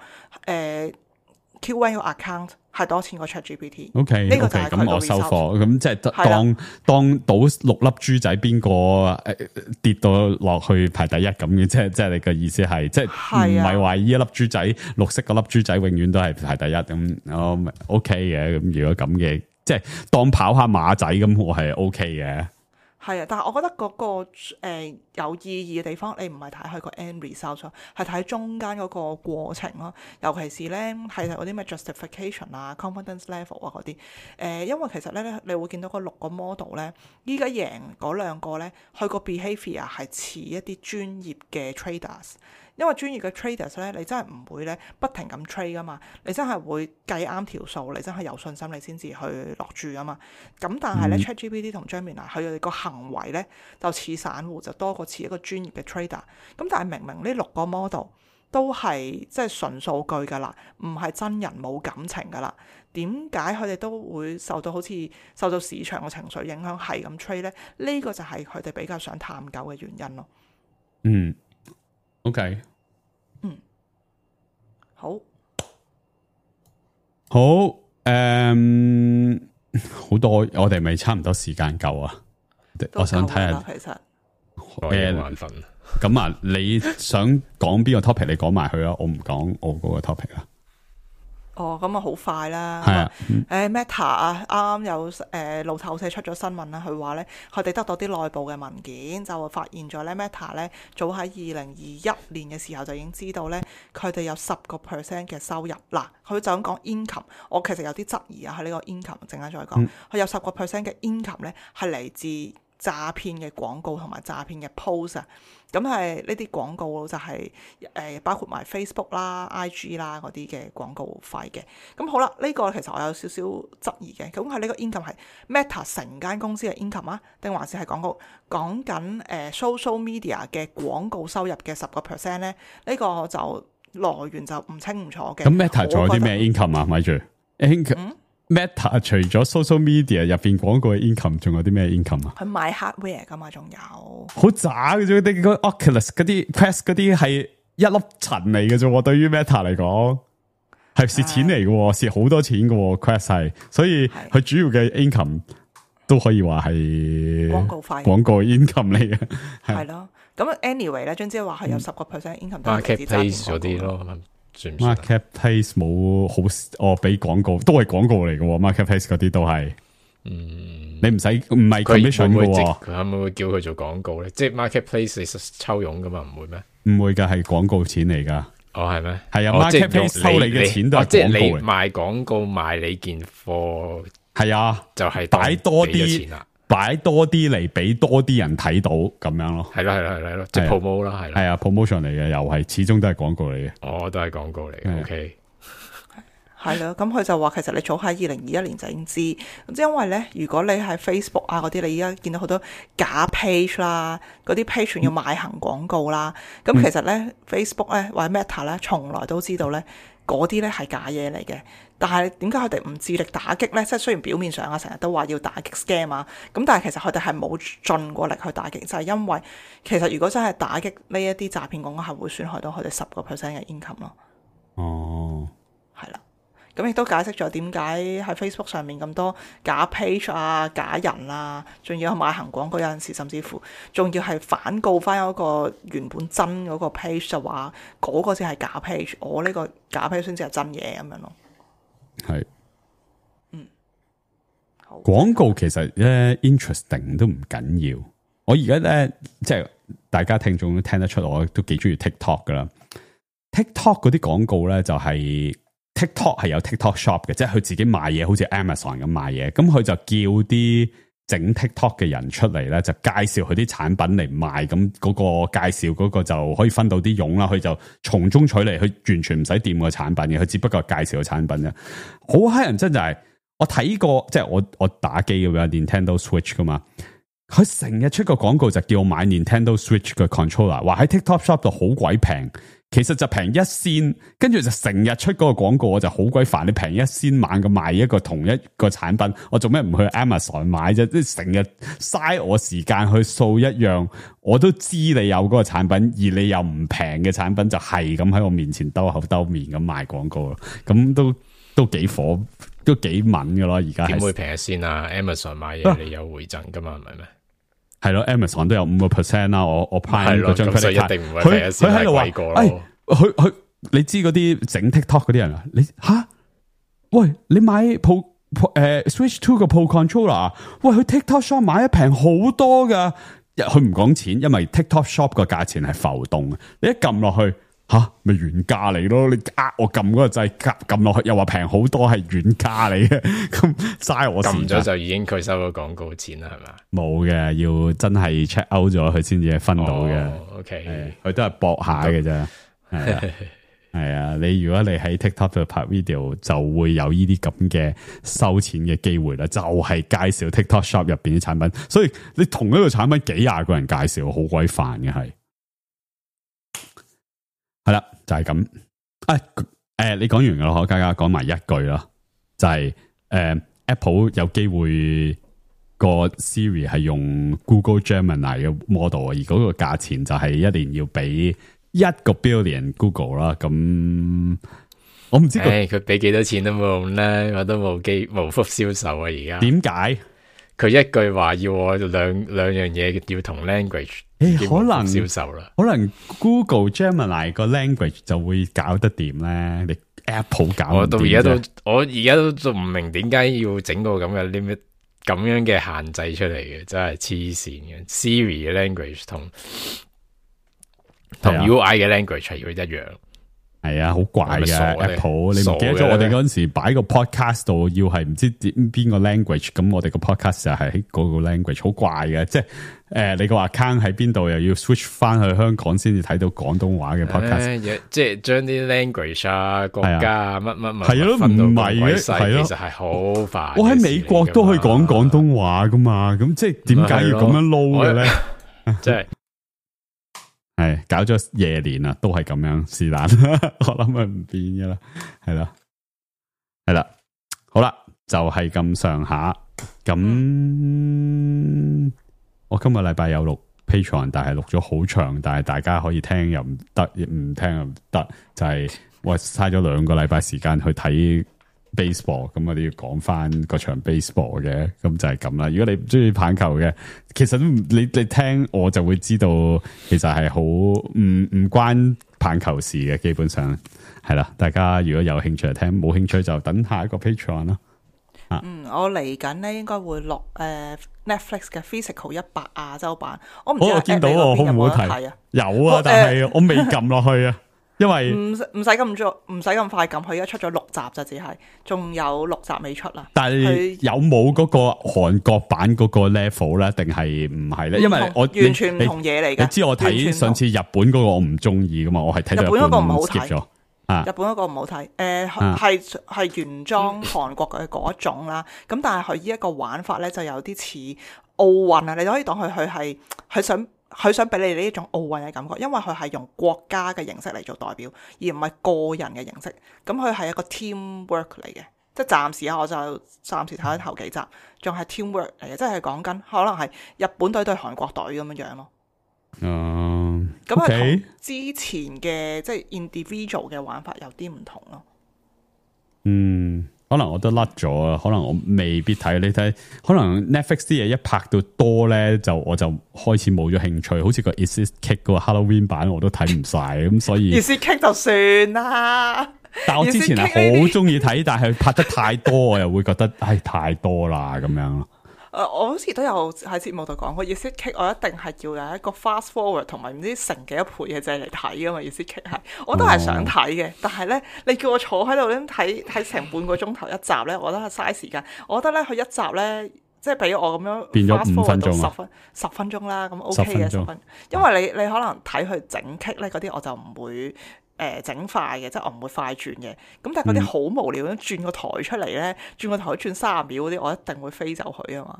Q1 個 account 係多錢過 ChatGPT。 OK，呢個就係佢個咁我收 result 貨，咁即係係啦當賭6粒珠仔邊個跌到落去排第一咁嘅，即係你嘅意思係，即係唔係話呢一粒珠仔綠色嗰粒珠仔永遠都係排第一咁，我 OK 嘅。咁如果咁嘅，即係當跑下馬仔咁，我係 OK 嘅。係啊，但係我覺得嗰、個、有意義嘅地方，你唔係睇佢個 end result 咯，係睇中間嗰個過程咯。尤其是咧係嗰啲咩 justification 啊、confidence level 啊嗰啲。因為其實咧你會見到嗰6個 model 咧，依家贏嗰2個咧，佢個 behaviour 係似一啲專業嘅 traders。因為專業嘅 traders 咧，你真係唔會咧不停咁 trade 噶嘛，你真係會計啱條數，你真係有信心，你先至去落注噶嘛。咁但係咧 ChatGPT 同 Gemini 佢哋個行為咧就似散戶，就多過似一個專業嘅 trader。咁但係明明呢6個 model 都係即係純數據噶啦，唔係真人冇感情噶啦。點解佢哋都會受到好似受到市場嘅情緒影響係咁 trade 咧？呢個就係佢哋比較想探究嘅原因咯。嗯。OK， 好，好，好多，我哋咪差唔多時間夠啊！我想睇下，其實我有眼瞓。咁啊，你想講邊個 topic？你講埋佢啊，我唔講我嗰個 topic 啊。哦，咁啊好快啦。係啊Meta 啊，啱啱有路透社出咗新聞啦，佢話咧佢哋得到啲內部嘅文件，就發現咗咧 Meta 咧早喺2021年嘅時候就已經知道咧佢哋有10% 嘅收入。嗱，佢就咁講 income， 我其實有啲質疑啊，喺呢個 income， 陣間再講。佢有10% 嘅 income 咧係嚟自詐騙嘅廣告同埋詐騙嘅 post 啊。咁係呢啲廣告就係、包括埋 Facebook 啦、IG 啦嗰啲嘅廣告費嘅。咁好啦，呢、個其實我有少少質疑嘅。咁係呢個 income 係 Meta 成間公司嘅 income 啊，定還是係講緊social media 嘅廣告收入嘅10% 咧？呢個就來源就唔清唔楚嘅。咁 Meta 仲有啲咩 income 啊？咪住 Meta 除咗 social media 入邊廣告嘅 income， 仲有啲咩 income 啊？佢買 hardware 噶嘛，仲有好渣嘅啫，啲嗰 Oculus 嗰啲 Quest 嗰啲係一粒塵嚟嘅啫。對於 Meta 嚟講係蝕錢嚟嘅，蝕好多錢嘅 Quest 係，所以佢主要嘅 income 都可以話係廣告費、廣告 income 嚟嘅。係咯。咁 anyway 咧，總之話佢有10% income 都係嚟自 marketplace 嗰啲咯，算唔算 ？Marketplace 冇好俾廣告，都係廣告嚟嘅。Marketplace 嗰啲都係，你唔係 commission 嘅。佢係咪會叫佢做廣告咧？即係 marketplace 你抽佣噶嘛？唔會咩？唔會噶，係廣告錢嚟噶。哦，係咩？係啊，marketplace 收你嘅錢都係即係你廣告嚟。賣廣告賣你件貨，係啊，就係擺多俾咗啲錢啦。擺多啲嚟俾多啲人睇到咁樣咯，係咯，即係 promo 啦，係啦，係啊 promotion 嚟嘅，又係始終都係廣告嚟嘅，我都係廣告嚟嘅。OK，係咯，咁佢就話其實你早喺2021年就已經知，咁因為咧，如果你係 Facebook 啊嗰啲，你而家見到好多假 page 啦，嗰啲 page 要賣行廣告啦，咁其實咧 Facebook 咧或者 Meta 咧，從來都知道咧嗰啲咧係假嘢嚟嘅。但係點解佢哋唔致力打擊咧？即係雖然表面上啊，成日都話要打擊 scam 啊，咁但係其實佢哋係冇盡過力去打擊，就係因為其實如果真係打擊呢一啲詐騙廣告，係會損害到佢哋10% 嘅 income 咯。哦，係啦，咁亦都解釋咗點解喺 Facebook 上面咁多假 page 啊、假人啊，仲要買行廣告，有陣時甚至乎仲要係反告翻嗰個原本真嗰個 page，就話嗰個先係假 page，我呢個假 page 先至係真嘢咁樣咯。係，好。廣告其實咧 interesting 都唔緊要。我而家咧即係大家聽眾都聽得出，我都幾中意 TikTok 噶啦。TikTok 嗰啲廣告咧就係 TikTok 係有 TikTok Shop 嘅，即係佢自己賣嘢，好似 Amazon 咁賣嘢。咁佢就叫啲整 TikTok 嘅人出嚟咧，就介紹佢啲產品嚟賣。咁嗰個介紹嗰個就可以分到啲傭啦。佢就從中取利，佢完全唔使掂個產品嘅，佢只不過介紹個產品啫。好乞人憎就係我睇過，即係我打機嘅話 Nintendo Switch 噶嘛。佢成日出個廣告就叫我買 Nintendo Switch 嘅 controller， 話喺 TikTok Shop 度好鬼平，其實就平1仙，跟住就成日出嗰個廣告，我就好鬼煩。你平1仙猛咁賣一個同一個產品，我做咩唔去 Amazon 買啫？即係成日嘥我時間去掃一樣，我都知你有嗰個產品，而你又唔平嘅產品，就係咁喺我面前兜口兜面咁賣廣告咯。咁都幾火，都幾敏噶咯。而家點會平1仙啊 ？Amazon 買嘢你有回贈噶嘛？唔係咩？係咯 ，Amazon 都有5% 啦。我 Prime 嗰張佢一定唔會平1仙，喺度話，佢你知嗰啲整 TikTok 嗰啲人啊？你吓？喂，你買 Switch 2個 Pro Controller， 喂，去 TikTok Shop 買一平好多噶。佢唔講錢，因為 TikTok Shop 個價錢係浮動嘅。你一撳落去，吓咪原價嚟咯？你我撳嗰個掣撳落去，又話平好多，係原價嚟嘅。咁嘥我時間。撳咗就已經佢收咗廣告錢啦，係咪？冇嘅，要真係 check out 咗佢先至分到嘅。OK，佢都係搏下嘅啫。係啊，係啊。如果你喺 TikTok 度拍 video，就會有呢啲咁嘅收錢嘅機會啦。就係介紹 TikTok Shop 入邊啲產品，所以你同一個產品幾廿個人介紹，好鬼煩嘅係。係啦，就係咁。你講完噶啦，我家家講埋一句啦，就係Apple 有機會個 Siri 係用 Google Gemini 嘅 model， 而嗰個價錢就係一年要俾1個 billion Google 啦。咁我唔知佢俾幾多錢都冇用啦，我都無福銷售啊！而家點解？佢一句話要我兩樣嘢要同 language，可能銷售啦。可能 Google Gemini 個 language 就會搞得掂咧，你 Apple 搞唔掂。我而家都仲唔明點解要整個咁嘅 limit 咁樣嘅限制出嚟嘅，真係黐線嘅。Siri 嘅 language 同 UI 嘅 language 係要一樣。係啊，好怪嘅 Apple， 你唔記得咗我哋嗰陣時擺個 podcast 度要係唔知邊個 language， 咁我哋個 podcast 就係喺嗰個 language， 好怪嘅。即係你個 account 喺邊度又要 switch 翻去香港先至睇到廣東話嘅 podcast，即係將啲 language 啊、國家啊乜係咯，唔係嘅，係咯，其實係好煩。我喺美國都可以講廣東話噶嘛，咁即係點解要咁樣撈嘅咧？即係。係搞咗夜年啦，都係咁樣是但，我諗佢唔變噶啦，係啦，係啦，好啦，就係咁上下。咁我今個禮拜有錄 Patreon， 但係錄咗好長，但係大家可以聽又唔得，唔聽又唔得，就係我嘥咗2個禮拜時間去睇 baseball， 咁我哋要講翻嗰場 baseball 嘅，咁就係咁啦。如果你唔中意棒球嘅，其實你聽我就會知道，其實係好唔關棒球事嘅，基本上係啦。大家如果有興趣聽，冇興趣就等下一個 Patreon 啦。我嚟緊咧應該會錄Netflix 嘅 Physical 100亞洲版，我唔知我見到我好唔好睇啊？有啊，但係我未撳落去啊。因為唔使咁快撳，佢而家出咗6集就只係，仲有6集未出啦。但係有冇嗰個韓國版嗰個 level 咧？定係唔係咧？因為我完全唔同嘢嚟嘅。你知我睇上次日本嗰個我唔中意噶嘛，我係睇到日本嗰個唔好睇咗。日本嗰個唔好睇，係原裝韓國嘅嗰一種啦。咁但係佢呢一個玩法咧就有啲似奧運啊，你可以當佢係佢想俾你呢一種奧運嘅感覺，因為佢係用國家嘅形式嚟做代表，而唔係個人嘅形式。咁佢係一個 teamwork 嚟嘅，即係暫時我就暫時睇咗頭幾集，仲係 teamwork 嚟嘅，即係講緊可能係日本隊對韓國隊咁樣樣咯。咁係同之前嘅即係 individual 嘅玩法有啲唔同咯。可能我都甩咗啊，可能我未必睇。你睇，可能 Netflix 啲嘢一拍到多咧，我就開始冇咗興趣。好似個 Is It Cake 嗰個 Halloween 版我都睇唔晒，咁所以 Is It Cake 就算啦。但我之前係好中意睇，但係拍得太多，我又會覺得太多啦咁樣咯。我好似都有喺節目度講過，Is It Cake 我一定係要有一個 fast forward 同埋唔知成幾多倍嘅掣嚟睇噶嘛。Is It Cake 係我都係想睇嘅，但係咧你叫我坐喺度咧睇成半個鐘頭一集咧，我覺得係嘥時間。我覺得咧佢一集咧即係俾我咁樣變咗5分鐘10分鐘啦，咁 OK 嘅10分鐘。因為你可能睇佢整 cake 咧嗰啲我就唔會整快嘅，即係我唔會快轉嘅。咁但係嗰啲好無聊咁轉個台出嚟咧，轉個台轉30秒嗰啲，我一定會飛走佢啊嘛。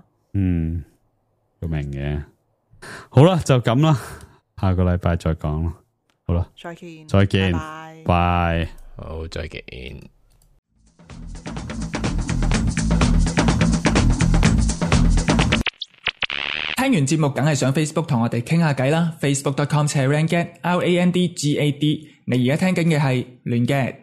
都明嘅。好啦，就咁啦，下個禮拜再講咯。好啦，再見，再見，拜拜。拜。好，再見。聽完節目梗係上 Facebook 同我哋傾下偈啦 ，facebook.com/randgad，RANDGAD。你而家聽緊嘅係亂 gad。